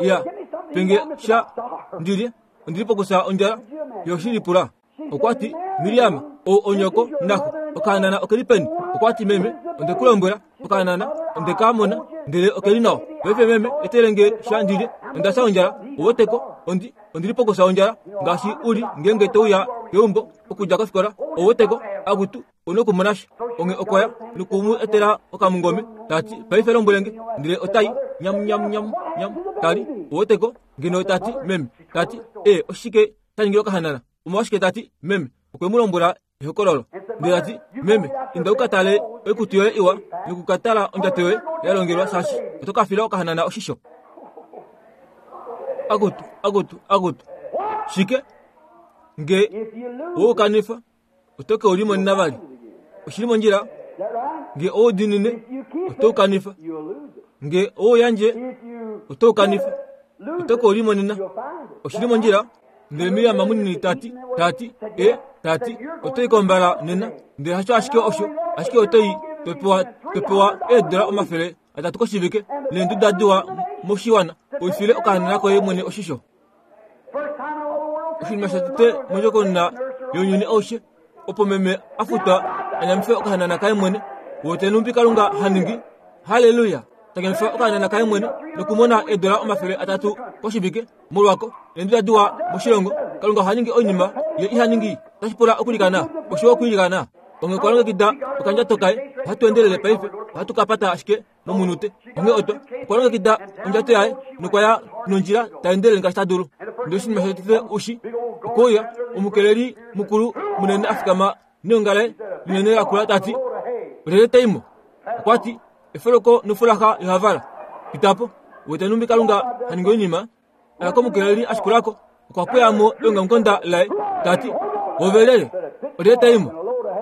Ya, pe nge sha ndi lye. Ondi li pokufya ondjala. Ye oshi lipula. Okwa ti, Miriam, ou onyoko naxo. Okahanana oke li peni? Okwa ti, Meme, onde ku lombwela, okahanana onde ka mona, ndele oke li nawa. Paife meme, etele nge sha ndi lye. Onda fya ondjala. Ou weteko, ondi, ondi li pokufya ondjala, ngaashi u li ngeenge to uya keumbo okudja kofikola. Ou weteko, akutu, u nokumona sha. Onghee okwa ya noku mu etela okamungome, ta ti, Paife lombwele nge. Ndele ota i, nyam, nyam, nyam, nyam, ta li. Ou weteko, ngeno ta ti, Meme, ta ti, E, oshike sha ningilwa okahanana? Omolwashike ta ti, Meme, okwe mu lombwela ehokololo. Ndele ta ti, Meme, inda u ka tale oikutu yoye iwa noku ka tala ondjato yoye ya longelwa, shaashi oto ka fila okahanana oshisho. Akutu, akutu, akutu! Shike? Nge owe u kanifa, oto ke u limonena vali. Oshi li mondjila? Nge owe u diinine, oto u kanifa. Nge owe u yandje, oto u kanifa. Oto ke u limonena. Oshi li mondjila? Ndele Miriam munini ta ti, ta ti, e, ta ti, oto i kombala nena. Ndele hasho ashike osho, ashike oto i, to pewa, to pewa eedola 300 koshivike, neenduda diwa moshiwana, u file okahanana koye mwene oshisho. Oshinima shotete mondjokonona younyuni aushe, opo meme a futwa a nyamife okahanana kaye mwene, wete nhumbi Kalunga ha ningi. Halleluya! Ta nyamifa okahanana kaye mwene nokumona eedola 300 koshivike. Molwako, eenduda diwa moshilongo, Kalunga oha ningi oinima ye iha ningi. Otashi pula okulikana osho okwiilikana. Onghee okwa longekida okandjato kaye. Ohatu endelele paife, ohatu ka pata ashike momunute. Onghee otwa, okwa longekida ondjato yaye nokwa ya nondjila ta endelele ngaashi ta dulu. Ndele oshinima shotete ushi, okwe uya omukeleli mukulu munene a fikama neonga laye linene lakula ta ti, Olyelye ta i mo? Okwa ti, Efoloko nofulaxa yohavala. Pita po. Wete nhumbi Kalunga ha ningi oinima? Oya komukeleli a shikula ko. Okwa pweya mo eongamukonda laye, ta ti, Ove lyelye? Olyelye ta i mo?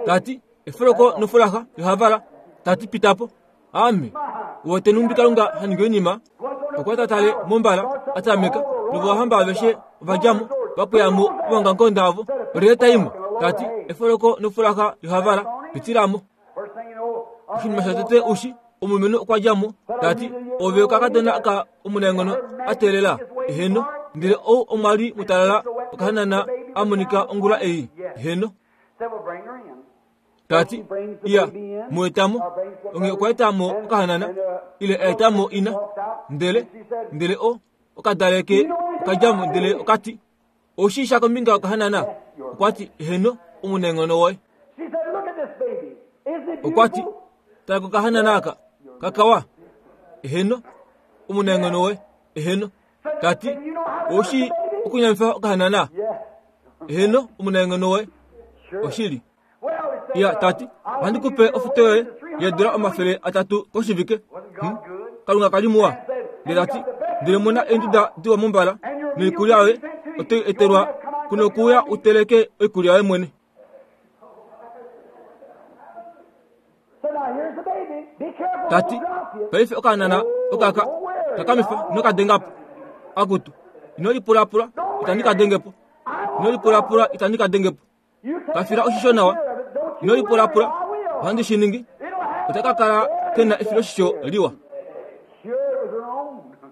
Ta ti, Efoloko nofulaxa yohavala. Ta ti, Pita po. Ame. Wete nhumbi Kalunga ha ningi oinima? Okwa ta tale mombala, a tameka, novohamba aveshe ova dja mo, va pweya mo omaongamukonda avo. Olyelye ta i mo? Ta ti, Efoloko nofulaxa yohavala. Pitila mo. Oshinima shotete ushi, omulumenhu okwa dja mo, ta ti, Ove okakadona aka omunaenghono a teelela. Eheno. Ndele ou omwa li mutalala okahanana a monika ongula ei. Eheno. Ta ti, Iya, mu eta mo. Onghee okwa eta mo okahanana, ile a eta mo ina. Ndele, ndele o, okadaleke oka dja mo, ndele oka ti, Ou shii sha kombinga yokahanana? Okwa ti, Eheno, omunaenghono woye. Okwa ti, Tala kokahanana aka, kakawa. Eheno, omunaenghono woye. Eheno. Ta ti, Ou shii okunyamifa okahanana? Eheno, omunaenghono woye. Oshili. Ya, ta ti, ohandi ku pe ofuto yoye yeedula 300 koshivike. Hmm? Kalunga ka li muwa. Ndele ta ti, ndele mona eenduda diwa mombala, noikulya yoye oto i etelwa kuno okuuya u teleke oikulya yoye mwene. Ta ti, Paife okahanana okaka takamifa nokadenga po. Akutu, ino lipulapula, itandi ka denge po. Ino lipulapula, itandi ka denge po. Ka fila oshisho nawa. Ino lipulapula, ohandi shi ningi. Ota ka kala ke na efiloshisho liwa.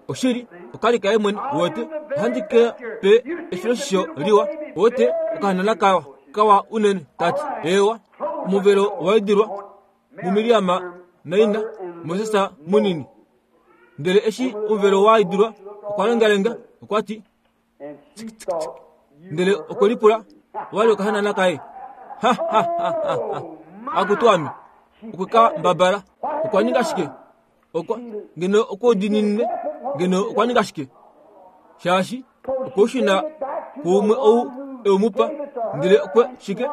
Oshili, okali kaye mwene, uwete. Ohandi ke pe efiloshisho liwa, uwete, okahanana kawa, kawa unene. Ta ti, Eewa, omuvelo owa idilwa muMiriam naina Moses munini. Ndele eshi omuvelo wa idilwa, okwa lengalenga, okwa ti, Ndele okwe lipula, Owa li okahanana kaye? Ha, ha, ha, ha, ha. Akutu ame! Okwe ka mbabala. Okwa ninga shike? Okwa, ngeno okwe udininine, ngeno okwa ninga shike? Shaashi, okwe u shuna kuumwe ou e u mu pa, ndele okwe, shike?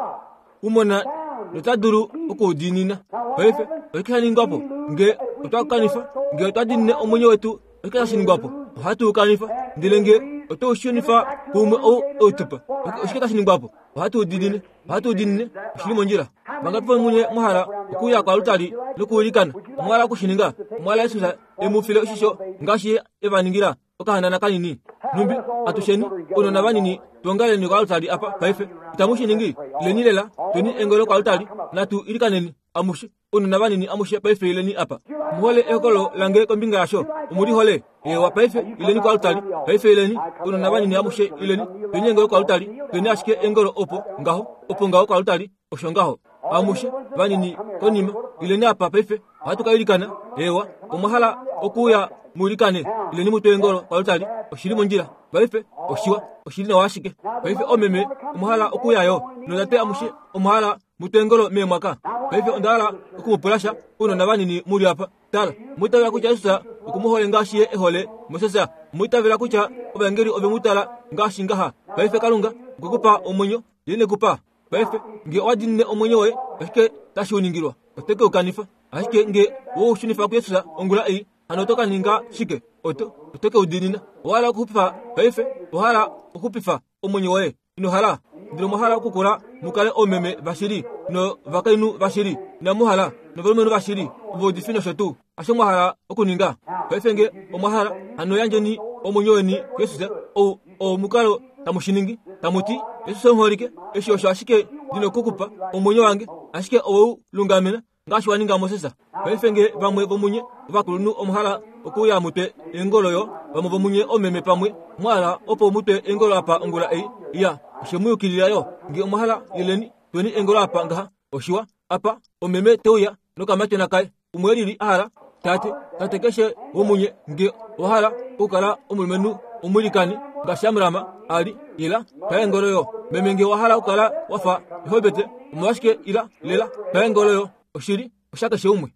U mona nota dulu oku u diinina. Paife, oshike sha ningwa po? Nge otwa kanifa, nge otwa diinine omwenyo wetu, oshike tashi ningwa po? Ohatu u kanifa. Ndele nge otwe u shunifa kuumwe ou e u tu pa, oshike tashi ningwa po? Ohatu u diinine. Ohatu u diinine. Oshi li mondjila. Vangapi vomunye mwa hala okuuya koalutali nokuilikana? Omwa hala oku shi ninga? Omwa hala Jesus e mu file oshisho ngaashi Ye e va ningila? Okahanana kanini. Nhumbi atusheni, ounona vanini, tuongaleni koaltari apa paife. Itamu shi ningi? Ileni lela, tweni engolo koaltari, natu ilikaneni, amushe. Ounona vanini amushe paife ileni apa. Omu hole ehokololo lange kombinga yasho? Omu li hole? Eewa, paife ileni koaltari. Paife ileni, ounona vanini amushe ileni, tweni engolo koaltari. Tweni ashike engolo opo ngaho, opo ngaho koaltari. Osho ngaho. Amushe vanini konima, ileni apa paife. Ohatu ka ilikana. Eewa, omwa hala okuuya mu ilikane? Ileni mu twe eengolo koaltari. Oshi li mondjila. Paife, oshiwa. Oshi li nawa ashike. Paife oomeme, omwa hala okuuya yo? Nootate amushe, omwa hala mu twe eengolo meemwaka? Paife onda hala oku mu pula sha, ounona vanini mu li apa. Tala, omwa itavela kutya Jesus oku mu hole ngaashi ye e hole Moses? Omwa itavela kutya ovaengeli ove mu tala ngaashi ngaha? Paife Kalunga okwe ku pa omwenyo, Ye ine ku pa. Paife, nge owa diinine omwenyo woye, oshike tashi u ningilwa? Oto ke u kanifa. Ashike nge owe u shunifa kuJesus ongula ei, hano oto ka ninga shike? Oto, oto ke u diinina. Owa hala okuxupifa paife? Owa hala okuxupifa omwenyo woye? Ino hala? Ndele omwa hala okukula mu kale oomeme vashili novakainhu vashili? Inamu hala? Novalumenhu vashili, ovaudifi nosho tuu? Hasho mwa hala okuninga? Paife nge omwa hala, hano yandjeni omwenyo weni kuJesus. Ou oo omukalo tamu shi ningi, tamu ti, Jesus omuholike, eshi osho ashike ndi noku ku pa, omwenyo wange, ashike owe u lungamena, ngaashi wa ninga Moses. Paife nge vamwe vomunye ovakulunhu omwa hala okuuya mu twe eengolo yo, vamwe vomunye oomeme pamwe mwa hala opo mu twe eengolo apa ongula ei, iya, oshe mu yukilila yo. Nge omwa hala, ileni, tweni eengolo apa ngaha. Oshiwa, apa, omeme te uya nokamatyona kaye. Umwe elili a hala, Tate, tate keshe womunye nge owa hala okukala omulumenhu omwilikani ngaashi Amram a li, ila, twa eengolo yo. Meme nge owa hala okukala wa fa Johebete, omolwashike ila, lela, twa eengolo yo. Oshili, osha keshe umwe.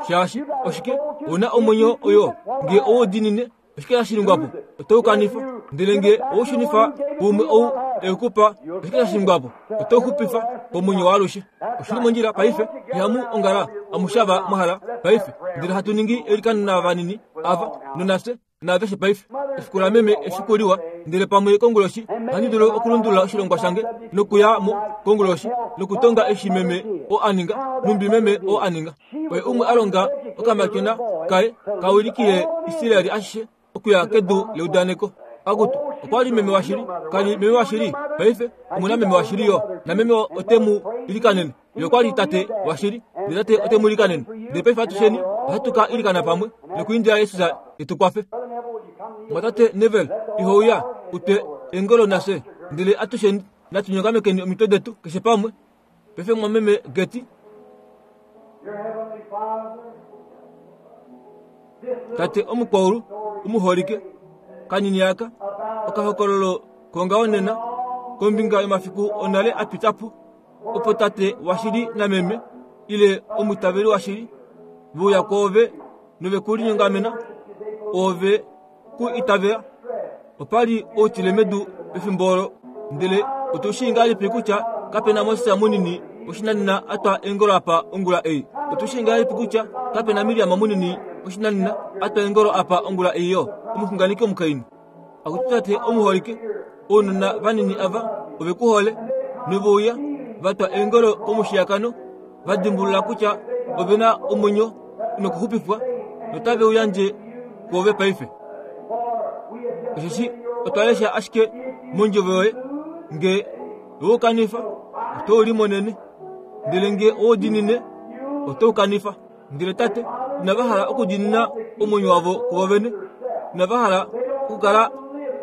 Shaashi, oshike, ou na omwenyo oyo, nge ou diinine Oshike tashi ningwa po? Oto u kanifa. Ndele nge ou shunifa kuumwe ou e ku pa, oshike tashi ningwa po? Oto u xupifa komwenyo waalushe. Oshi li mondjila paife. Ihamu ongala amushe ava mwa hala paife. Ndele hatu ningi eilikano navanini ava, nonafye, naaveshe paife. Efiku lameme efiku liwa. Ndele pamwe konguloshi ohandi dulu okulundulula oshilongwa shange nokuya mo konguloshi nokutonga eshi meme oo a ninga, nhumbi meme oo a ninga. Oye umwe a longa okamatyona kaye ka wilikile Israel ashishe okuya kedu leudaneko. Akutu, okwa li meme washili, ka li meme washili. Paife omu na meme washili yo, nameme ote mu ilikanene. Ye okwa li tate washili, ndele tate ote mu ilikanene. Ndele paife atusheni ohatu ka ilikana pamwe nokuindila Jesus e tu kwafe. Mwatate Neville, iho uya u twe eengolo nafye, ndele atusheni natu nyongamekeni omitwe detu keshe pamwe. Paife mwameme Gertie. Tate omukwaulu omuholike, kanini aka okahokololo kongaho nena kombinga yomafiku onale a pita po, opo tate washili nameme ile omwiitaveli washili ve uya kwoove nove ku linyongamena, oove ku itavela. Opa li outile medu pefimbo olo. Ndele otu shii ngahelipi kutya kape na Moses munini woshinanena a twa eengolo apa ongula ei? Otu shii ngahelipi kutya kape na Miriam munini woshinanena a twa eengolo apa ongula ei yo, omuxunganeki omukainhu? Akutu Tate omuholike, ounona vanini ava ove ku hole, nove uya va twa eengolo komushiyakano, va dimbulula kutya ove na omwenyo nokuxupifwa notave u yandje kwoove paife. Osheshi otwa lesha ashike mondjovo yoye, nge owe u kanifa, oto u limonene, ndele nge owe u diinine, oto u kanifa. Ndele Tate, inava hala okudiinina omwenyo wavo kuvo vene, inava hala okukala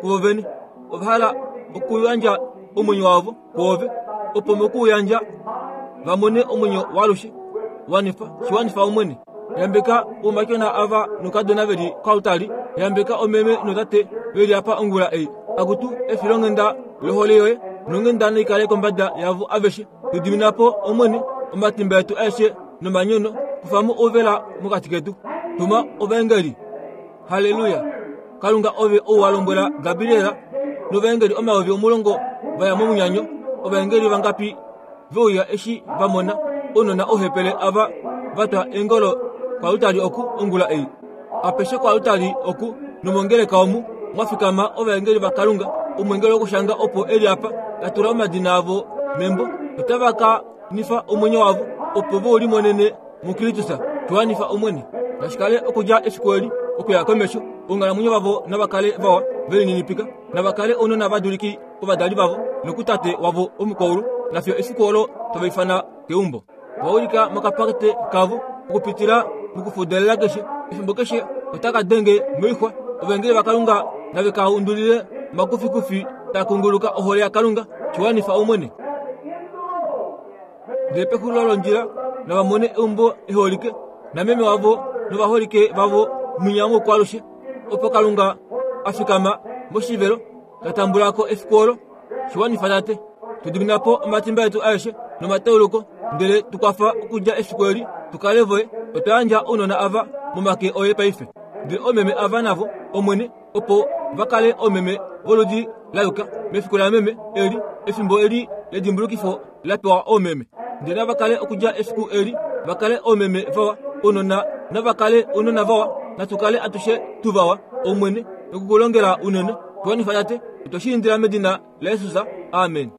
kuvo vene, ova hala okuyandja omwenyo wavo kwoove, opo moku u yandja va mone omwenyo waalushe. Wanifa, shi wanifa Omwene. Yambeka oumatyona ava noukadona ve li koaltari. Yambeka omeme notate ve li apa ongula ei. Akutu, efilonghenda lohole yoye nonghenda nai kale kombada yavo aveshe. Tu dimina po, Omwene, omatimba etu aeshe nomanyono. Kufa mo ouvela mokati ketu. Tuma ovaengeli. Halleluya! Kalunga ove ou wa lombwela Gabriel novaengeli 10,000 va ya momunyanyo. Ovaengeli vangapi ve uya eshi va mona ounona ouhepele ava va twa eengolo koaltari oku ongula ei? Apeshe koaltari oku nomongeleka omu mwa fikama ovaengeli vaKalunga, omweengeli wokushanga opo e li apa, ta tula omadina avo membo, notava ka nifa omwenyo wavo opo ve u limonene muKristus. Tu wanifa Omwene. Nashi kale okudja efiku eli okuya komesho, onghalamwenyo vavo nava kale vawa, ve lininipika, nava kale ounona va duliki kovadali vavo nokutate wavo womukwaulu, nafiyo efiku olo tava ifana keumbo. Va ulika mokapakete kavo okupitila mokufudelela keshe, efimbo keshe otaka denge moixwa. Ovaengeli vaKalunga nave ka undulile omakufikufi taa kunguluka ohole yaKalunga. Shi wanifa Omwene. Ndele pexulilo londjila nava mone eumbo eholike nameme wavo novaholike vavo mwinya woukwalushe, opo Kalunga a fikama moshivelo ta tambula ko efiku olo. Shi wanifa Tate. Tu dimina po omatimba etu aeshe nomatauluko, ndele tu kwafa okudja efiku eli tu kale voye. Otwa yandja ounona ava momake oye paife. Ndele oomeme ava navo, Omwene, opo va kale oomeme voludi la yuka mefiku lameme eli, efimbo eli ledimbulukifo la pewa oomeme. Ndele nava kale okudja efiku eli va kale oomeme vawa, ounona nava kale ounona vawa, natu kale atushe tu vawa, Omwene, noku ku longela unene. Tu wanifa Tate, otwe shi indila medina laJesus. Amen.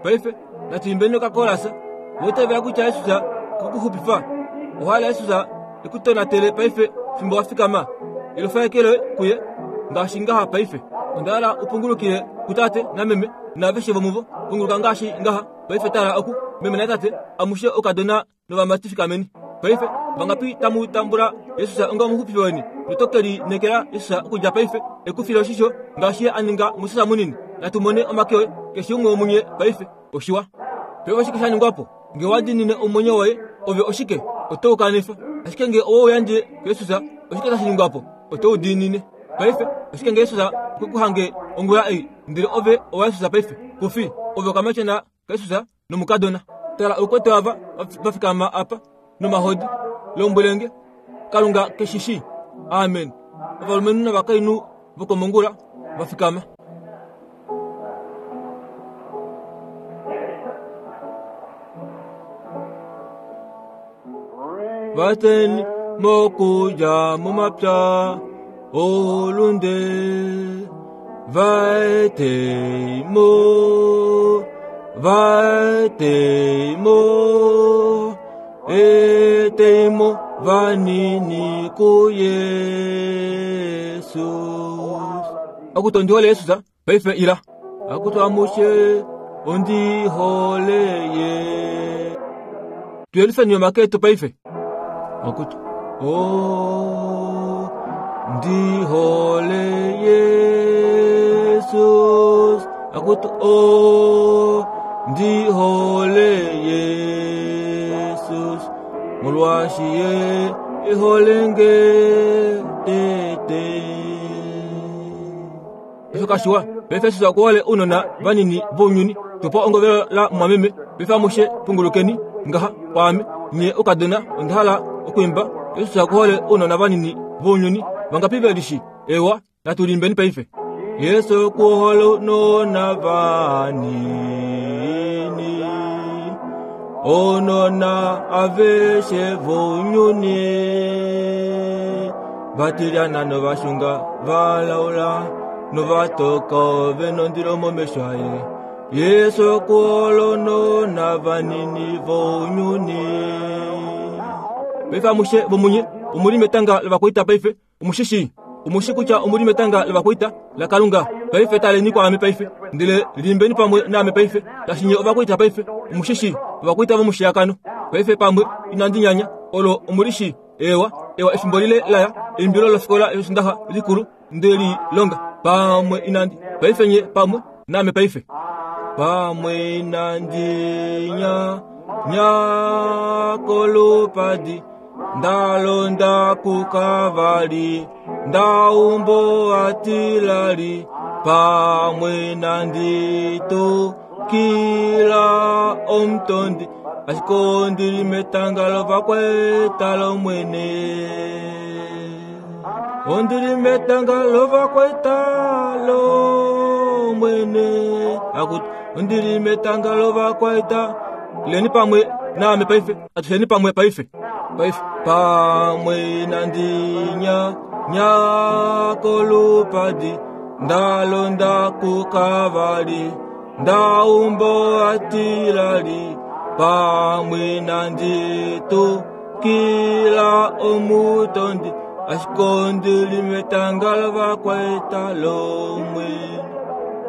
Paife natu imbeni okakolasa. Owa itavela kutya Jesus okwe ku xupifa? Owa hala Jesus e ku tonatele paife fimbo wa fikama? Elufa eke loye kuye ngaashi ngaha paife. Onda hala u pungulukile kutate nameme naaveshe vomuvo. Punguluka ngaashi ngaha paife. Tala oku, meme natate, amushe oukadona novamati fikameni. Paife, vangapi tamu tambula Jesus onga omuxupifi weni noto ke lineekela Jesus okudja paife e ku file oshisho ngaashi ye a ninga Moses munini? Natu mone omake oye, keshe umwe womunye paife. Oshiwa. Paife oshike sha ningwa po? Nge wa diinine omwenyo woye, ove oshike? Oto u kanifa. Ashike nge owe u yandje kuJesus, oshike tashi ningwa po? Oto u diinine. Paife, oshike nge Jesus okwe ku hange ongula ei, ndele ove owa Jesus paife? Ku fi. Ove okamatyona kaJesus nomukadona. Tala oukwete ava va fikama apa nomahodi. Lombwele nge, Kalunga ke shi shii. Amen. Ovalumenhu novakainhu vokomongula va fikama. Vateni mokudja momapya oulunde vaetei mo vaetei mo etei mo vanini kuYesus. Akutu ondi hole Jesus, paife ila. Akutu amushe ondi hole ye. Tuyelifeni omake etu paife. Akutu o ndi hole Jesus. Akutu o ndi hole Jesus. Molwaashi ye e hole nge tete. Osho kashiwa, paife Jesus oku hole ounona vanini vounyuni. Tupa ongovelo la mumwameme, paife amushe pungulukeni ngaha kwaame. Nye oukadona, onda hala okwiimba Jesus oku hole ounona vanini vounyuni. Vangapi ve lishi? Eewa, natu liimbeni paife. Yesu oku hole ounona vanini, ounona aveshe vounyuni. Vatilyana novashunga valaula novatoka ove nondilo momesho aye. Yesu oku hole ounona vanini vounyuni. Paife amushe vomunye omu li metanga lovakwaita paife. Omu shi shii? Omu shi kutya omu li metanga lovakwaita laKalunga paife. Taleni kwaame paife, ndele liimbeni pamwe naame paife. Tashi nye ovakwaita paife. Omu shi shii? Ovakwaita vomushiyakano paife pamwe inandi nyanya olo omu li shii. Eewa, ewa efimbo lile laya, eimbilo lofikola yoshindaxa likulu nde li longa pamwe inandi paife nye pamwe naame paife. Pamwe inandi nya nya kolupadi nda londa kukavali nda umbo atilali pamwe inandi tukila omutondi ashike ondi li metanga lovakwaita lOmwene. Ondi li metanga lovakwaita lOmwene. Akutu, ondi li metanga lovakwaita. Ileni pamwe naame paife, atusheni pamwe paife. Paife, pamwe inandi nya nya kolupadi, nda londa kukavali, nda umbo atilali, pamwe inandi tukila omutondi, ashike ondi li metanga lovakwaita lOmwene.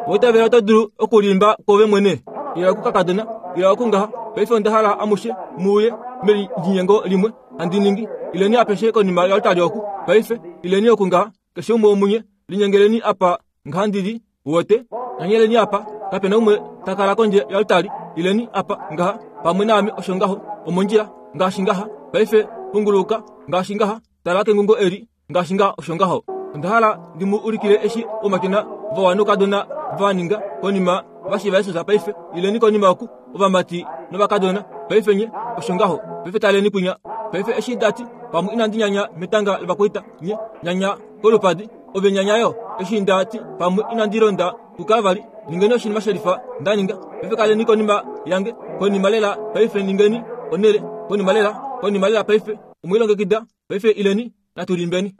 Oitavela oto dulu okulimba kwoove mwene, ila okukakadona, ila okungaha. Paife onda hala amushe mu uye melinyengo limwe handi ningi. Ileni apeshe konima yoaltari oku. Paife, ileni oku ngaha, keshe umwe womunye, linyengeleni apa ngaha ndi li. Uwete? Nanyeleni apa, kape na umwe ta kala kondje yoaltari. Ileni apa ngaha, pamwe naame osho ngaho, omondjila, ngaashi ngaha. Paife, punguluka, ngaashi ngaha, tala kengungo eli, ngaashi ngaha osho ngaho. Onda hala ndi mu ulikile eshi oumatyona vawa noukadona va ninga konima va shiiva Jesus. Paife, ileni konima oku, ovamati novakadona. Paife nye, osho ngaho. Paife taleni kwinya. Paife eshi nda ti, pamwe inandi nyanya metanga lovakwaita, nye, nyanya kolupadi, ove nyanya yo. Eshi nda ti, pamwe inandi londa kuKalvari, ningeni oshinima shelifa nda ninga. Paife kaleni konima yange, konima lela paife ningeni onhele, konima lela, konima lela paife. Omwe lilongekida? Paife ileni, natu limbeni.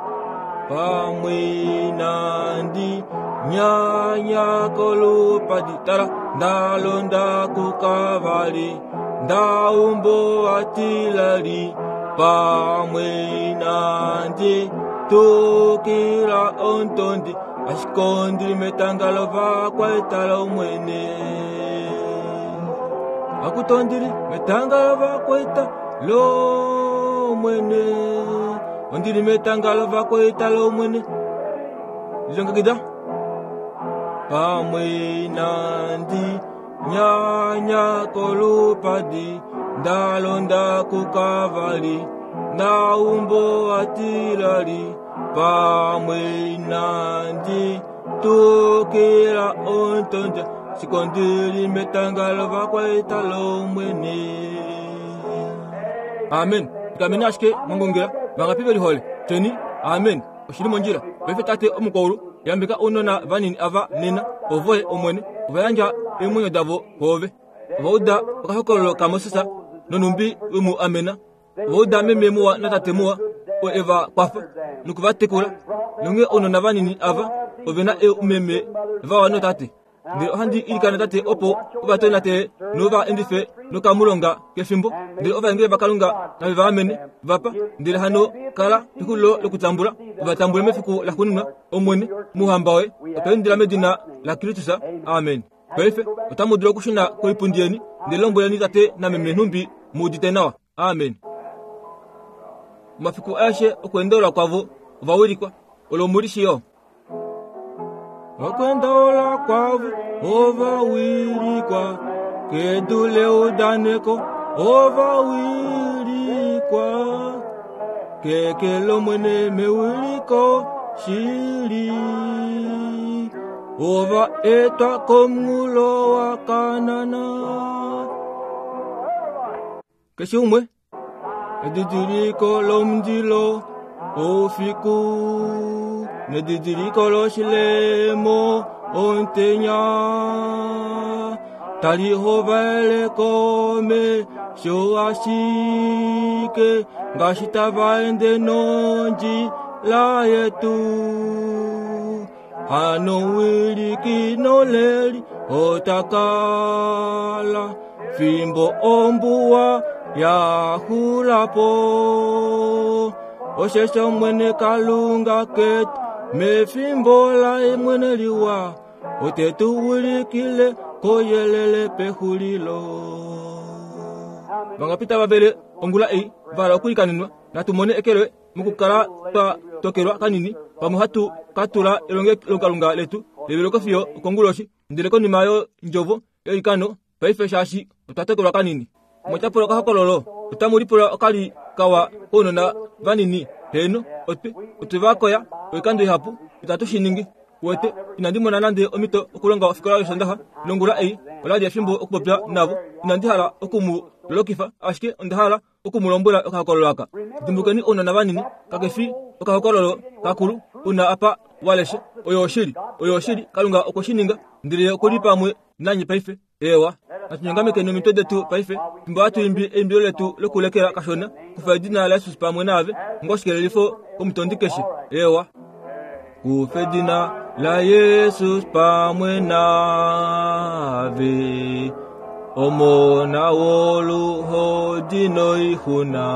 Pamwe inandi nyanya kolupadi, tala, nda londa kuKalvari, nda umbo atilali, pamwe inandi tukila omutondi, ashike ondi li metanga lovakwaita lOmwene. Akutu ondi li metanga lovakwaita lOmwene. Ondi li metanga lovakwaita lOmwene. Lilongekida pamwe inandi nyanya kolupadi, nda londa kuKalvari, nda umbo atilali, pamwe inandi tukila omutondi, ashike ondi li metanga lovakwaita lOmwene. Amen. Fikameni ashike mwa ngongela, vangapi ve lihole? Tyeni, Amen. Oshi li mondjila. Paife Tate Omukwaulu, yambeka ounona vanini ava nena, ovoye, Omwene, ova yandja eemwenyo davo kwoove. Ova uda okahokololo kaMoses nonhumbi we mu amena. Ova uda meme muwa natate muwa oo e va kwafa noku va tekula. Nonghee ounona vanini ava ove na oomeme vawa nootate. Ndele ohandi ilikana Tate opo u va tonatele nou va endife nokamulonga kefimbo. Ndele ovaengeli vaKalunga nave va amene, va pa. Ndele hano kala pexulilo lokutambula, u va tambule mefiku laxuuninwa, Omwene, mOuhamba woye. Otwa indila medina laKristus. Amen. Paife otamu dulu okushuna koipundi yeni, ndele lombweleni tate nameme nhumbi mu udite nawa. Amen. Omafiku aeshe okweendeula kwavo ova wilikwa. Olo omu li shii yo. Okweendeula kwavo ova wilikwa kedu leudaneko ova wilikwa keke lOmwene mewiliko shili. Ova etwa komunghulo waKanaan. Keshe umwe edidiliko lomundilo oufiku nedidiliko loshilemo omutenya tali hovele komesho ashike ngaashi tava ende nondjila yetu. Hano wiliki noleli ota kala fimbo ombuwa Ya xula po. Osheshi Omwene Kalunga ketu mefimbo laye mwene liwa ote tu ulikile koyelele pexulilo. Vangapi tava vele ongula ei va hala okuikaninwa? Natu mone eke loye mokukala twa tokelwa kanini pamwe hatu ka tula elongelokalunga letu leveleko fiyo okonguloshi ndele konima yondjovo yoikano paife shaashi otwa tokelwa kanini. Omwa pula okahokololo, otamu lipula okali kawa kounona vanini. Heeno, otwe, otwe va koya oikando ihapu, itatu shi ningi. Uwete, inandi mona nande omhito okulonga ofikola yOsoondaxa, nongula ei ola li efimbo okupopya navo. Inandi hala oku mu lolokifa, ashike onda hala oku mu lombwela okahokololo aka. Dimbulukeni ounona vanini, kake fi okahokololo kakulu u na apa wa leshe. Oyo oshili. Oyo oshili. Kalunga okwe shi ninga, ndele Ye oku li pamwe nanye paife. Eewa, natu nyongamekeni omitwe detu paife, fimbo hatu imbi eimbilo letu lokulekela kashona, Kufa edina laJesus pamwe naave, onga oshikelelifo komutondi keshe. Eewa. Kufa edina laJesus pamwe naave, Omona woluhodi noixuna.